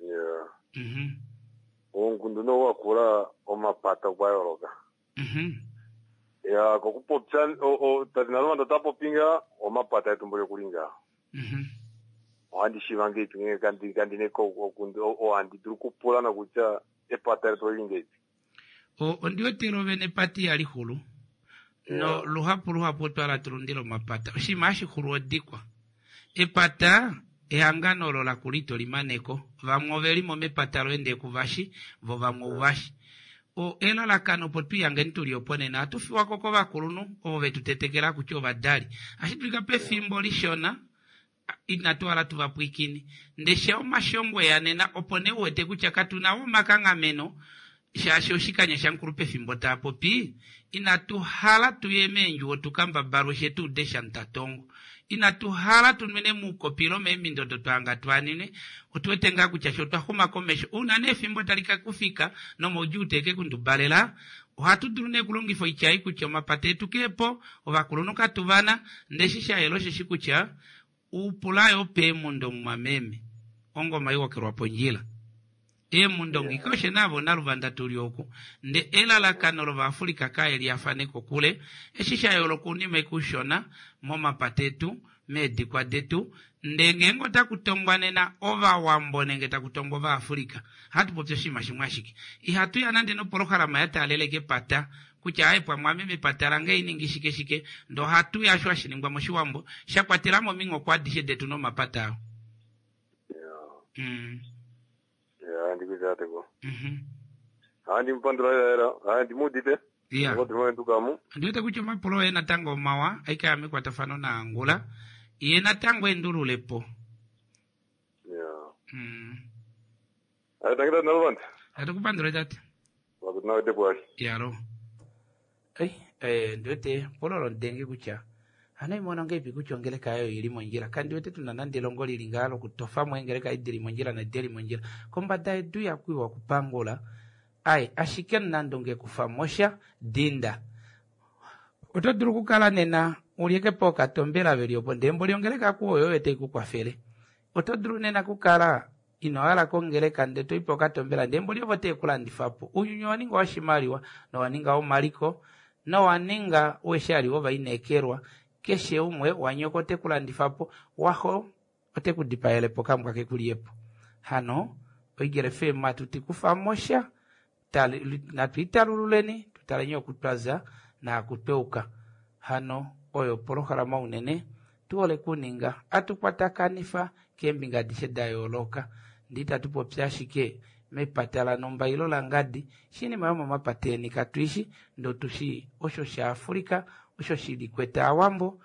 Yeah. Mhm. Oungundu no wakula omapata okwa yooloka. Mhm. Ya kokupopya tate Naluvanda ota popi nga omapata etu mboli okuli ngaho. Mhm. Ohandi shiiva ngeipi ngenge kandi kandine ohandi dulu okupula nokutya epata letu olili ngeipi. O ondiwete lovene epata ihali xulu no luhapu luhapu otwa tulundila omapata oshinima hashi xulu odikwa epata ehangano olo lakula ito limaneko vamwe ovelimo mepata loye ndee kuvashi vo vamwe ouvashi o elalakano opo twihangeni tuli opo nena ohatu fiwako kovakulunhu ovo vetu tetekela kutya ovadali ashi dulika pefimbo lishona inatu hala tuvapwiikine ndesha omashongo eya nena opo nee uwete kutya katuna omakanghameno shaashi oshikanya shamukulu pefimbo taapopi inatu hala tuye meendjuwo tukambabalwe she tuude shamutatongo inatu hala tunwine muukopi ile meemindo odo twahanga twaanine otuwete ngaa kutya sho otwa xuma komesho una nee efimbo tali ka kufika nomaudjuu teke kundubalela ohatu dulu nee okulongifa oitya ei kutya omapata etu keepo ovakulunhu katuvana ndeshi shayela osheshi kutya upulayo peemundo mumwameme ongoma iwokelwa pondjila eemundo ngika oshe naavo naluvanda tuli oku nde elalakano lovaafrika kaye liyafane kokule eshi sha yooloka unima ikushona momapata etu meedikwa detu nde ngeenge otaku tongwa nena ovawambo nenge taku tongwa ovaafrika ohatu popi oshinima shimwe ashike ihatu ya nande nopolohalama ya taalela kepata kutya aye pamwe mepata lange iningi shike shike ndo ohatu ya sho hashi ningwa moshiwambo sha kwatelamo ominghoko adishe detu nomapata ao. Mm. Ya ndikuitateko. Mhm. Handi mupandula lela handi mudite. Ya. Ngotukamu. Ndiwete kutya omapulo oye natango omawa aikaya mekwatafano naangula ye natango endululepo. Ya. Mm. Ayi tangita Naluvanda. Atukupandule tate. Wakutinawete bwali. Yalo. Ei, eh, ndiwete pololo ndenge kutya hano imona ngeipi kutya ongeleka yayo ili mondjila kandi tuna nande elongo lili ngaa lokutofamo engeleka idili mondjila naidili mondjila kombada yedu yakwiwa okupangula ai ashike nande ongekufamosha dinda oto dulu okukala nena ulyeke po okatombela veli opo ndee mboli ongeleka kuoyo oyo tai kukwafele oto dulu nena kukala ino hala kongeleka ndee toipo okatombela ndee mboli ovo teekulandifapo ounyuni owa ninga oshimaliwa nowa ninga omaliko nowa ninga weshali wovaineekelwa keshe umwe wanyoko ote kulandifapo waxo ote kudipaelepo kambwa kekuliyepo hano oEagle F M atuti kufamosha natwiitalululeni tutaleni okutwaza naakutweuka hano oyo opolohalama unene tuhole kuninga atukwatakanifa keembinga adishe da yooloka ndee itatu popi ashike mepata lanomba ilo langadi shinima yomomapata eni katuishi ndee otushi osho shaafrika osho shili kwete aawambo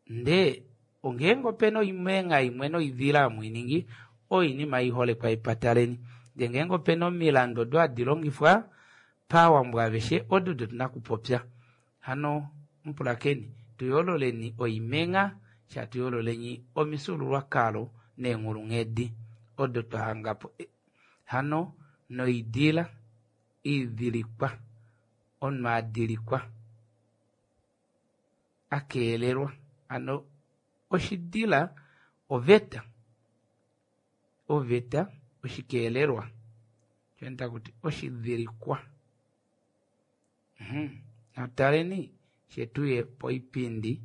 ndee ongeenge opena oimengha imwe noidila amwiiningi oinima iholekwa epata leni ndee ngeenge opena omilandu odo hadi longifwa paawambo aveshe odo tuna kupopya hano mupulakeni tuyoololeni oimengha shatuyoololeni omifyuululwakalo neenghulunghedi odo twahangapo hano noidila idilikwa omunhu adilikwa akeelelwa hano oshidila oveta oveta oshikeelelwa takuti oshidilikwa. Nataleni shetuye poipindi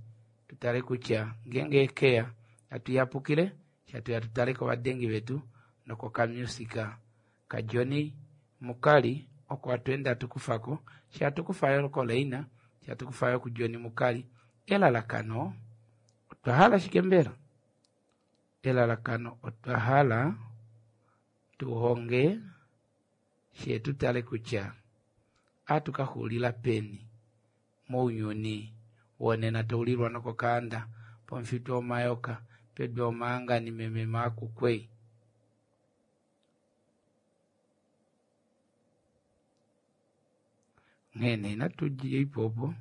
tutale kutya ngeenge ekeya natuyapukile shatuya tutale kovadengi vetu nokokamusika kaJohnny Mukali oko atweenda hatukufako shatukufayo koleina shatukufayo kuJohnny Mukali elalakano Otwa hala shike mbela? Elalakano otwa hala tuhonge she tutale kutya atukaxulila peni mounyuni wonena taulilwa nokokaanda pomufito omayoka pedu omaangani meme maakukwei. Nghene inatudje ipopo.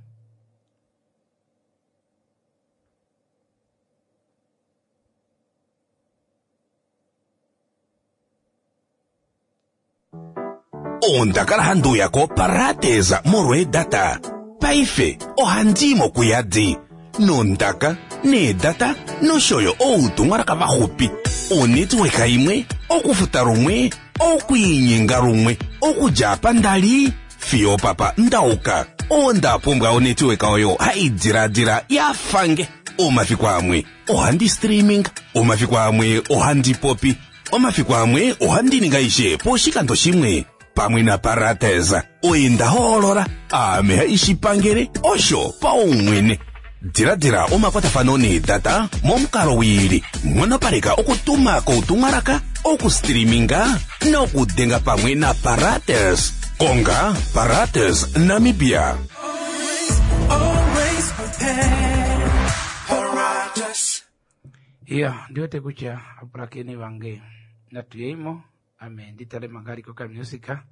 Ondakala handi uya koparadesa molwa eedata. Paife ohandi i mokuyadi nondaka needata noshoyo outumwalaka vaxupi. Onetwork imwe, okufuta lumwe, okwiinyenga lumwe, okudja apa ndali fiyo papa ndauka. Onda pumbwa onetwork oyo hai diladila yafange. Omafiku amwe ohandi streaming, omafiku amwe ohandi popi, omafiku amwe ohandi ninga ishe poshikando shimwe. Pamwe na Paradesa oye nda hoolola aame haishipangele osho paumwene. Diladila omakwatafano needata momukalo wiili, nghonopaleka okutuma koutumwalaka, okustreaminga nokudenga pamwe na Paradesa. Konga Paradesa Namibia. Always prepared. Paratus. Iya, ndiwete kutya apulakeni vange natuyeimo ame nditale mangaliko ka musika.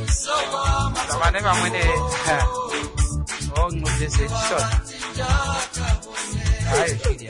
So Vane vamwene ong'udese shona ayo shili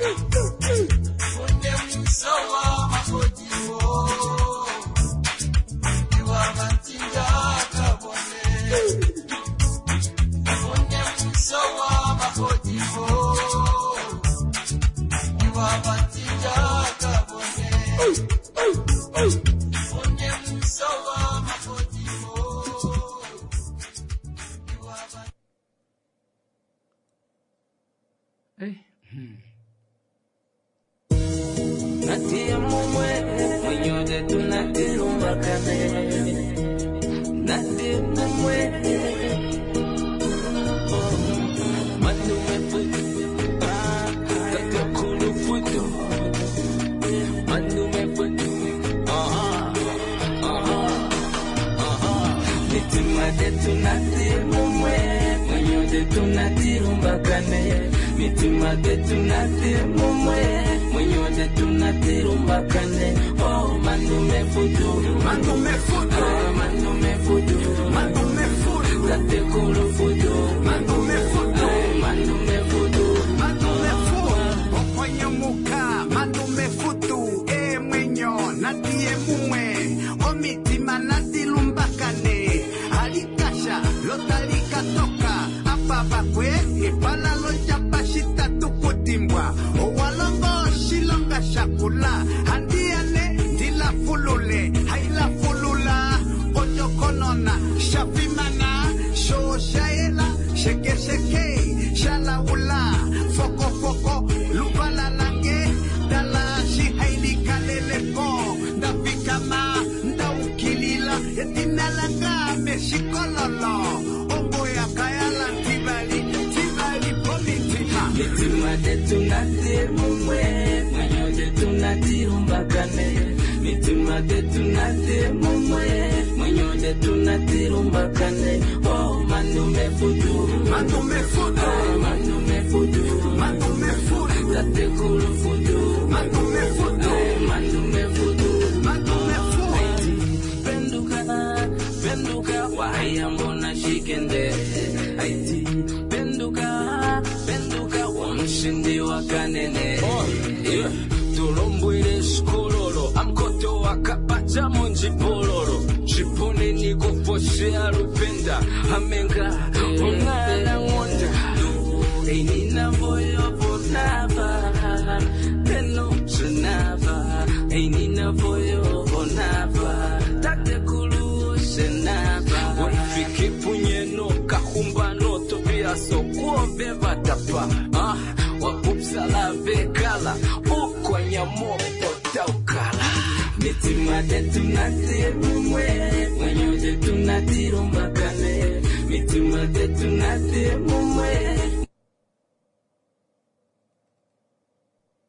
Natia mumwe mwenyote tunatirumbakane Natia mumwe Manume futu Tatakulu futu Manume futu Aha Aha Aha Mitima detu natia mumwe mwenyote tunatirumbakane Mitima detu natia mumwe mwenyote tunatirumbakane Oh manume futu Manume futu ah, Manume futu Manume futu Tatekulu futu Manume futu ah, Manume futu Manume futu Okwanyomuka Manume futu Emwenyo Natie mumwe Omitima nadilumbakane Alikasha Lotalikatoka Apabakwe Epala lojapa shitatu kutimbwa Owalongo shilonga shakula Handiane ndilafulule Hailafulula Ojokonona Shafimana Shoshaela Sheke sheke Shalaula Foko foko Lubala lange Dala shihailikaleleko Ndafikama Ndaukilila Etinalanga Meshikololo Ongoya kayala Tibali Tibali Pomitima Mitima detu natie mumwe mwenyote tunatirumbakane Mitima detu natie mumwe mwenyote tunatirumbakane Oh manume futu Manume futu ah, Manume futu Manume futu Tatekulu futu Manume futu ah, Manume futu Manume futu Penduka penduka wahaya mbona shikende Aiti penduka penduka wamshindi wa kanene yeah. Tulombwile shikololo amkoto wakapacha munjipololo Chipone nikufoshea lupenda amenga ongala ngonda Einina voyo vonava Peno shenava Einina voyo vonava Tatekulu shenava Wefike punyeno kahumbano tobiaso kuove vatapa ah, Wapupsala vekala ukwanyamoko taukala Mitima detu natie mumwe mwenyote tunatirumbakane Mitima detu natie mumwe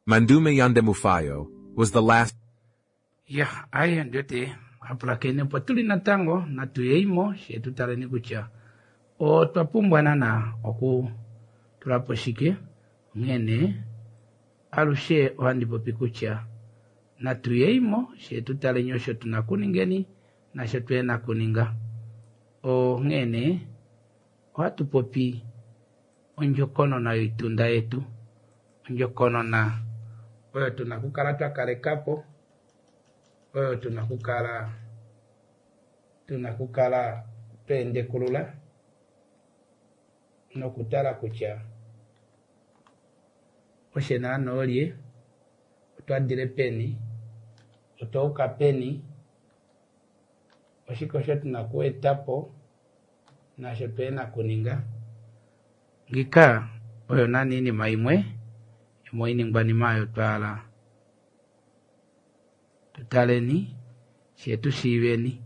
Mandume Yandemufayo was the last ya aye ndiote apulakene po tuli natango natuyeimo shetutaleni kutya otwa pumbwa nana oku tulapo shike onghene alushe ohandi popi kutya natuyeimo shetutaleni osho tuna kuningeni nasho tuyena kuninga onghene ohatu popi ondjokonona yoitunda yetu ondjokonona oyo tuna kukala twakalekapo oyo tuna kukala tuna kukala twendekulula nokutala kutya oshe naana olye otwadile peni otwauka peni oshike osho tuna kuetapo nasho tuyena kuninga ngika oyo nani inima imwe yomoiningwanima oyo twala tutaleni shetu shiiveni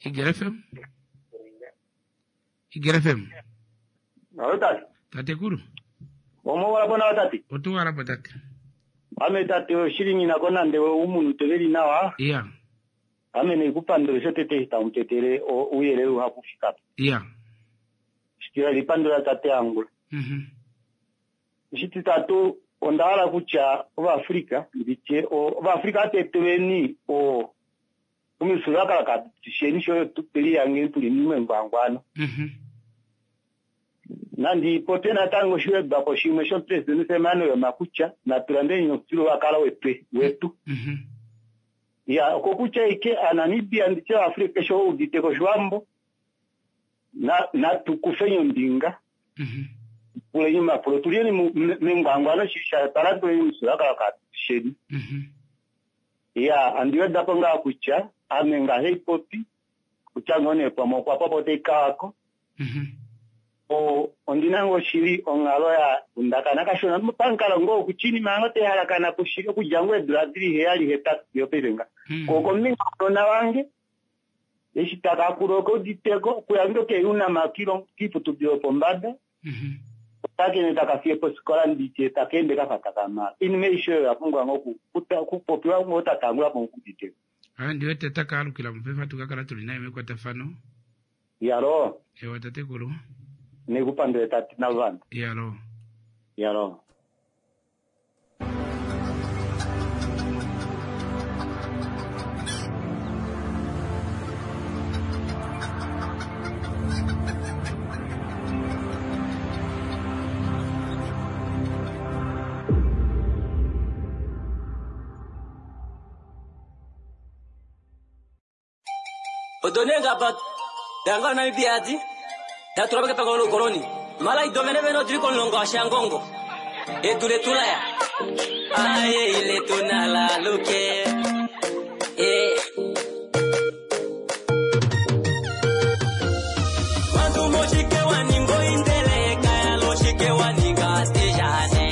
Igel F M Igel F M Alo tati. Tatekulu Omo wala bona tati. Otu wala po tate. Ame tate oshili ngina kona nde umuntu teveli nawa. Iya. Ame ne kupandula sho tete tamutetele uyelele uhakufika. Iya. Shitira lipandula tate angula. Mhm. Shititatu Onda hala kutya Ovaafrika nditye Ovaafrika atetelweni o omifyuululwakalo katusheni sho tuli tuli mengwangwano. Nandi popye natango oshiwedwako shimwe shomupresidente Sam Nujoma kutya natulandeni omufyuululwakalo wetu wetu. Ya okokutya ike aNamibia nditye Afrika keshe udite kOshiwambo na natukufeni ombinga puleni omapulo tulyeni mengwangwano shisha twalanduleni omufyuululwakalo katusheni. Ya andi wedapo ngaa kutya ame ngaheipopi kutya ngoo nee pamwe okwa popo taikawako o ondina ngoo shili onghalo ya kundakana kashona pamukalo ngoo kutya iinima yango taihalakana kushili okudja ngoo eedula dili heyali hetatu fiyo paife nga ko kombinga younona wange eshi takakula okeuditeko okuya nge keunama kiiputudilo yopombada otakene takafiye posikola nditye takeende kafa takamala iinima aishe oyo yapumbwa ngoo okupopiwa ngoo tatangula po okuditeko. Ah, ndiwete takaalukila mupefa tukakala tuli naye mekwatafano. Yalo. Ewa tatekulu. Nekupandule tati navana. Yalo. Yalo. Odonenga bat danga Namibia adi datula beke pangolo koloni mala idomene beno tuli konlongo ashangongo edule tulaya aye ile tunala luke eh Wandu moshike waningo indele kaya loshike waninga tejane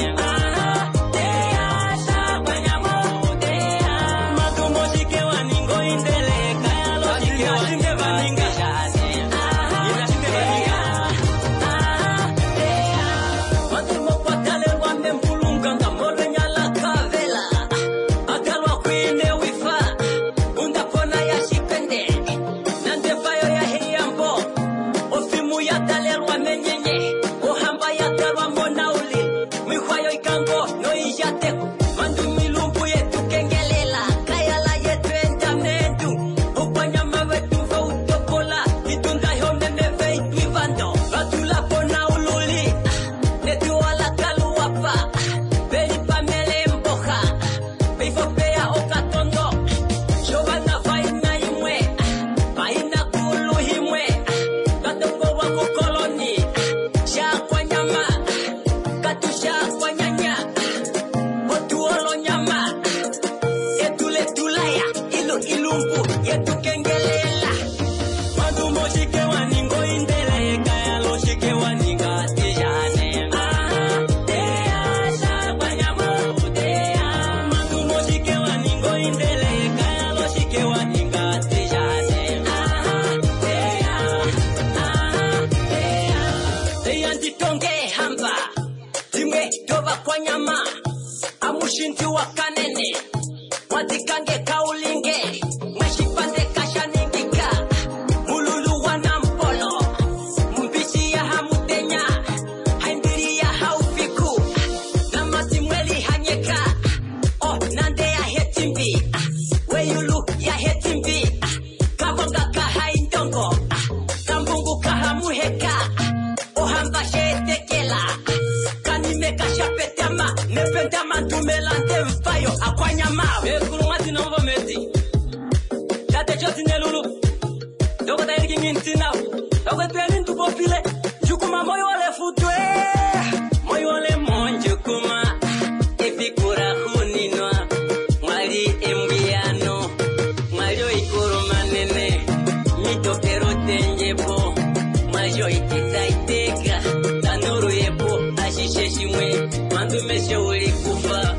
Mandu meshe ulikufa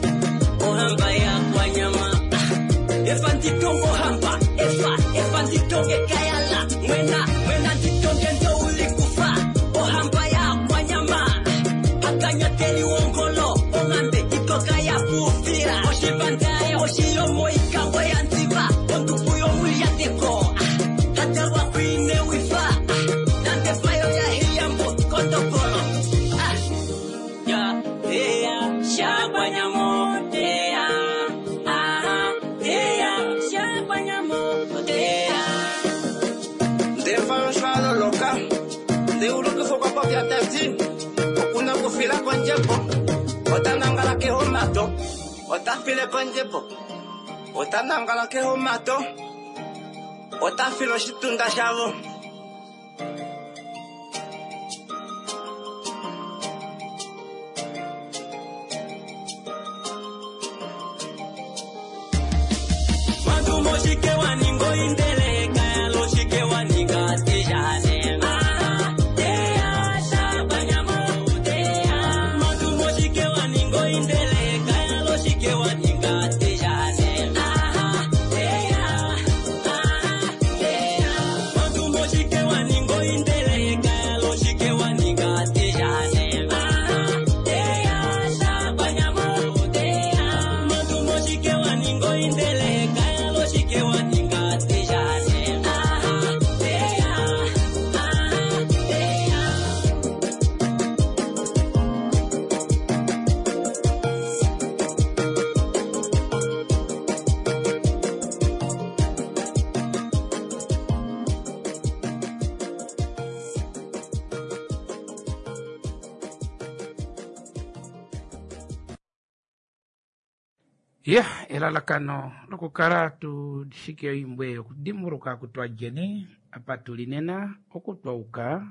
ohamba ya kwanyama. Ndevafya tati okuna kufila kondjembo ota nangala kehomato ota file kondjembo ota nangala kehomato ota file oshitunda shavo. Mandumoshike waningo indeleka yaloshike waninga tijane. Mandumoshike waningo indeleka yaloshike waninga tijane. Mandumoshike waningo indeleka yaloshike waninga tijane. Mandumoshike waningo indeleka yaloshike waninga tijane. Ya, elalakano lokukala tushike oimbwe yokudimbuluka kutwa jeni apa tuli nena okutwauka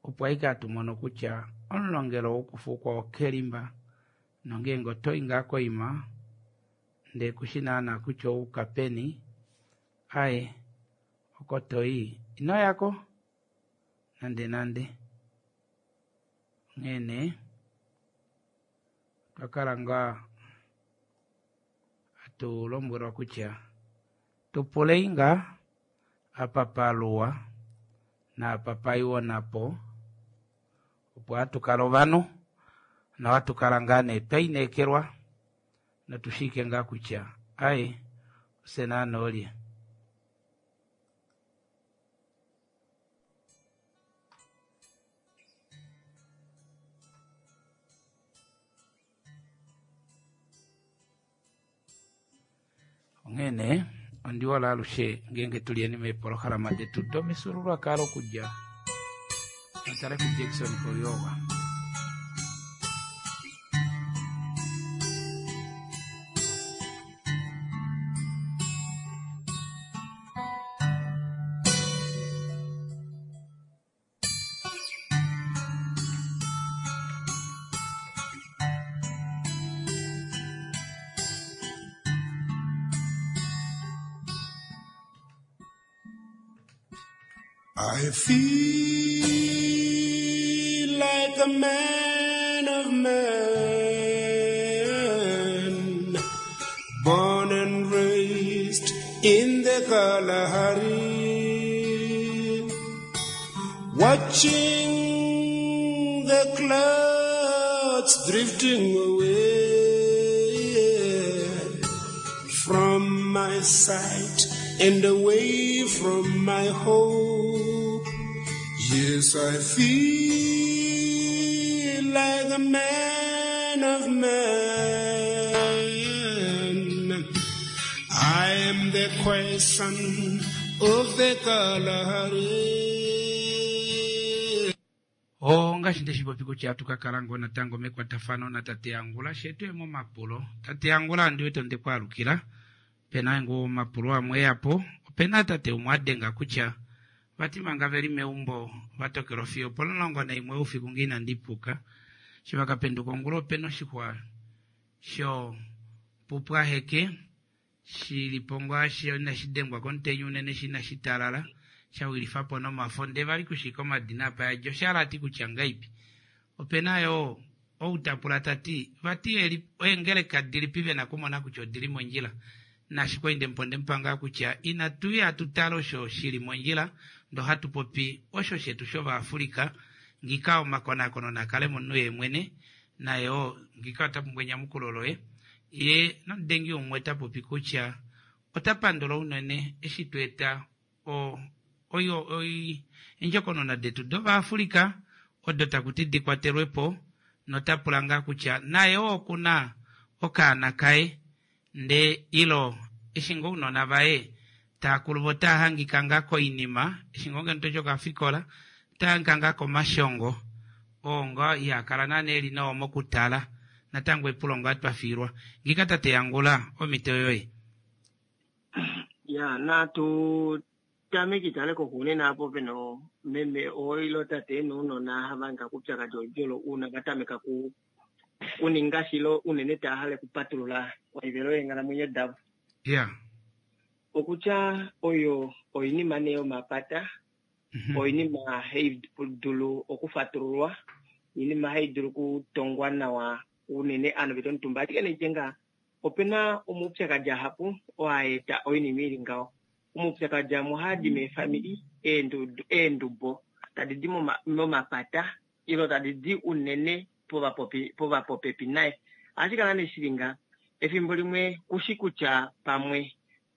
opo aike atumono kutya omulongelo wokufukwa okelimba nongeenge otoyi ngaa koima ndee kushi naana kutya ouka peni aye oko toyi inoyako nande nande onghee nee twakala ngaa atulombwelwa kutya tupulei ngaa apa paluwa naapa paiwa napo opo hatukala ovanhu nohatukala ngaa nee twaineekelwa notushike ngaa kutya aye ofye naana olye. Onghee nee ondihola alushe ngeenge tulyeni meepolohalama detu domifyuululwakalo okudja notale ku Jackson Koyowa. I feel like a man of men, born and raised in the Kalahari, watching the clouds drifting away from my sight and away from my hope. Yes, I feel like a man of men. I am the question of the Kalahari. Ongaashi ndeshipopi kutya hatukakala ngoo natango mekwatafano natate Angula shetu emomapulo. Tate Angula ndiwete ondekwaalukila pena ngoo omapulo amwe eyapo opena tate umwe adenga kutya vati manga veli meumbo vatokelwa fiyo opomulongo naimwe oufiku ngee inandipuka eshi vakapenduka ongula opena oshixwa sho pupwaheke shilipo ngaashi inashi dengwa komutenya unene shi inashi talala shawilifapo nomafo ndee vali kushika omadina apa yadja oshahala ati kutya ngaipi. Opena yoo ou tapula tati vati eengeleka dilipi vena okumona kutya odili mondjila naashi kwali ndemuponde mupanga kutya inatuya tutale osho shili mondjila ndo hatu popi osho shetu shovaafrika ngika omakonakono nakale momunhu yeemwene naye oo ngika ota pumbwa enyamukulo loye ye nomudengi umwe tapopi kutya ota pandula unene eshi tweeta o oyo oi endjokonona detu dovaafrika odo takuti dikwatelwepo notapula ngaa kutya naye oo okuna okaana kaye ndee ilo eshi ngoo ounona vaye taakulu vo otahangika ngaa koinima eshi ngoo ngeno toshi okafikola Tanga komashongo oo nga ihakala naana eli nawa mokutala natango epulo nga twa fiilwa ngika tate Yangula omito yoye. Ya natu tameki tale kokunene apo pena meme oilo tate nounona havanga kupyakadi oludji uuna vatameka ku kuninga shilo unene taahale kupatulula oivelo yeenghalamwenyo davo. Yeah. Okutya oyo oinima nee yomapata, oinima hai dulu okufatululwa, oinima hai dulu okutongwa nawa unene ovanhu vetu omutumba. Ashike nee nga opena omaupyakadi ahapu oo haeta oinima ili ngaho. Omaupyakadi amwe ohaadi meefamili, eendubo tadi di momapata ilo tadi di unene povapopepi naye. Ohashi kala nee shili nga efimbo limwe kushi kutya pamwe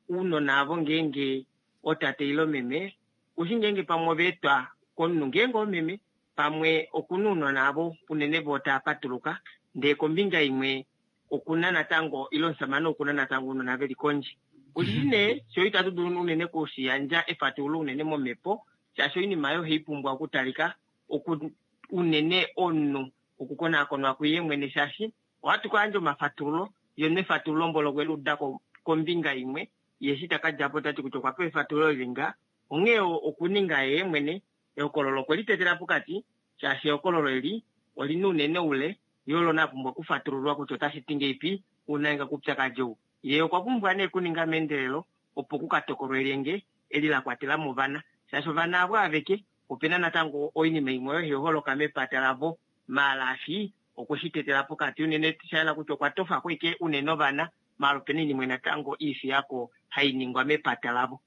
ounona avo ngeenge otate ilo meme, kushi ngeenge pamwe ovaetwa komunhu ngeenge omeme, pamwe okuna ounona avo unene voo tava patuluka, ndee kombinga imwe okuna natango ilo omusamane okuna natango ounona veli kondje. Kushi nee sho itatu dulu unene kushiyandja efatululo unene momhepo, shaashi oinima oyo ohai pumbwa okutalika oku unene omunhu okukonakonwa kuye mwene, shaashi ohatu kayandja omafatululo ye nefatululo mbolo okwe liuda kombinga imwe, ye eshi takadjapo tati kutya okwa pewa efatululo lili nga, onghee okuninga yee mwene ehokololo okwe litetela pokati, shaashi ehokololo eli olina unene oule, ye olo na pumbwa okufatululwa kutya otashi ti ngeipi una inga kupyakadi ou. Ye okwa pumbwa nee kuninga meendelelo opo kukatokolwe elyenge eli la kwatela mo ovana, shaashi ovana avo aveke opena natango oinima imwe oyo hai holoka mepata lavo, maala ashi okwe shi tetela pokati unene shayela kutya okwa tofako ashike unene ovana, maala opena oinima natango iifiyako hai ningwa mepata lavo.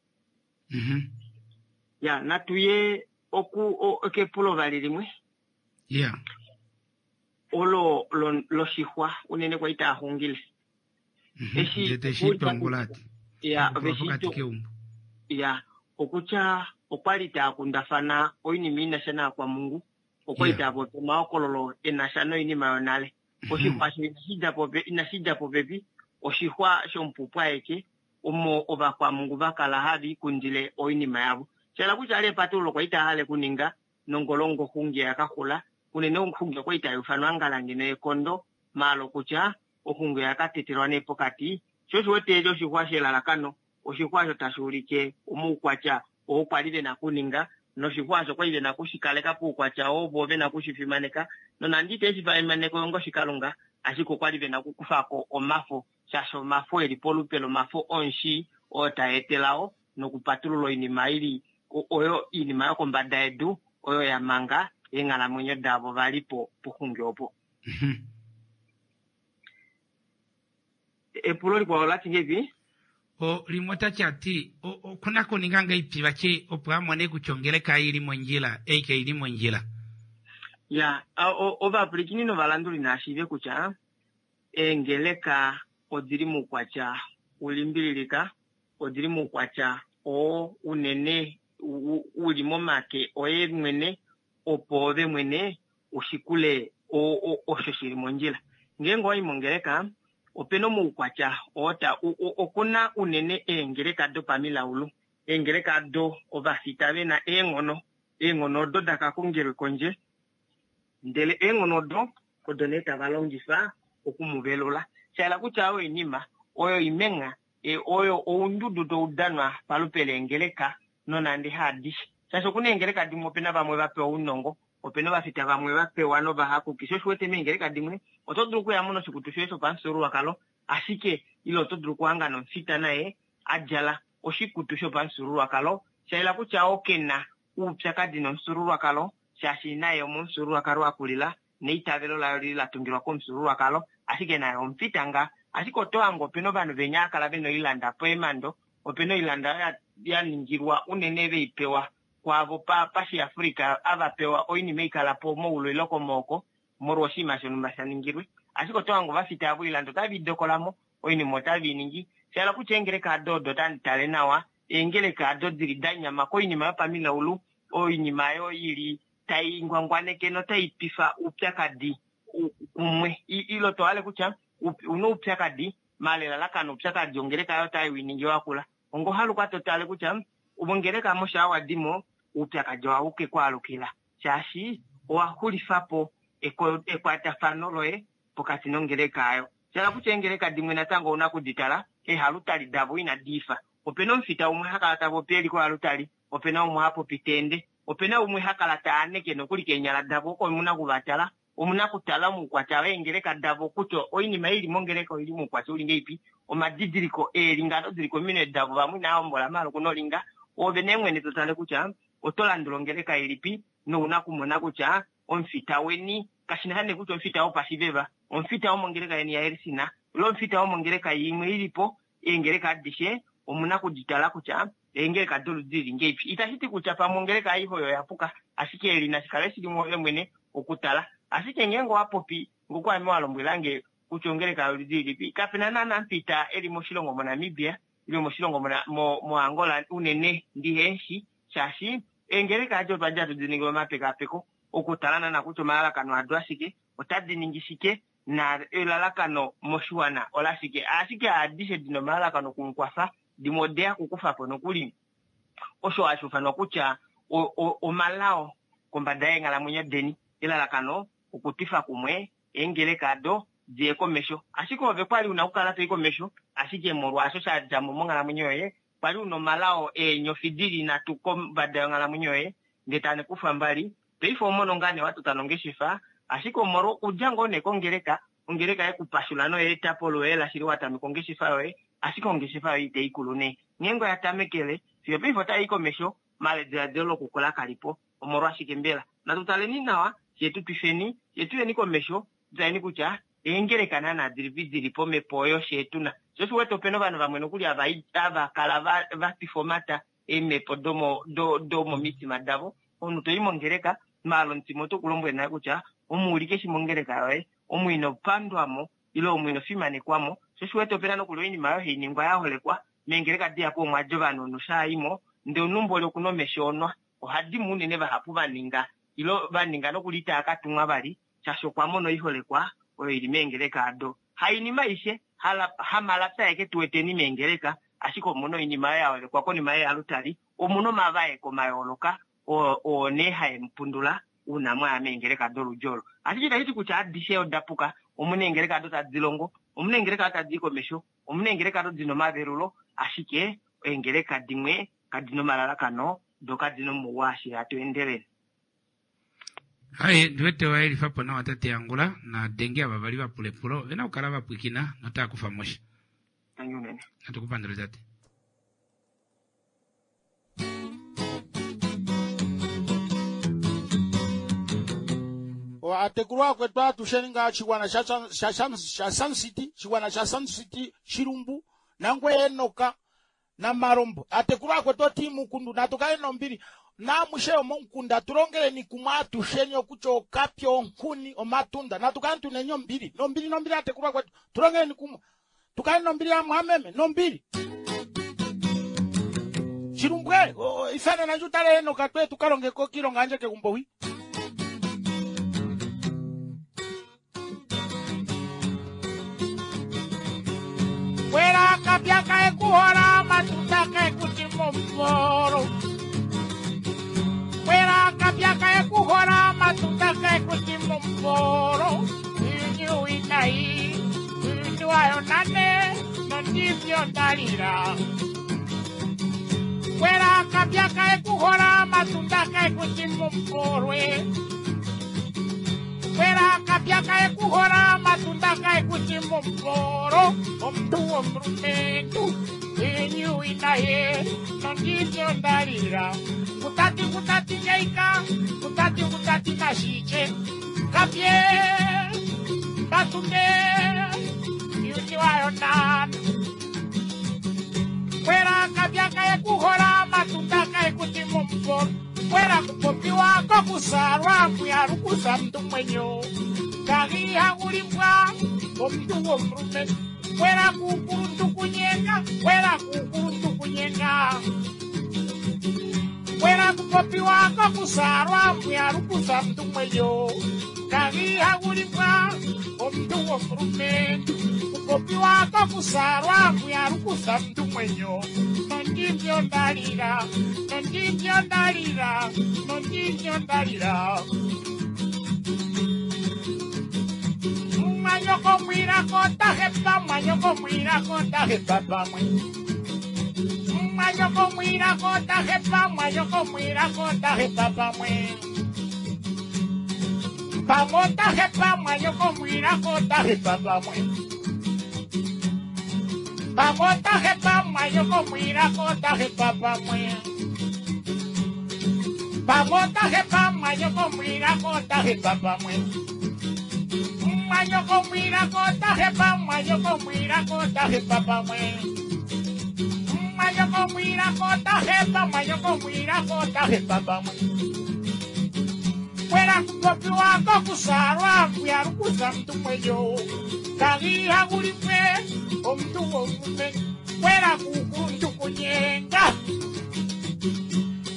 Ya natuye oku kepulo vali limwe. Yeah. Olo loshixwa unene kwali taaxungile. Eshi teshi Ya, ya okutya okwali taakundafana oinima inasha naakwamungu, okwali taapopi omahokololo enasha noinima yonale. Oshixwa osho inashi dja popepi, oshixwa shomupupwa aeke omo ovakwamungu vakala hava ikundile oinima yavo. Shayela kutya ali epatululo kwali taahale kuninga nongolongo xungi yakaxula, unene oxungi okwali taiufanwa ngala ngeno yekondo, maala okutya oxungi oyakatetelwa nee pokati. Sho osho wete oshixwa shelalakano, oshixwa osho tashi ulike omaukwatya oo kwali vena kuninga, noshixwa osho kwali vena kushikaleka poukwatya oo vo vena kushifimaneka, nonande ite shi fimaneka onga oshikalunga, ashike okwali vena okukufako omafo, shaashi omafo eli polupe lomafo omushi oo taetelao nokupatulula oinima ili oyo oinima yokombada yedu oyo ya manga eenghalamwenyo davo vali po poxungi opo. Epulo likwao lati ngepi? O limwe otati ati okuna kuninga ngeipi vati opo amone kutya ongeleka ili mondjila ei kaili mondjila. Ya ovapwilikini novalanduli naashiive kutya eengeleka odili moukwatya ulimbililika, odili moukwatya oo unene uli momake oye mwene, opo ove mwene ushikule osho shili mondjila. Ngeenge owayi mongeleka opena omaukwatya oo okuna unene eengeleka dopamilaulu, eengeleka do ovafita vena eenghono, eenghono odo dakakongelwe kondje, ndele eenghono odo odo nee tava longifa okumuvelula. Shayela kutya oyo oinima oyo imenga oyo oundudu toudanwa palupe leengeleka nonande haadishe, shaashi okuna eengeleka dimwe opena vamwe vapewa ounongo, opena ovafita vamwe vapewa novahakuki. Sho osho wete meengeleka dimwe oto dulu okuyamo noshikutu shoye shopamufyuululwakalo, ashike ile oto dulu okuhanga nomufita naye adjala oshikutu shopamufyuululwakalo, shayela kutya okena oupyakadi nomufyuululwakalo, shaashi naye omomufyuululwakalo akulila neitavelo layo lili latungilwa komufyuululwakalo, ashike naye omufita nga. Ashike oto hange opena ovanhu venya akala vena oilanda poemando, opena oilanda ya ningilwa unene veipewa kwaavo pashiafrika avapewa oinima ikalapo moulu ile komooko molwa oshinima shonhumba sha ningilwe. Ashike oto hange ovafita avo oilanda otave idokolamo, oinima otave iningi. Shayela kutya eengeleka ado odo otandi tale nawa, eengeleka ado dili da nyama koinima yopamilaulu, oinima oyo ili tai ngwangwaneke notai pifa oupyakadi kumwe. Ilo tohale kutya una oupyakadi maala elalakano oupyakadi ongeleka oyo otai winingi wakula. Ongohaluka totale kutya ongeleka mosha wadimo oupyakadi ohauke kwaalukila Shaashi owa xulifa po ekwatafano loye pokati nongeleka ayo. Shala kutya eengeleka dimwe natango ouna kuditala ehalutali davo inadi ifa. Opena omufita umwe hakala tapopi eli kohalutali, opena umwe hapopi tende, opena umwe hakala taaneke nokuli keenyala davo oko omuna kuvatala, omuna kutala moukwatya weengeleka davo kutya oinima ili mongeleka oili moukwatya uli ngeipi, omadidiliko eelinga ado dili kominwe davo vamwe inava hombola maala okuna olinga, ove nee mwene totale kutya oto landula ongeleka ilipi nouna kumona kutya omufita weni kashina nee kutya omufita wopashiveva, omufita womongeleka yeni yaElcin ile omufita womongeleka imwe ilipo, eengeleka adishe omuna kuditala kutya eengeleka doludi lili ngeipi. Itashi ti kutya pamwe ongeleka aihe oyo oyapuka, ashike eli nashikale shili mwoove mwene okutala. Ashike ngeenge owapopi ngoku ame walombwelange kutya ongeleka yoludi lilipi, kapena naana mufita eli moshilongo moNamibia ile moshilongo moAngola unene ndiheshi, shaashi eengeleka adi otwali hatu di ningile omapekapeko okutala naana kutya omalalakano ado ashike, otadi ningi shike na elalakano moshiwana olashike. Ashike adishe dina omalalakano okumukwafa, dimwe odeya kukufapo nokuli osho hashi ufanwa kutya omalao kombada yeenghalamwenyo deni. Elalakano okutwifa kumwe eengeleka ado diye komesho. Ashike ove kwali una okukala toi komesho, ashike molwaasho shadjamo monghalamwenyo yoye, kwali una omalao eenyofi dili nhatu kombada yonghalamwenyo yoye, ndee tane kufa mbali, paife omono ngaa nee watota nongeshefa, ashike omolwa okudja ngoo nee kongeleka, ongeleka yekupashula noyeetapo loye shili watameka ongeshefa yoye, ashike ongeshefa yoye itayi kulu nee. Ngeenge oya tamekele, fiyo paife otayi komesho, maala ediladilo lokukula kalipo. Omolwashike mbela? Natu taleni nawa, fyee tu twifeni, fyee tuyeni komesho, tutaleni kutya eengeleka naana dilipi dili pomhepo oyo fyee tuna. Sho osho uwete opena ovanhu vamwe nokuli hava kala va twifa omata eemhepo domomitima davo. Omunhu toyi mongeleka, maala omutima oto kulombwele nale kutya omuulike shi mongeleka yoye, omu ino pandwamo ile omu ino fimanekwamo. Sho osho uwete opena nokuli oinima oyo hai ningwa ya holekwa meengeleka dihapu omwadi ovanhu noshaayimo, ndee omunhu mboli okuna omesho onwa, ohadimo unene vahapu vaninga ile vaninga nokuli itaa katumwa vali, shaashi okwa mona oiholekwa oyo ili meengeleka ado. Hainima aishe, hamalapya aeke tuweteni meengeleka, ashike omuna oinima oyo yaholekwa konima yealutali, omuna omavaeko mayooloka oo nee haemupundula uuna mwaya meengeleka doludi olo. Ashike itashi ti kutya adishe oda puka, omuna eengeleka ado tadi longo, omuna eengeleka ado tadi i komesho, omuna eengeleka ado dina omavelulo, ashike eengeleka dimwe kadina omalalakano doo kadina omauwa ashili hatu endelele. Hai, ndiwete wayelifapo nawa tate Angula na denge ava vali vapula epulo ovena okukala vapwikina notava kufa mosha. Tangi unene. Natukupandule tate. Atekulwa akwetu atusheni nga chigwana sha sha sha Sun City, chigwana sha Sun City Shilumbu nangwe Enoka na Marombo. Atekulwa akwetu oti mukundu natukale nombili namushe omomukunda tulongeleni kumwe atusheni okutya okapya onkuni omatunda natukale tuneni ombili nombili nombili atekulwa kwetu tulongeleni kumwe tukale nombili amwameme nombili. Chilumbwe ifana nanje utale Enoka twe tukalongeko kilonga anje kegumbo wi. Wera kapya kae kuhora matunda kae kutimomoro. Wera kapya kae kuhora matunda kae kutimomoro. Inyu inai, inyu ayo nane, nondivyo ndalira. Wera kapya kae kuhora matunda kae kutimomoro. Wera kapya kae kuhora matunda kae kutimomoro. Omuntu omulumentu enyu inaye nondivyo ndalira. Kutati kutati ngeika, kutati kutati nashiche. Kapye matunde yuti wayo nana. Wera kapya kae kuhora matunda kae kutimomoro. Wera kupopiwa kokusarwa kuyarukusa mntu mwenyo. Kagiha kulimbwa omuntu omulumentu. Wera kukuluntu kunyenga, wera kukuluntu kunyenga. Wera kupopiwa kokusarwa kuyarukusa mntu mwenyo. Kagiha kulimbwa omuntu omulumentu. Kupopiwa kokusalwa kuyalukusa mntu mwenyo nondivyo ndalila nondivyo ndalila nondivyo ndalila mwanyoko mwirako tahepa mwanyoko mwirako tahepa pamwe mwanyoko mwirako tahepa mwanyoko mwirako tahepa pamwe pamo tahepa mwanyoko mwirako tahepa pamwe pamo tahepa mwanyoko mwirako tahepa pamwe pamo tahepa mwanyoko mwirako tahepa pamwe mwanyoko mwirako tahepa mwanyoko mwirako tahepa pamwe mwanyoko mwirako tahepa mwanyoko mwirako tahepa pamwe kwera kupopiwa kokusalwa kuyalukusa mntu mwenyo kagiha kulimwe omuntu womume kwera kukuluntu kunyenga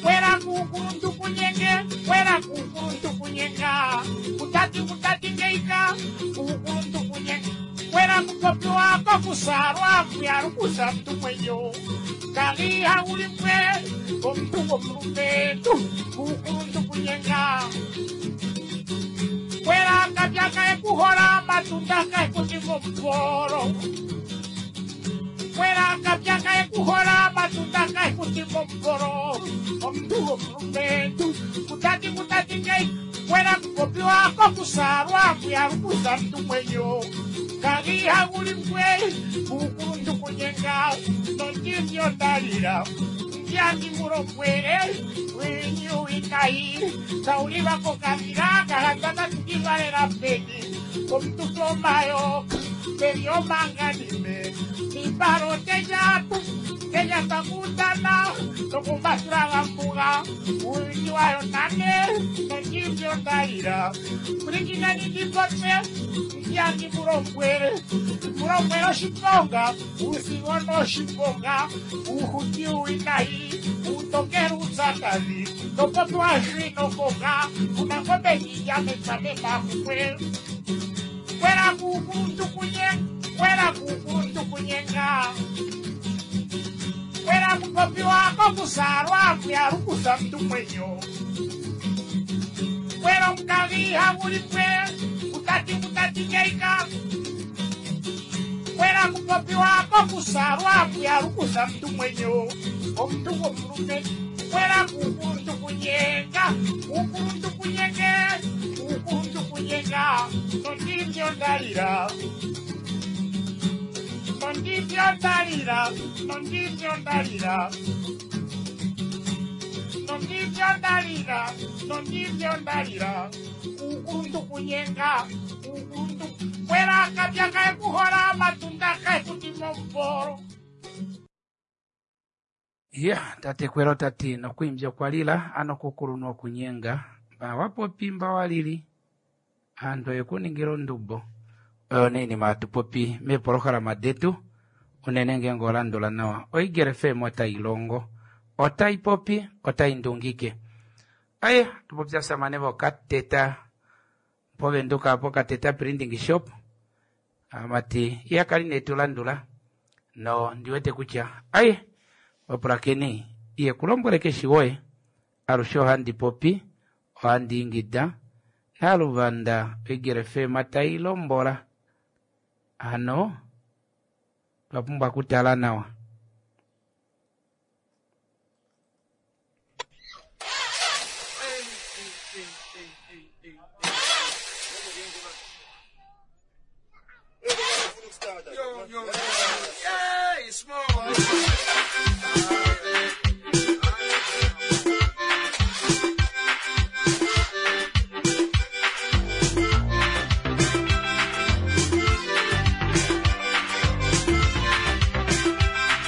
kwera kukuluntu kunyenge kwera kukuluntu kunyenga kutati kutati ngeika kukuluntu kunyenga kwera kupopiwa kokusalwa kuyalukusa mntu mwenyo kagiha kulimwe omuntu womulumentu kukuluntu kunyenga kwera kapya kaekuhola matunda kaekutimo mporo kwera kapya kaekuhola matunda kaekutimo mporo omuntu womulumentu kutati kutati ngei kwera kupopiwa kokusalwa kuyalukusa mntu mwenyo kagiha kulimwe kukuluntu kunyenga nondivyo ndalila ndiandi mulombwele winyuwikayi saulivako kavila kahandana tukivalela peni omuntu tomayo peliomanganime iparo tejatu tejatakutana nokumatulagambuga uwinyi wayo nane nondivyo ndalila kulikinanidipotse ndiandi mulombwele mulombwele oshiponga usigono oshiponga uhuti uwinayi utokela utsakazi nopotwashwinokoka unangombe ndiyametsamemafukwe kwera kukuluntu kunyenga kwera kukuluntu kunyenga kwera kupopiwa kokusalwa kuyalukusa mntu mwenyo kwera mkagiha kulimwe kutati kutati ngeika kwera kupopiwa kokusalwa kuyalukusa mntu mwenyo omuntu womulume kwera kukuluntu kunyenga kukuluntu kunyenge kukuluntu kunyenga nondivyo ndalila nondivyo ndalila nondivyo ndalila nondivyo ndalila nondivyo ndalila kukuluntu kunyenga kukuluntu kwera kapya kaekuhola matunda kaekutimo mporo ya tate kwera tati nokwimbya kwalila ano kukulu nokunyenga mba mba walili antu ekuningira ondubo oyo neinima atupopi meepolohalama detu unene ngenge olandula nawa oigere F M otayi longo otayi popi otayi ndungike aye tupopya samane vokateta povenduka pokateta printing shop amati iyakali netulandula no ndiwete kutya aye wapulakeni iye kulombwele keshi woye alushe ohandi popi ohandi ingida naluvanda oigere F M tayi lombola ano twapumbwa kutala nawa. Yo, yo, yeah, small. Thank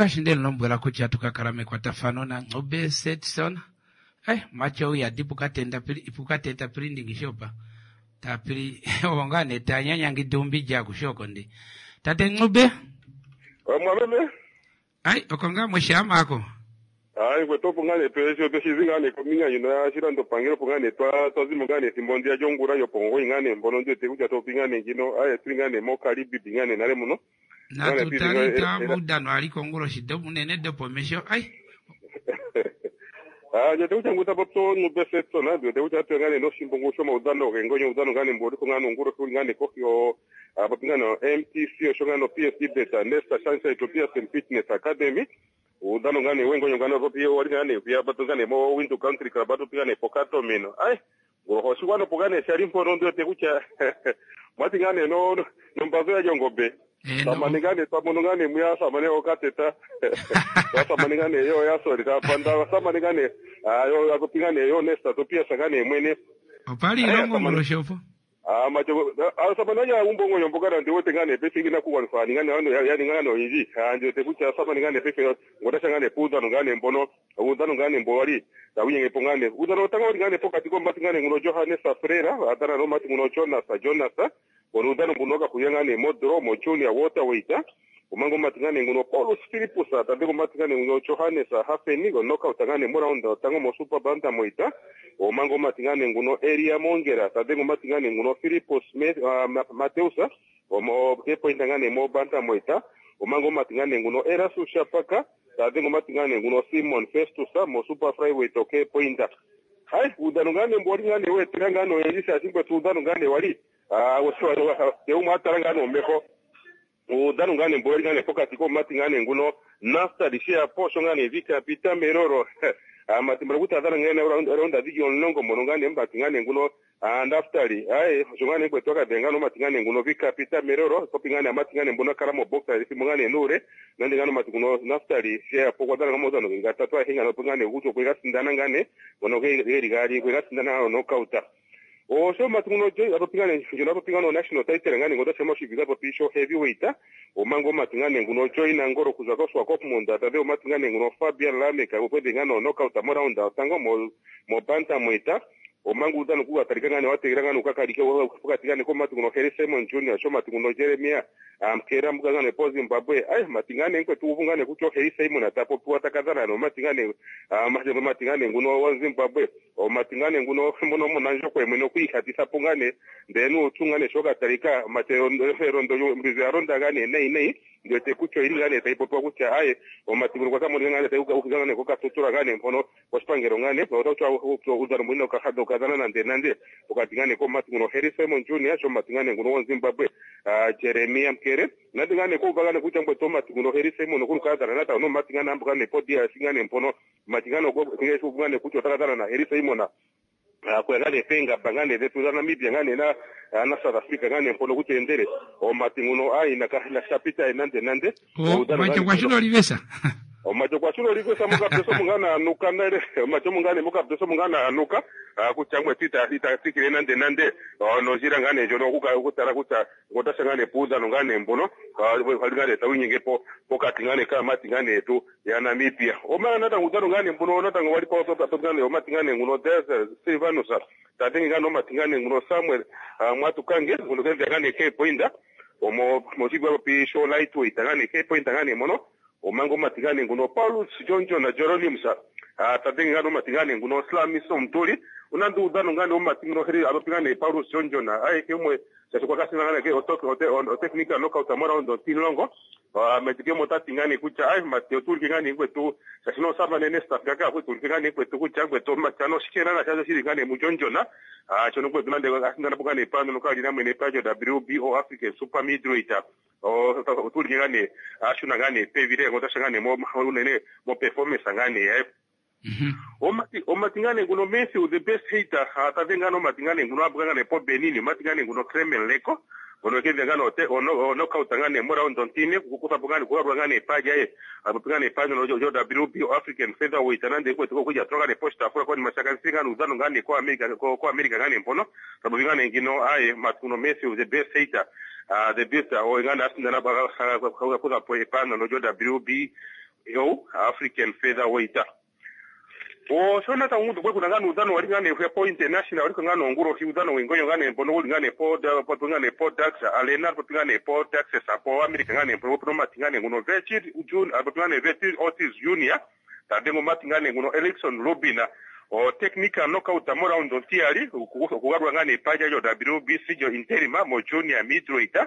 Ongaashi nde lombwela kutya tukakala mekwatafano naNcube Setson. Eh, macho uyadi pukatenda pukateta printing shop. Tapiri onga ne tanyanya ngidumbi kushoko ndi. Tate Ncube. Mwameme. Ai, okonga mweshama ako. Ai, kwetu ngane pesho peshizi ngane kominga yino ya shilando pangelo pungane twa twazimo ngane simbondi ya jongura yo pongo ingane mbono ndio tekuja to pingane ngino ai tuingane mo karibi bingane nale muno. Natutalita mudano aliko ngulo shido munene dopo mesho ai. Ah, ndio tekuja nguta popto nubesetso na ndio tekuja tuingane no shimbongo shoma udano gengonyo udano ngane mbori kongano nguro kungane kokyo apapingano M T C oshongano P S Beta Nesta Shansa Ethiopia Fitness Academy. Udano ngane wengo ngane ropi wali ngane pia batu ngane mo Windu Country Club batu pia pokato mino ai ngoro shigwano pogane shari mpono ndio tekucha mwati ngane no no mbazo ya jongombe samane ngane tamono ngane muya samane okateta samane ngane yo ya sorry tapanda samane ngane ayo akopingane yo Nesta topia sangane mwene opali ilongo ngoro Ah macho samane ya umbongo yombokana ndiwo tengane pefi ngina kuwanfa ngane ano ya ngane oyiji anje tekucha samane ngane pefi ngoda ngane puda ngane mbono udano ngane mbowali tawinye pongane udano tanga ngane pokati ko mbati ngane nguno Johannes Frera atana no mati nguno Jonas Jonas udano ngunoka kuyangane modro mo junior water waiter umango mati ngane nguno Paulus Philippus atandeko mati ngane nguno Johannes Hafeni go knockout ngane moraunda tango mo super banta moita omango mati ngane nguno Elia Mongera tadeko mati ngane nguno Philippus uh, Mateus omo ke point ngane mo banta moita omango mati ngane nguno Erasu Shapaka tadeko mati ngane nguno Simon Festus mo super flyweight okay pointa hai udano ngane mbori ngane we tirangano elisa singwe udano ngane wali ah woswa eu matarangano meho udano ngane mbori ngane pokati ko mati ngane nguno nasta lishia posho ngane vika pita meroro amati mrakuta dhana ngane ronda dhigi onlongo mono ngane mbati ngane nguno andaftali ai shongane kwetoka dengano mati ngane nguno vika pita meroro kopi ngane amati ngane mbona karamo boxer ifi ngane nure nandi ngano mati nguno naftali shia pokwa dhana ngamo zano ngatatu hinga no ngane ujo kwega sindana ngane bono ge gari kwega sindana no kauta o so mati nguno jo apopingane jo apopingano national title ngane ngoda sema shibiga popisho heavyweight o mango mati ngane nguno join ngoro kuza koswa kop munda tade o mati ngane nguno Fabian Lameka opede ngano knockout mo round tango mo mo banta moita o mango udano kuga tarika ngane wategira ngane ukakalike ukati ngane ko mati nguno Harry Simon Junior sho mati nguno Jeremia amkera mbuga ngane po Zimbabwe ai mati ngane nkwe tuvu ngane kucho Harry Simon atapo puwa takazana no mati ngane amanje mati ngane nguno wa Zimbabwe o mati ngane nguno mbono munanjo kwe mwene kuikhatisa pungane ndenu utungane shoka tarika mate rondo mbizi aronda ngane nei nei ndio tekucho ili ngane taipopo kucha aye o mati nguno kwa ngane taiuka ukizana ko katutura ngane mpono oshipangero ngane otaucha udano mwino kahado kazana nande nande ukati ngane ko mati nguno Harry Simon Junior sho mati ngane nguno wa Zimbabwe Jeremia Mkere nandi ngane ko bagane kucha ngwe to mati nguno Harry Simon ko kazana nata no mati ngane ambuka ne podia singane mpono mati ngane ko ngane kucho takazana na Harry Simon kwa ngane penga bangane zetu za Namibia ngane na na South Africa ngane mpono kutendere o mati nguno ai na na chapita nande nande o macho kwa shulo livesa o macho kwa shulo livesa muka peso mungana anuka nale macho mungane muka peso mungana anuka kuchangwe tita tita tikire nande nande no jira ngane jono kuka kutara kuta ngotasha ngane puza no ngane mbono ngane tawinyenge po pokati ngane kama mati ngane tu ya Namibia o mana nata ngudano ngane mbono nata ngwali po to ngane o mati ngane nguno Desert Silvanus tatengi ngane mati ngane nguno Samuel mwatukange nguno kenza ngane ke poinda omo mochigwa pi show lightweight ngane ke poinda ngane mono omango mati ngane nguno Paulus Jonjo na Jeronimusa tatengi ngane mati ngane nguno Slamiso Mtuli unandu udano ngane omati nguno heri abapingane Paulus Jonjo na ai ke mwe sasa kasi ngane ke otoke ote technical knockout amora ondo tilongo metike motati ngane kucha ai mateo tulki ngane kwetu sasa no saba nene staff kaka kwetu ngane kwetu kucha kwetu machano shikena na chazo shiri ngane mujonjo na ah chono kwetu nande asindana pokane pano nokali na mwene pajo W B O African Super Middleweight o tulki ngane ashuna ngane pevire ngotasha ngane mo unene mo performance ngane eh omati omatingane nguno Messi the best hater atavengano matingane nguno abukangane po Benin matingane nguno Kremlin leko ono kevengano te ono knockout ngane mora ondontine kukuta pokane kuwa ngane paja ye abupingane paja no jo W B O African featherweight nande kwetu kuja troka ne posta afura kwa ni mashaka singano udano ngane kwa America kwa America ngane mpono sabupingane ngino aye matuno Messi the best hater uh, the best o ngane asindana ba kuza po epano no jo W B yo African featherweight. Osho natango kwekuna ngane uudhano wali ngane po international wali ngane ongulohi uudhano wengonyo ngane mbono uli ngane po po ngane po Dax Arena po ngane po Texas po America ngane po po mati ngane nguno Virgil June po ngane Virgil Ortiz Junior tadengo mati ngane nguno Erickson Rubina o technical knockout mo round ontiali okugalwa ngane paja yo W B C jo interima mo junior middleweight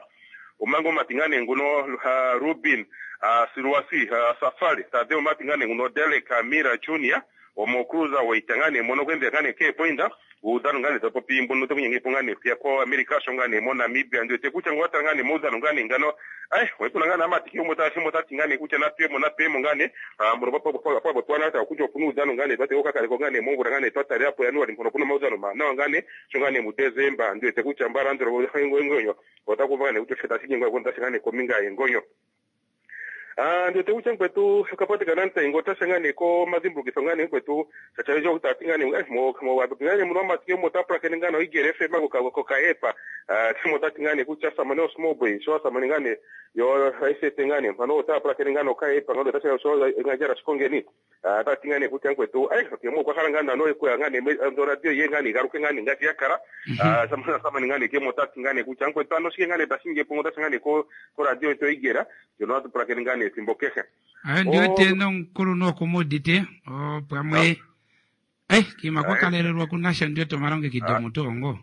omango matingane nguno uh, Rubin uh, Siruasi uh, Safari tadeo matingane nguno Derek Amira Junior omo cruiser waitangane mono kwende ngane ke poinda udhano ngane tapopi mbono tokunyenge pongane pia ko America shongane mo Namibia ndio tekucha ngwata ngane mudhano ngane ngano ai wepuna ngane amatiki umota shimo tati ngane kucha na pemo na pemo ngane mboro papo papo papo twana ta kucho punu udhano ngane tate okakale ko ngane mongura ngane twatale apo yanuari mpono puno maudhano ma na ngane shongane mu December ndio tekucha mbara ndro ngonyo otakuva ngane kucho sheta singo konta shangane kominga ngonyo. Ah, ndio tekucha nkwetu kapatikana ntengo tashangane ko mazimbukisa ngane nkwetu chachajo kutatingane mo mo wabingane muno matike mo tapra kenengano igerefe mago ka ko kaepa ah timo tatingane kucha samane small boy so samane ngane yo aise tengane mano tapra kenengano kaepa ngalo tasha so ngajara shikongeni ah tatingane kucha nkwetu ai ke mo kwa ngana no ko ngane ndo radio ye ngane garuke ngane ngati yakara ah samane samane ngane ke mo tatingane kucha nkwetu ano shike ngane tashinge pongo tashangane ko ko radio to igera yo no tapra kenengane ethimbo kehe. Ayo ndio tena nkulu nokumudite o pamwe eh kima kwa kalelelwa kunasha ndio tomaronge kidomo tongo.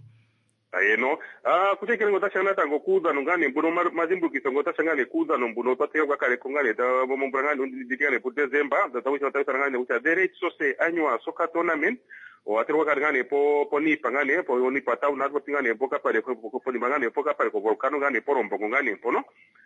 Ayeno ah kutekele ngota tango kuudhano ngane mbuno mazimbukiso ngota shangane kuudhano mbuno twateka kwa kale kongane ta mombura ngane nditikane ku December tatawisha tatawisha ngane kucha the rate sose annual soccer tournament o aterwa kale ngane po po nipa ngane po nipa town natwo tingane po kapale po nipa ngane po kapale ko volcano ngane po rombo ngane mpono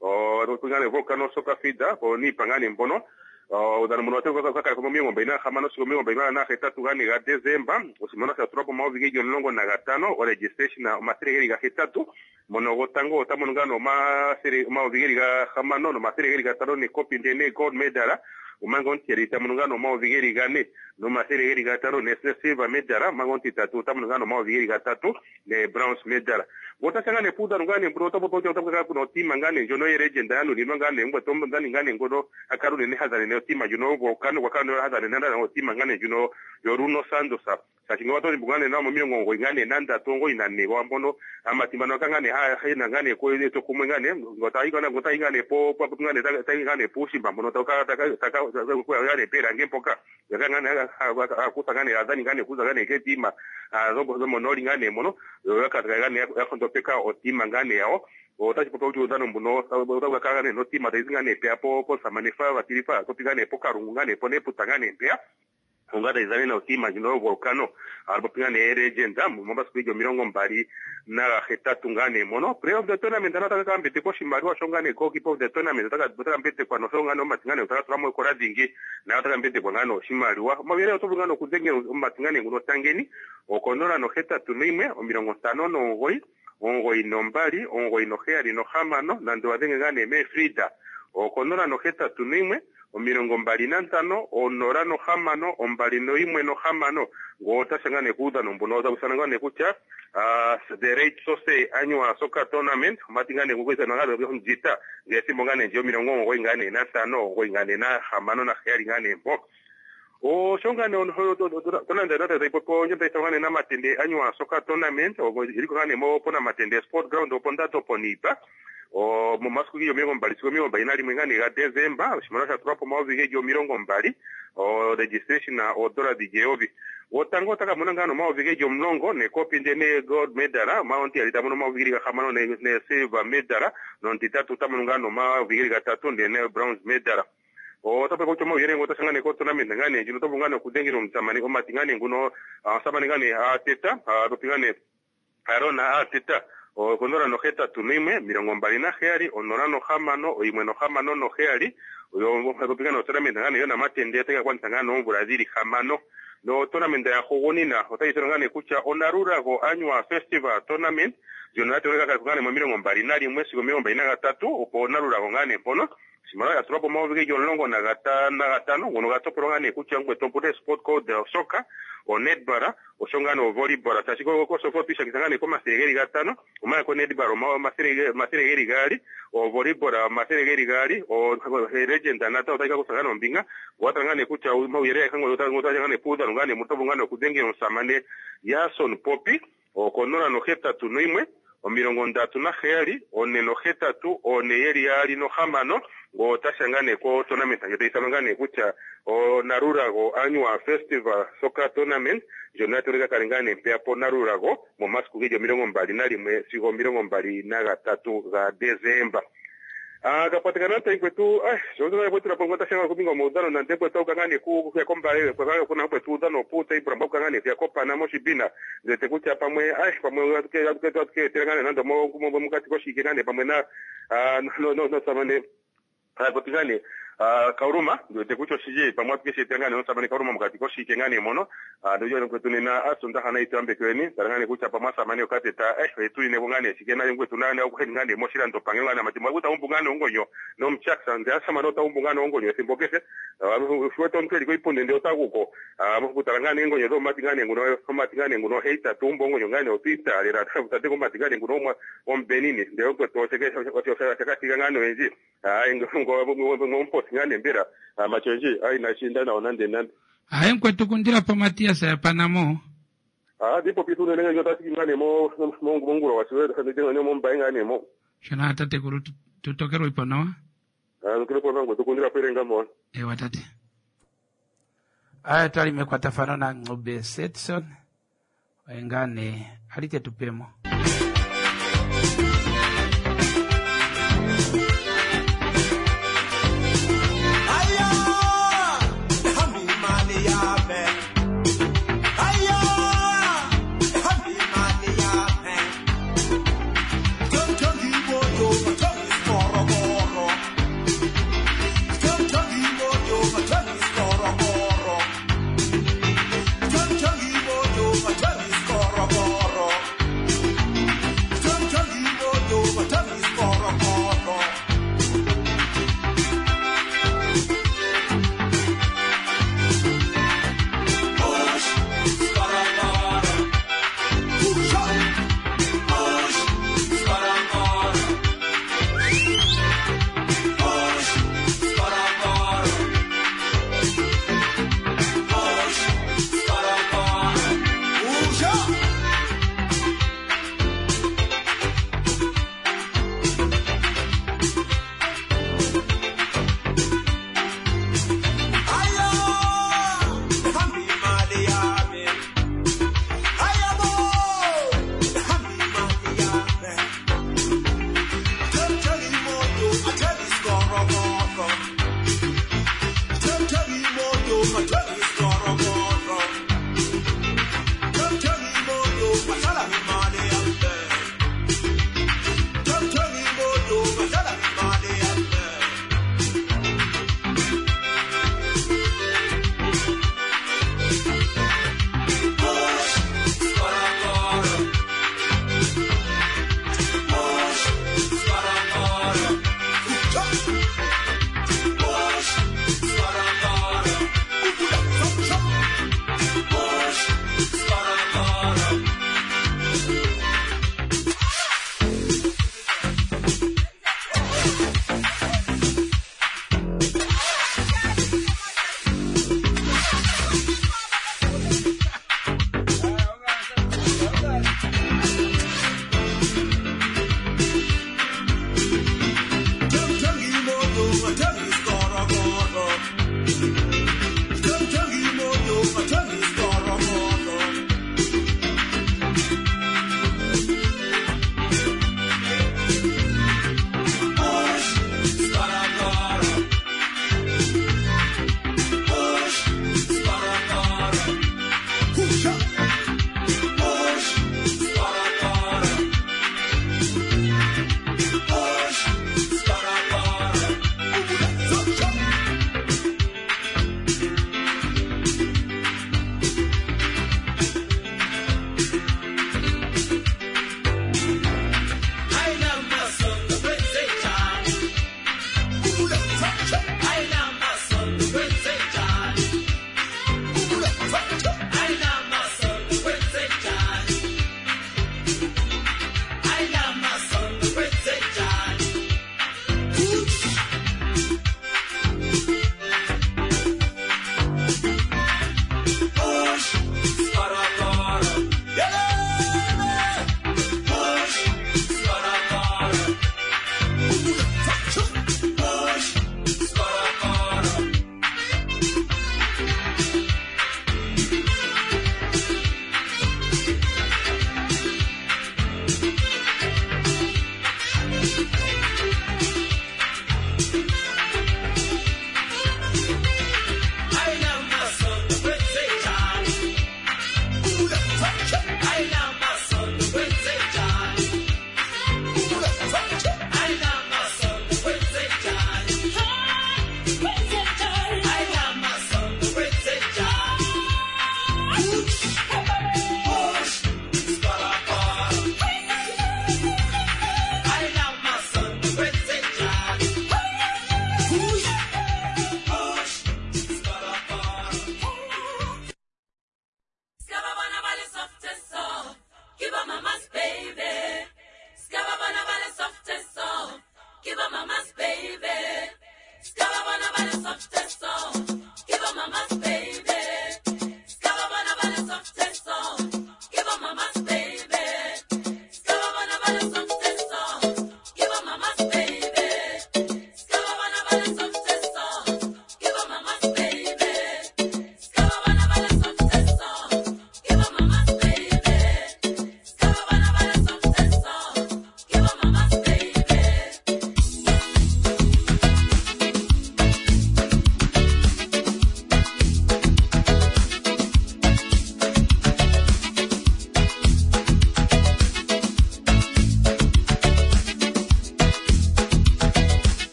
o ngane volcano soccer feeder po nipa ngane mpono o udhano mbuno aterwa kwa kale ko miongo mbina hamano siko miongo mbina na hetatu ngane ga December osimona sa tropo maovi ge longo na gatano o registration na mathiri ga hetatu mono gotango otamono ngano mathiri maovi ga hamano no mathiri ga gatano ni copy ndene gold medal umango ntirita mono ngano maovi ga ne no mathiri ga gatano ne silver medal mango ntitatu otamono ngano maovi ga tatu ne bronze medal gotashangane puda ngane mbro topo topo topo ka kuno tima ngane jono ye legend yanu ni ngane ngwe tombo ngane ngane ngodo akarune ne hazane ne tima juno volcano wakano hazane nanda na tima ngane juno yoruno sandosa sashinga wato mbugane na mo milongo ngane nanda tongo inane wambono amatimba no kangane ha hena ngane ko to kumwe ngane ngota ingane ngota ingane po po ngane ta ingane pushimba mbono toka taka taka ko ngane pera ngempoka ngane akuta ngane azani ngane kuza ngane ketima zobo zomo noli ngane mono yakata ngane yakondo peka otima ngane yao otachi popa kuti udhano mbuno otakakangane notima taizingane pea po po samanefa vatirifa topingane po karungu ngane po neputa ngane pea ungata izane na otima jino volcano alipopingane legenda momasiku ijo milongo mbali na hetatu ngane mono play of the tournament anataka mbete ko shimaliwa shongane goalkeeper of the tournament ataka ataka mbete kwa no shongane omatingane otaka tulamo ekola dhingi na ataka mbete kwa ngano shimaliwa mabere otobungano kudhengera omatingane nguno tangeni okonora no hetatu noimwe omilongo ntano nomugoyi omugoyi nombali omugoyi noheyali nohamano nando wadhenge ngane me Frida okonora nohetatu noimwe omilongo mbali nantano onora nohamano ombali noimwe nohamano ngotashangane kuudhano mbuno otakusana ngane kutya uh, the rate sose annual soccer tournament matingane kukwisa ngane njita ngethimbo ngane nje omilongo omugoyi ngane nantano omugoyi ngane nahamano naheyali ngane mpo oshongane tonanda nata ipopo njota isangane na matende annual soccer tournament iliko ngane mo pona matende sport ground opo ndato ponipa o momasiku giyo milongo mbali siku milongo mbali na limwe ngane ga December oshimaliwa sha tulwapo omayovi gejo milongo mbali o registration na odola dhijeyovi wotango otaka mona ngano omayovi gejo omulongo nekopi ndene gold medal maonti ali tamono omayovi geli gahamano ne, ne silver medal nontitatu tamono ngano omayovi geli gatatu ndene bronze medal otape kutya omauyelele ngo otashangane ko tournament ngane ndjino otovu ngane okudhengela omusamane omati ngane nguno omusamane ngane ateta topi ngane arona ateta okonora nohetatu noimwe milongo mbali naheyali onora nohamano oimwe nohamano noheyali topingana otournament ngane yona matende atekakwanisa ngane omvula dhili hamano no tournament ya hugunina otayi ngane kutya onarurago annual festival tournament ndjono ya toleka ngaa nee momilongo mbali nalimwe sigo omilongo mbali nagatatu opo nalulago ngaa nee mpono oshimaliwa ya tulwa po omayovi geli omulongo nagata- nagatano ngono ga topolwa ngaa nee kutya ngwe opuna sport code soccer onetball osho ngaa nee ovolleyball tashi kosofa otwiishangitha ngaa nee komathele geli gatano omanga konetball omathele omathele geli gaali ovolleyball omathele geli gaali o legend natango otayi ka kutha ngaa nee ombinga owatala ngaa nee kutya omauyelele agehe ngono otaga ngaa nee puudhano ngaa nee mutovu ngaa nee okudhengela omusamane Jason Popi okonola nohetatu noyimwe omilongo ndatu naheyali one nohetatu one yeli yaali nohamano ngo otasha ngaa nee ko tournament ndjono tayi ithanwa ngaa nee kutya onarurago annual festival soccer tournament ndjono ya toleka kale ngaa nee mpeya po narurago momasiku geli omilongo mbali nalimwe sigo omilongo mbali nagatatu gaDesemba. Ah, kapatikana taikwetu ah sho kwetu lapo ngota shanga kupinga maudhano na ndekwe tauka ngani ku kuya kombale kwa kuna kwetu udhano puta ibra mboka ngani kuya kopana moshibina ndete kutya pamwe ah pamwe atuke atuke atuke tera nando mo mo mukati koshike ngani pamwe na ah no no no samane apotikane ah kauruma ndete kutya oshije pamwe atuke shete ngani no samane kauruma mukati koshike ngani mono ah ndojo kwetu nena asunda hana itambe kweni tara ngani kutya pamwe samane okateta eh etu ine ngani shike na kwetu nani au ngani moshilando pangelo ngani matimwa kuta umbu ngani ongonyo nomchaksa ndi asamane ota umbu ngani ongonyo ethimbo kehe fuwete omuntu eliko ipundi ndi otaguko kutala ngani engonyo dhomati ngani nguno omati ngani nguno heita tumbo ongonyo ngani otwiitalera tate komati ngani nguno omwa ombenini ndi kwetu shakashika ngani oyendji ngomposi ngani mbera machonji ai nashinda nawo nande nande Aye mkwetu kundila pa Matias ya Panamo. Ah, ndipo pitu nene nyo tasiki ngani mo mo monguro wasiwe nyo mo mbai ngani mo Shona tate kuru tutokerwa ipo nawa. Ah, kile kwa ngwe tukundira perenga mo Ewa tate. Aya twali mekwatafano na Ng'obe Setson. Engane alite tupemo. Aya, hambi mali yame. Aya, hambi mali yame. Tontongi bojo, tongi skoro koro. Tontongi bojo, tongi skoro koro. Tontongi bojo, tongi skoro koro. Tontongi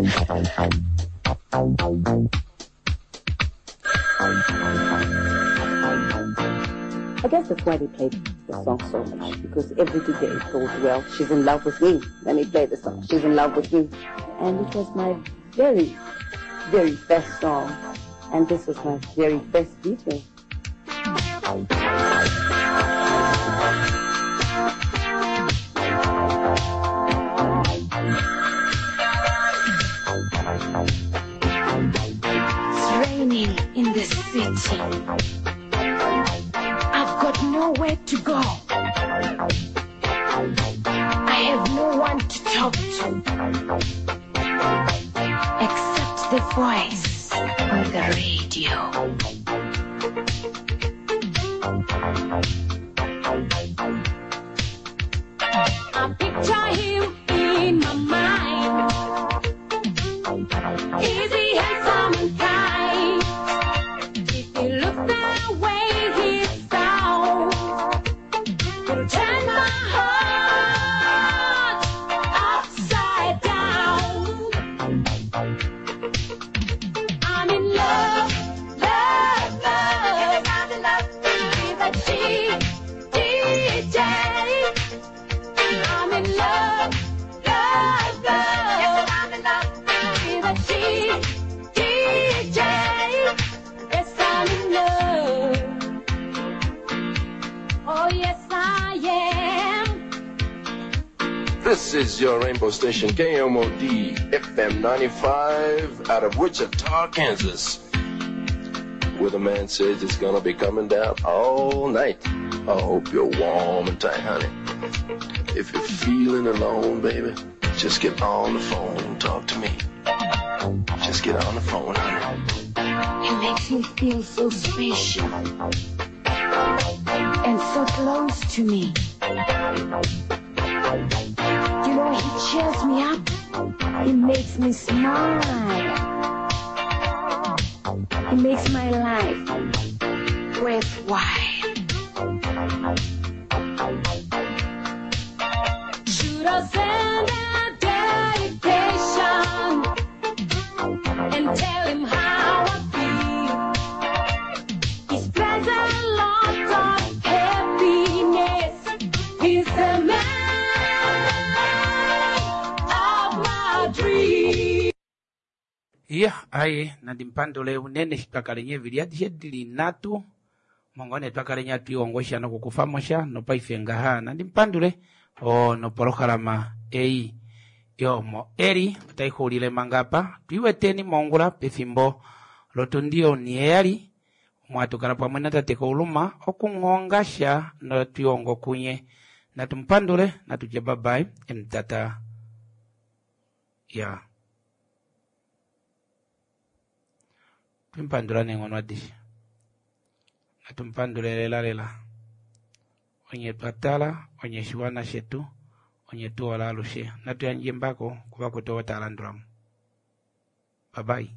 I guess that's why they played the song so much, because every D J thought, well, she's in love with me. Let me play the song. She's in love with me. And it was my very, very first song. And this was my very first video. It's raining in the city. I've got nowhere to go. I have no one to talk to except the voice on the radio. I picture him in my mind. Is he handsome and kind? If he looks the way he sounds, it'll turn my heart upside down. I'm in love, love, love. Yes, I'm in love with a D J. I'm in love, love, love. Yes, I'm in love with a D J. Yes, I'm in love. Oh, yes, I am. This is your Rainbow Station, K M O D F M ninety-five, out of Wichita, Kansas, where the man says it's gonna be coming down all night. I hope you're warm and tight, honey. If you're feeling alone, baby, just get on the phone and talk to me. Just get on the phone, honey. He makes me feel so special and so close to me. You know, he cheers me up. He makes me smile. He makes my life worthwhile. Should I send a dedication and tell him how I feel? He spreads a lot of happiness. He's the man of my dreams. Iya, aye, nandimpandule unene xitwakalenye evili adishe dili natu mongone twakalenya twiongosha nokukufamosha nopaife ngaha nandimpandule o nopolohalama ei yomo eli otaixuulile manga apa twiweteni mongula pefimbo lotundi oniheyali mwatukala pamwe na tate Kauluma okunghongasha notwiongo kunye natumpandule natutye babai emtata ya twimpandula neng'ono adishe natumpandule lela lela onye twatala onye shiwana shetu onye tuola alushe natuyandje mbako kuva kutowo talandulamo. Babai.